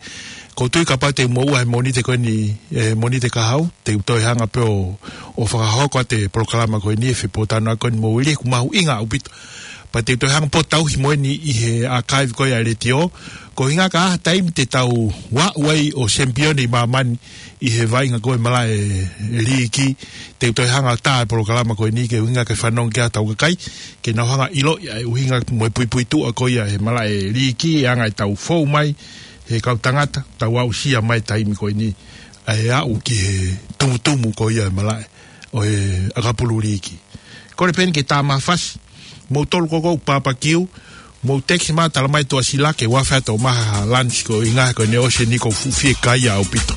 ʻOku ou tui kapau te u moʻua he Mōnite ko eni, ʻe, Mōnite kahaʻu, te u toe hanga pē ʻo, ʻo fakahoko atu e polokalama ko eni, ʻe fepōtalanoaʻaki ko eni mo Uili, ʻoku mahuʻinga ʻaupito. Pea te u toe hanga pē ʻo tauhi mo eni ʻi he archive ko ia ʻa e letiō. Ko e ʻuhinga ka ʻi ai ha taimi te tau aʻu ai ʻo champion ʻi māmani ʻi he vaʻinga ko e malaʻe liiki, te u toe hanga ʻo tā e polokalama ko eni ke ʻuhinga ke fanongo ki ai hotau kakai, ke nau hanga ʻo ʻiloʻi ʻa e ʻuhinga mo e puipuituʻa ko ia he malaʻe liiki, e anga ʻetau fou mai he kau tangata, tau aʻusia mai taimi ko eni, ʻa e aʻu ki he tumutumu ko ia he malaʻe ʻo e ʻakapulu liiki. Kole pē eni ke tā mai ha fasi, mou tolu ko ē ʻoku papakiu, mou text mai, tala mai Tuʻasila ke u ʻave atu ʻo ʻomai ha lunch ko e ʻuhinga ko ʻene ʻosi eni ʻoku ou fuʻu fiekaia ʻaupito.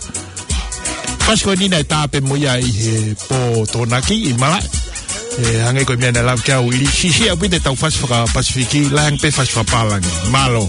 Fasi ko eni naʻe tā pē mo ia ʻi he pō Tokonaki ʻi malaʻe. ʻE, hangē ko e meʻa naʻe lave ki ai Uili, siʻisiʻi ʻaupito ʻetau fasi faka-Pasifiki, lahi ange pē fasi fakapālangi. Mālō.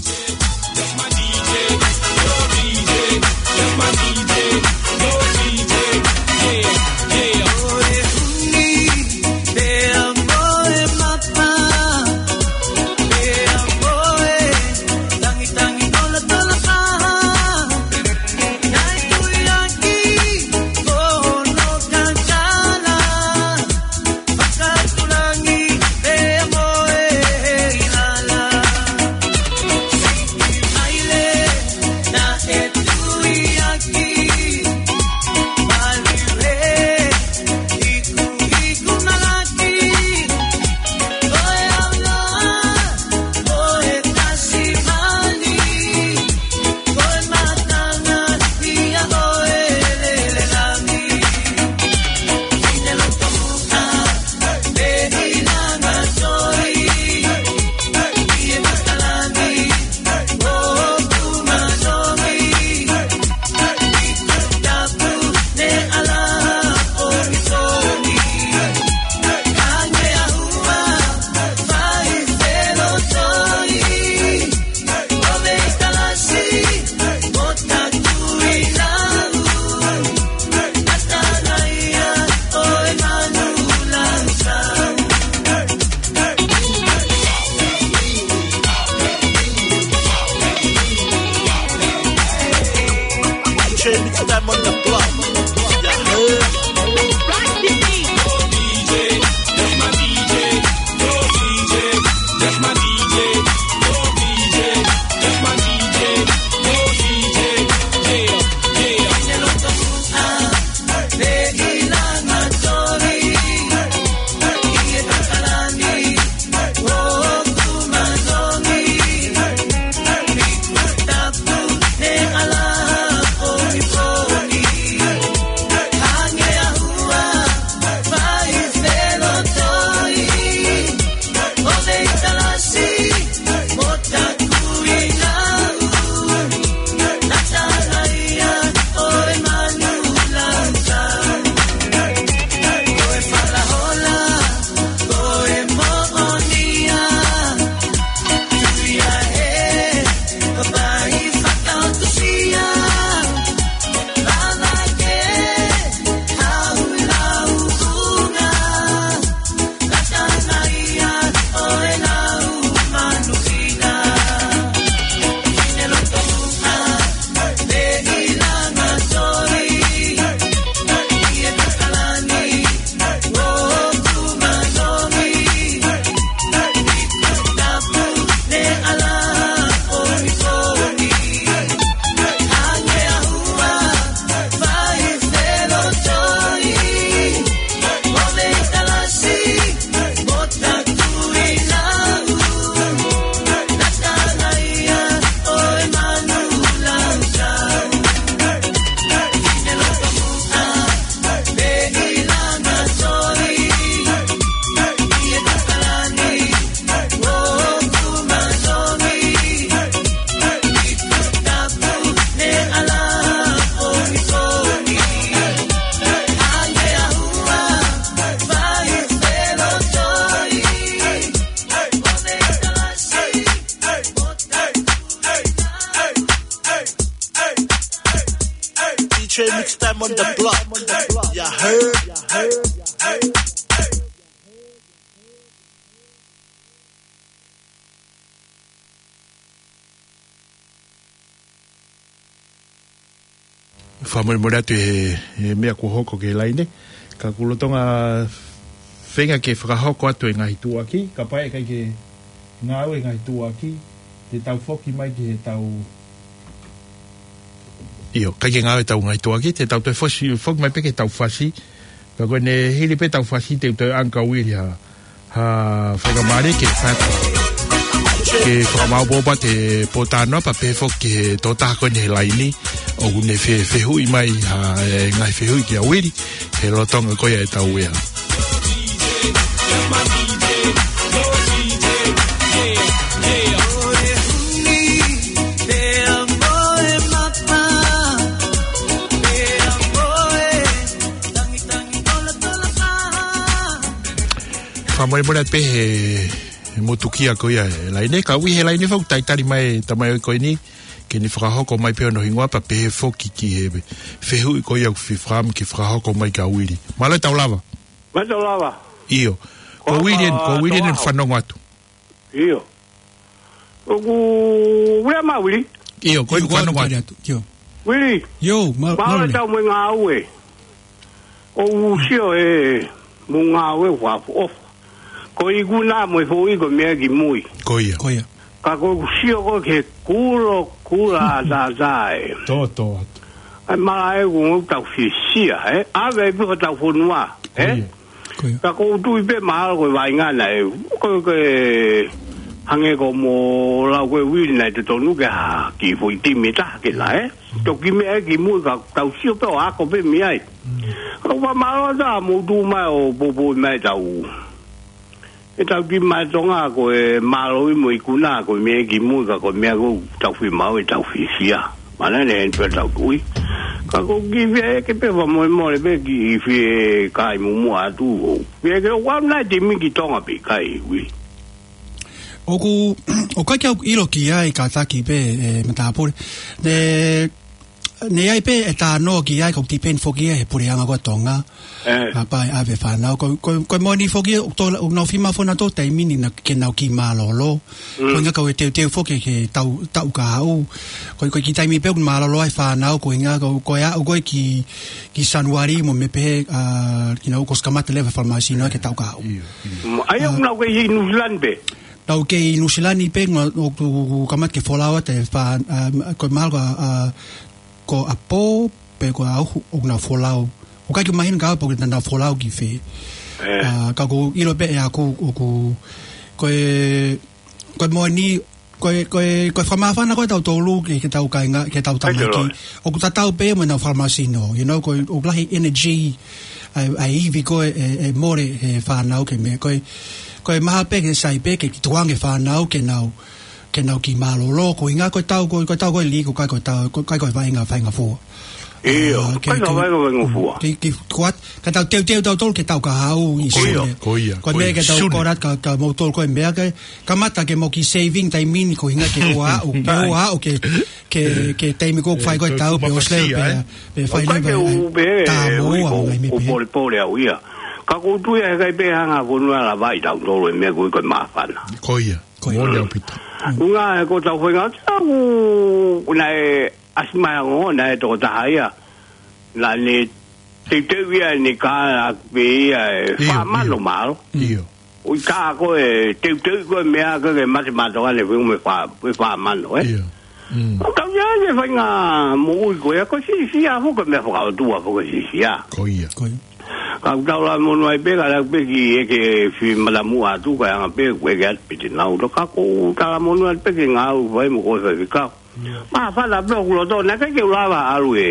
on the block. You heard? Fakamolemole atu he, he meʻa kuo hoko ki he laine. Ka ʻoku lolotonga feinga ke fakahoko atu e ngaahi tuʻuaki, kapau ʻe ʻikai ke ngāue e ngaahi tuʻuaki, te tau foki mai ki he tau, ʻio, ʻikai ke ngāue e tau ngaahi tuʻuaki, te tau toe fosi, foki mai pē ki he tau fasi. Ka ko ʻene hili pē tau fasi te u toe ʻange kia Uili ha, ha faingamālie ke faka-, ke fakamaopoopo atu e pōtalanoa pea pehē foki ki he tokotaha ko eni he laine ʻoku ne fe-, fehuʻi mai ha, e ngaahi fehuʻi kia Uili he lolotonga ko ia e tau ea. Fakamolemole atu pē he, he motukia ko ia e laine, ka ʻoku ʻi he laine foki, talitali mai e tamaioʻeiki ko eni, ke ne fakahoko mai pē hono hingoa pea pehē foki ki he fehuʻi ko ia ʻoku fifam ke fakahoko mai kia Uili. Mālō e tau lava. Mālō e tau lava. ʻIo. Ko Uili eni, ko Uili eni fanongo atu. ʻIo. ʻOku, Uili, ma Uili. ʻIo, ko e fanongo atu. ʻIo. Uili. ʻIo, ma-, ma Uili. Tau mo e ngāue. ʻOku sio e mo e ngāue ʻoku ʻofa. Ko e ikuna mo e foʻi ko e meʻa ki mui. Ko ia. Ko ia. Ka ko ʻeku sio ko ē ki he kulo kula ʻataʻatā ē. Tō, tō atu. ʻAi mala e ʻoku tau fisia, ē? ʻAve ai pē hotau fonua, ē? Ko ia. Ko ia. Ka ʻoku ou tui pē mahalo ko e vaʻinga naʻe, ko e, ko e hangē ko hoʻomo lau ko ē Uili naʻe totonu ke ha kiʻi foʻi timi taha ke na, ē? Toki meʻa ki mui ka tau sio pē ʻo ako pē mei ai. Mm. Ka ʻoku fakamālō atu ʻa hoʻomou tuʻu mai ʻo poupou mai tau. E tau ki mai Tonga ko e mālō ʻi mo e ikuna ko e meʻa ki mui ka ko e meʻa ko ē tau fie maʻu e tau fisia. Mana ne en pē tau tui. Ka ko e kiʻi fie ʻeke pē fakamolemole pē kiʻi fie kai mumua atu. Fie ʻeke ʻoku ʻi ai nai e timi ki Tonga pe ʻikai, Uili? ʻOku, ʻoku ʻikai ke u ʻilo ki ai kātaki pē, e, matāpule. Ne, ne ʻi ai pē e talanoa ki ai, ka ʻoku depend foki ia he puleʻanga ko ē ʻa Tonga. Ē. Kapau ʻe ʻave e fānau. Ko, ko, ko e moʻoni foki, ʻoku tō, ʻoku nau fiemaʻu foki ʻenautolu taimi ni na, ke nau kiʻi mālōlō. Mm. Ko e ʻuhinga ko e teuteu foki ki he tau, taʻu kahaʻu. Ko, ko e kiʻi taimi pē ʻoku mālōlō ai e fānau, ko e ʻuhinga ko, ko e aʻu ko ē ki, ki Sānuali mo e meʻa pehē, ʻa, you know, kuo ʻosi kamata leva e fale māsino ki he taʻu kahaʻu. ʻIo, ʻio. Mm, ʻa ia ʻoku nau kei ʻi Nuʻusila ni pē. Nau kei ʻi Nuʻusila ni pē, ngā, ʻoku, ʻoku kamata ke folau atu e fā-, ʻa, ko e mahalo ko, ʻa, ko ʻapō, pe ko ʻauhu, ʻoku nau folau. ʻOku ʻikai ke mahino ka ʻapō ke nau folau ki fē. Ē. ʻA, ka ʻoku ʻilo pē ʻe au ʻoku, ko e, ko e moʻoni, ko e, ko e, ko e fakamāfana ko ē ʻatautolu ki he, ki he tau kāinga, ki he tau tamaiki. ʻOku tatau pē mo ʻenau fale māsino, you know, ko e, ʻoku lahi e energy, ʻa e, ʻa e ivi ko ē, e, e mole he fānau ki he meʻa. Ko e, ko e maha pē ke sai pē ke kiʻi tukuange e fānau ke nau, ke nau kiʻi mālōlō, ko e ʻuhinga ko e tau, ko e, ko e tau ko ē lī, ʻoku ʻikai ko e tau, ʻoku ʻikai ko e vaʻinga faingofua. ʻIo, ʻoku ʻikai ko e vaʻinga faingofua. Kiʻi, kiʻi kuat, ka tau teuteu tautolu ki he taʻu kahaʻu ʻi Sune. Ko ia, ko ia. Ko e meʻa ke tau kole atu kia, kia moutolu ko e meʻa ke, kamata ke mou kiʻi saving taimi ni ko e ʻuhinga ke ʻoua ʻe aʻu, ke ʻoua ʻe aʻu ki he, ki he, ki he taimi ko ē ʻoku fai ko ē e tau pe ʻosi leva pē, pe fai leva e, tā mo ua, ʻoku ʻikai pē ʻoku, ʻoku polepole au ia. Ka ʻoku ou tui ʻe ʻikai pē hanga fonua lava ʻi tautolu e meʻa ko ē ko e māfana. Ko ia. Ko ia. Moʻoni ʻaupito. ʻUhinga ē ko ʻetau faʻahinga, ʻoku naʻe ʻasi mai ʻa e ongo, naʻe tokotaha ia. Naʻa ne teuteu ia ʻene kala pē ia ʻe fā mano mālō. ʻIo. ʻOku ʻikai ko e teuteu ko e meʻa ko ē ke mate mātoka ne fengu me fā, me fā mano, ē? ʻIo. Mm. ʻOku tau ia ke faʻahinga moʻui ko ia, ko e fisia foki ko e meʻa fakaʻotua foki e fisia. Ko ia. Ko ia. Ka ʻoku tau lava monū ai pē, ka lau pē kiʻi ʻeke fie matamuʻa atu, kae ʻanga pē, ʻeke atu pē te nau. Ka ʻoku tau lava monū ai pē ke ngāue fai mo ko e faifekau. Māfana pē hoku loto, naʻe ʻikai ke u lava ʻalu ē.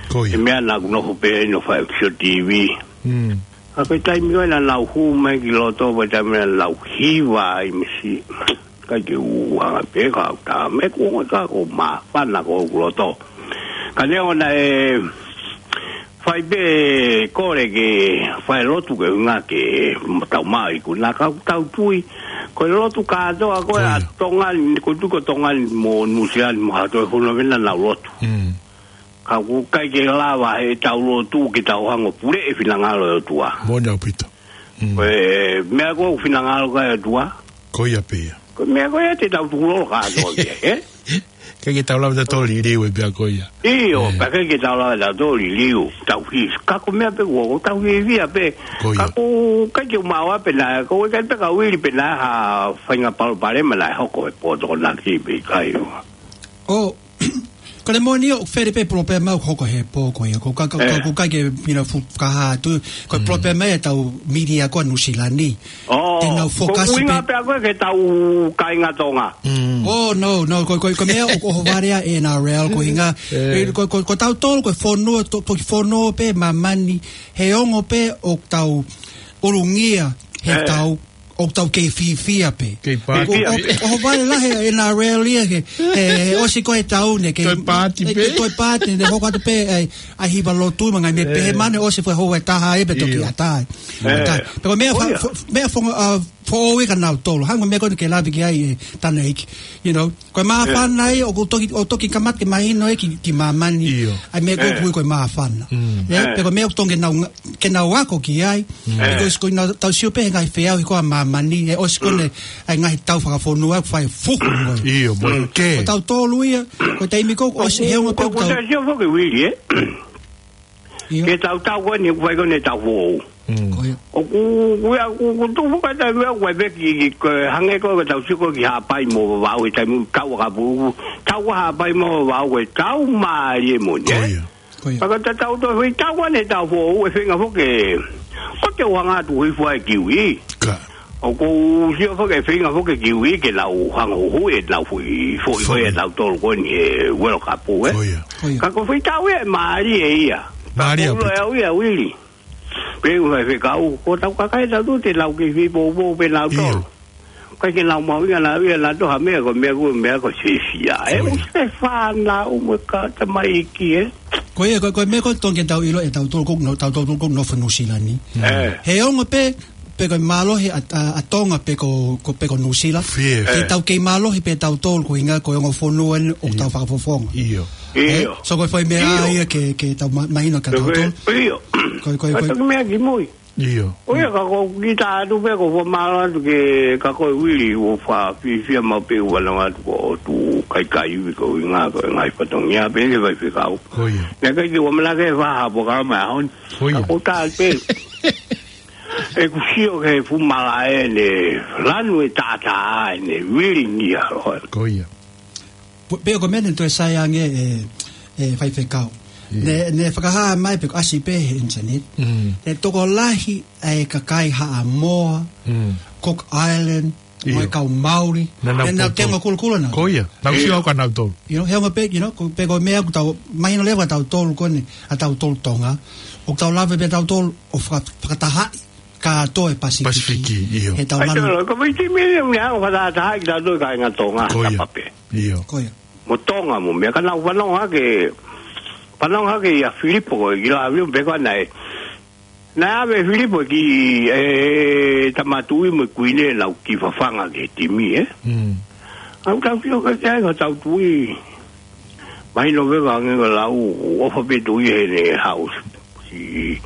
Ko ia. E meʻa naʻa ku nofo pē ʻi he nofo ʻa e Action T V. Mm. Ka ko e taimi ko ē naʻa nau hū mai ki loto, ko e taimi naʻa nau hiva ai misi. ʻIkai ke u hanga pē ka u tā me ku ongo ka ko e māfana ko hoku loto. Ka neongo naʻe fai pē kole ke fai lotu ke ʻuhinga ke tau maʻu e ikuna ka ʻoku tau tui. Ko e lotu kātoa ko ē ʻa Tonga ni, ko e tuʻu ko Tonga ni mo Nuʻusila ni mo ha toe fonua pē naʻa nau lotu. Mm. ʻOku ʻikai ke lava heʻetau lotu ke tau hanga ʻo puleʻi e finangalo ʻo e ʻOtua. Moʻoni ʻaupito. Mm. Ko e meʻa ko ē ʻoku finangalo ki ai e ʻOtua. Ko ia pē ia. Ko e meʻa ko ia te tau tukulolo kātoa ki ai, ē? ʻIkai ke tau lava ʻo tau liliu e meʻa ko ia. ʻIo, ē. Pea ʻikai ke tau lava ʻo tau liliu, tau hisi. Ka ko e meʻa pē ko ē, ʻoku tau fiefia pē. Ko ia. Ka ʻoku ʻikai ke u maʻu pē naʻe, ʻoku ʻikai pē ke u ʻilo pe naʻe ʻi ai ha faʻahinga palopalema naʻe hoko he pō Tokonaki pe ʻikai. ʻO, ko e moʻoni ʻoku fele pē palopalema ʻoku hoko he pō ko ia. Ko ka, ka, ē. Ka, ʻoku ʻikai ke, you know, fu-, fakahā atu. Ko e Mm. palopalema ia ʻetau media ko ē ʻa Nuʻu Sila ni. ʻŌ, ʻenau ko e fokasi ʻuhinga pē. Pē ko ē ki heʻetau kāinga Tonga. Mm. ʻŌ, no, no, ko, ko, ko e meʻa ʻoku, ʻohovale ai e N R L, ko e ʻuhinga. Ē. Ē, ko, ko, ko tautolu, ko e fonua, to-, toki fonua pē, māmani, he ongo pē ʻoku tau ʻulungia, he Ē. tau, ʻoku tau kei fiefia pē. Kei paati. Ko, ʻo, ʻohovale lahi e N R L ia, he, he, he ʻosi ko ē ʻetau ne, kei Toe paati ē, pē. Kei toe paati, ne hoko atu pē, ʻai, ʻai hiva lotu, mo e ngaahi meʻa Ē. pehē, mahalo ʻosi fua hou e taha ē, pe toki ʻio. ʻatā ai. Ē. ʻAtā. Pea ko e meʻa Ko fa-, ia. fo-, meʻa fongo, ʻa, foʻou ia kia nautolu. Hangē ko e meʻa ko ē naʻe lave ki ai e tangataʻeiki, you know. Ko e māfana Ē. ia, ʻoku toki, ʻoku toki kamata ke mahino ia ki, ki māmani. ʻIo. ʻAi meʻa ko ē Ē. ʻoku ui ko e māfana. Mm. Ē, Ē. pea ko e meʻa ʻoku totonu ke nau nga-, ke nau ako ki ai. Mm. Ē. Because ko ʻenau tau sio pē he ngaahi feʻauhi ko ē ʻa māmani, ē, ʻosi ko ē Mm. ʻa e ngaahi tau fakafonua, fai fuhu mo. ʻIo, mo Mm. ke. Ko tautolu ia, ko e taimi ko ē, ʻosi he ongo pē ʻoku ʻOku tau. Tau sio foki Vili, ē? ʻIo. Ke tau tau ko eni, ʻoku fai ko eni ʻetau foʻou. Mm. Ko ia. ʻOku, ʻoku, ʻoku, ʻoku tuʻu foki ʻetau meʻa, ʻoku ʻai pē ki, ki, ko e hangē ko ē, ko ʻetau sio ko ē ki Haʻapai mo Vavaʻu, he taimi tau ʻa Kapu, tau ʻa Haʻapai mo Vavaʻu, ko ʻetau mālie moʻoni, Ko ē? ia. Ko ia. Pea ka ta tau toe foʻi tau ko eni ʻetau foʻou, ʻe feinga foki ke, ko te u hanga atu hifo ai ki ui. Ka. ʻOku ou sio foki ʻe feinga foki ki ui ke nau hanga huhuʻi ʻenau foʻi, foʻi, foʻi. Foʻi ʻetau tolu ko eni he World Cup, ē? Ko ia. Ko ia. Ka ko e foʻi tau ia ʻe mālie ia. Mālie Ka ko ʻaupito. Au ia, Vili. Pea u fai fekau, ko ʻetau kakai ʻe taha te nau kei fie poupou pē nautolu. ʻIo. ʻIkai ke nau mahuʻinga nautolu ia, nautolu ha meʻa ko e meʻa ko e meʻa ko e fiefia. Ē, Ko ia. ʻoku se fānau mo e ka tamaiki, ē? Ko ia, ko, ko e meʻa ko ē totonu ke tau ʻilo ʻe tautolu ko, no, tautolu ko North New Zealand ni. Ē. He ongo pē, pe ko e mālohi ʻa, ʻa, ʻa Tonga pe ko, ko, pe ko Nuʻu Sila. Fie. Ke Ē. tau kei mālohi pē tautolu ko e ʻuhinga ko e ongo fonua eni ʻoku tau ʻIo. fakafofonga. ʻIo. ʻIo. Ē? So ko e foʻi meʻa ʻIo. ia ke, ke tau ma-, mahino kia Ko e, tautolu. ʻio. Ko e, ko e, Ka ko e. toki meʻa ki mui. ʻIo. ʻO ia ka ko kita atu pē ko e fakamālō atu kia koe Vili, ʻoku ou fiefia maʻu pē ʻoku ou ʻalu atu ko e tuʻu kaikaiuvi ko e ʻuhinga ko e ngaahi fatongia pē ke fai fekau. Ko ia. Naʻe ʻikai ke u ʻamanaki ke fai ha polokalama he ʻaho ni. Ko ia. Ka ʻoku ou tala pē. ʻOku ou sio ki he fuʻu malaʻe naʻe lanu e taʻataʻa ʻa e Vili ni ʻa e ʻaho ni. Ko ia. Pe-, pea ko e meʻa naʻe toe sai ange ʻe, ʻe Faifekau. ʻIo. Naʻe, naʻe fakahā mai pe ko e ʻasi pē he internet. Mm. Naʻe tokolahi ʻa e kakai Haʻamoa, Mm. Cook Island, mo e ʻIo. kau Maori. Naʻa nau Naʻa nau poupou. tenga kulokula na. Ko ia, nau ʻIo. sio au kia nautolu. You know, he ongo pē, you know, ko, pe ko e meʻa ʻoku tau, mahino leva kia tautolu ko eni, ʻa tautolu Tonga. ʻOku tau lava pē tautolu ʻo faka-, fakatahaʻi kātoa e Pasifiki. Pasifiki, ʻio. He tau ʻAi lanu. tolo, ko e timi ni ʻoku ne hanga ʻo fakatahaʻi kitautolu kāinga Tonga, Ko ia. tapa pē. ʻIo. Ko ia. Mo Tonga mo meʻa ka nau fanongo hake, fanongo hake ia Filipo ko e kila Filipo pe ko ena ē. Naʻe ʻave Filipo ki he Tama Tuʻi mo e Kuini ʻenau kiʻi fafanga ki he timi, ē? Mm. ʻOku tau sio ki ai ko hotau Tuʻi. Mahino pē ka hangē ko e lau, ʻofa pē Tuʻi heʻene haʻu ʻo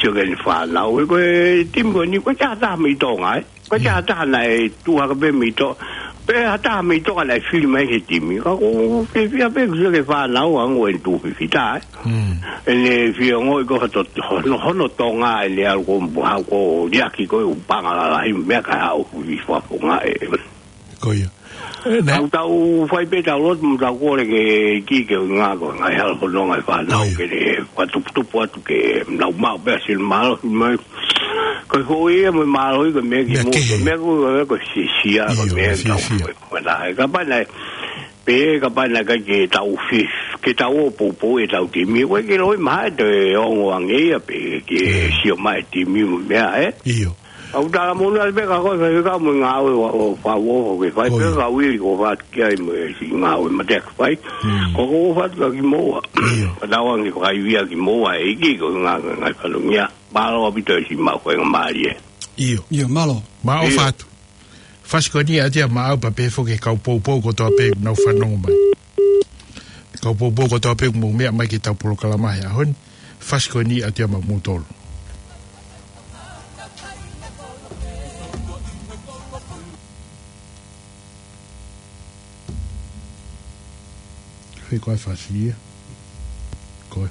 sio ki heʻene fānau. He ko e timi ko eni, ʻoku ʻikai ha taha mei Tonga, ē? ʻIkai ha taha naʻe tuʻu hake pē mei Tonga. Pe ha taha mei Tonga naʻe fili mai ki he timi. Ka ʻoku ou fiefia pē ʻoku sio ki he fānau ʻa e ongo ʻene tuʻu fifita, ē? Mm. ʻEne fie ongoʻi ko e fato-, hono, hono Tonga ʻene ʻalu ko e haʻu ko e liʻaki ko e ʻū paʻanga lalahi meʻa kae haʻu ʻo fakafofongaʻi. Ko ia. Ē, nē. ʻOku tau fai pē ʻetau lotu mo ʻetau kole ki he ʻEiki ko e ʻuhinga ko e ngaahi hala fononga ʻa e fānau Ko ia. ke ne fakatuputupu atu ke nau maʻu pē ʻa e sino mālohi mai. Ko e foʻi ia mo e mālohi ko e meʻa ki Meʻa muʻa, kehe. ko e meʻa ko e, ko e fiefia, ko e ʻIo, meʻa ke tau fiefia. fai. Ko e taha, kapau naʻe, pe kapau naʻe ʻikai ke tau fi-, ke tau ō ʻo poupou ʻetau timi. ʻOku ʻikai ke loi mai ha toe ongo ange ia pe ke ʻIo. sio mai e timi mo e meʻa, ē? ʻIo. ʻOku ou talamonū atu pē kia koe Faifekau mo e ngāue ʻoku, ʻoku, ʻoku, ʻoku ke fai Ko pē ia. kia Vili ʻoku ou ʻofa atu ki ai mo e siʻi ngāue mateaki fai. Mm. Ko ʻoku ou ʻofa atu kia kimoua. ʻIo. Ka tau ange fakaivia kimoua ʻe he ʻEiki ko e ngaahi, ngaahi fatongia. Mālō ʻaupito e siʻi maʻu ko e ngaahi mālie. ʻIo. ʻIo, mālō. Mālō ʻIo. ʻofa atu. Fasi ko eni ʻa tia maʻau pea pehē foki ki he kau poupou kotoa pē ʻoku nau fanongo mai. Kau poupou kotoa pē ʻoku mou meʻa mai ki heʻetau polokalama he ʻaho ni. Fasi ko eni atu ia maʻa moutolu. Fē koā e fasi ia? Ko e.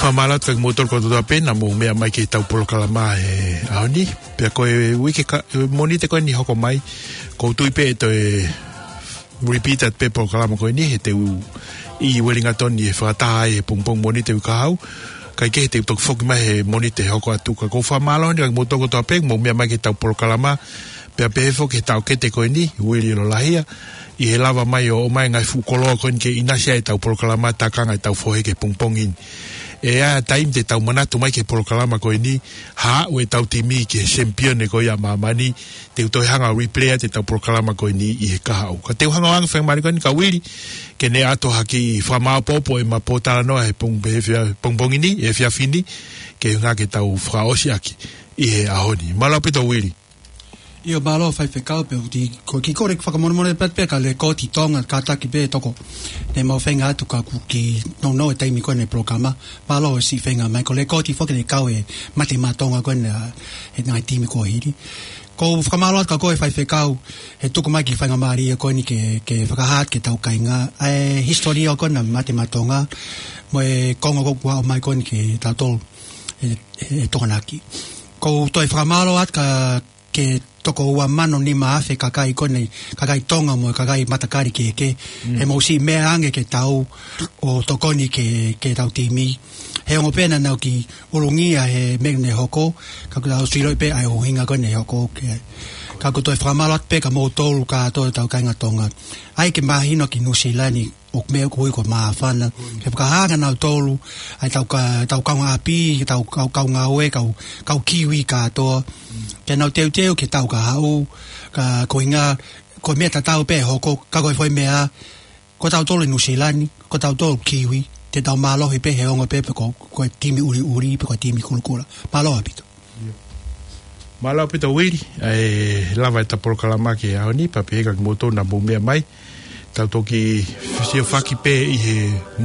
Fakamālō atu kiate kimoutolu kotoa pē naʻa mou meʻa mai ki heʻetau polokalama he ʻaho ni. Pea ko e uike ka, Mōnite ko eni hoko mai, ʻoku ou tui pē ʻe toe repeat atu pē polokalama ko eni, he te u ʻi Wellington ʻi he fakataha ai he pongipongi Mōnite uike kahaʻu. Kae kehe te u toki foki mai he Mōnite hoko atu. Ka ʻoku ou fakamālō eni kiate kimoutolu kotoa pē, mou meʻa mai ki heʻetau polokalama. Pea pehē foki ki he taʻokete ko eni, Uili Lolahia, ʻi he lava mai ʻo ʻomai e ngaahi fuʻu koloa ko eni ke ʻinasi ai ʻetau polokalama, tākanga ʻetau fohe ki he pongipongi ni. ʻE ʻi ai e taimi te tau manatu mai ki he polokalama ko eni, haʻu ʻetau timi ki he sempione ko ia ʻa māmani, te u toe hanga ʻo replay atu ʻetau polokalama ko eni ʻi he kahaʻu. Ka te u hanga ʻo ʻoange e faingamālie ko eni kia Uili, ke ne ʻoatu ha kiʻi fakamāʻopoʻopo ʻema pōtalanoa he pong-, he fia-, pongipongi ni, he efiafi ni, ke hanga ke tau fakaʻosi ʻaki ʻi he ʻaho ni. Mālō ʻaupito Uili. ʻIo, mālō faifekau, pea ʻoku ou kole ke fakamolemole pē, pea ko e lekooti Tonga, kātaki pē toko. Naʻe mau feinga atu ka kuo kiʻi nounou e taimi ko eni e polokalama. Mālō e siʻi feinga mai, ko e lekooti foki eni e kau e Mate Maʻa Tonga ko eni, ʻa e ngaahi timi kuo hili. ʻOku ou fakamālō atu kia koe faifekau, he tuku mai e kiʻi faingamālie ko eni ke, ke fakahā atu ki heʻetau kāinga ʻa e hisitōlia ko eni ʻa Mate Maʻa Tonga, mo e konga ko ē kuo aʻu mai ko eni kia tautolu ʻe, ʻe Tokonaki. ʻOku ou toe fakamālō atu kia, ki he toko ua mano nima afe kakai ko eni, kakai Tonga mo e kakai matakali kehekehe. Mm. He mou siʻi meʻa ange ke tau ō ʻo tokoni ki he, ki heʻetau timi. He ongo pē naʻa nau kiʻi ʻulungia he meʻa naʻe hoko, ka kuo tau ʻosi ʻilo pē ʻa e ʻuhinga ko eni naʻe hoko ki ai. Ka ʻoku ou toe fakamālō atu pē kia moutolu kātoa ʻetau kāinga Tonga. ʻAi ke mahino ki Nuʻu Sila ni, ʻoku meʻa ʻoku ui ko e māfana. Ke fakahā kia nautolu, ʻa ʻetau ka-, ʻetau kaungāʻapi, ʻetau kau, kau ngāue, kau, kau Kiwi kātoa. Ke nau teuteu ki he taʻu ka haʻu, ka ko e ʻuhinga, ko e meʻa tatau pē ʻe hoko, ka ko e foʻi meʻa, ko tautolu ʻi Nuʻu Sila ni, ko tautolu Kiwi, te tau mālohi pē he ongo pē, pē ko, ko e timi ʻuliʻuli, pe ko e timi kulokula. Mālō ʻaupito. Mālō ʻaupito Uili, ʻe lava ʻeta polokalama ki he ʻaho ni, pea pehē kia kimoutolu naʻa mou meʻa mai. Tau toki siʻi fakapē ʻi he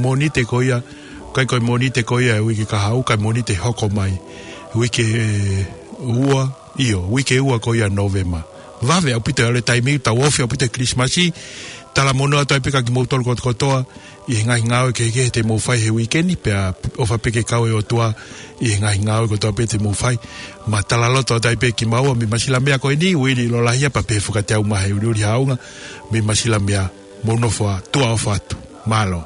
Mōnite ko ia, ʻikai ko e Mōnite ko ia e uike ka haʻu, ka e Mōnite hoko mai. Uike ua, ʻio, uike ua ko ia Nōvema. Vave ʻaupito e ʻalu e taimi, tau ofi ʻaupito e Kilisimasi, talamonū atu ai pē kia kimoutolu kotokotoa, ʻi he ngaahi ngāue kehekehe te mou fai he uike ni, pea ʻofa pē ke kau e ʻOtua ʻi he ngaahi ngāue kotoa pē te mou fai. Mālō, talaloto atu ai pē kimaua mei Masilamea ko eni, Uili Lolahia, pea pehē foki kiate au Mahe ʻUliʻuli Haʻunga, mei Masilamea, mou nofo ā, tuʻa ʻofa atu. Mālō.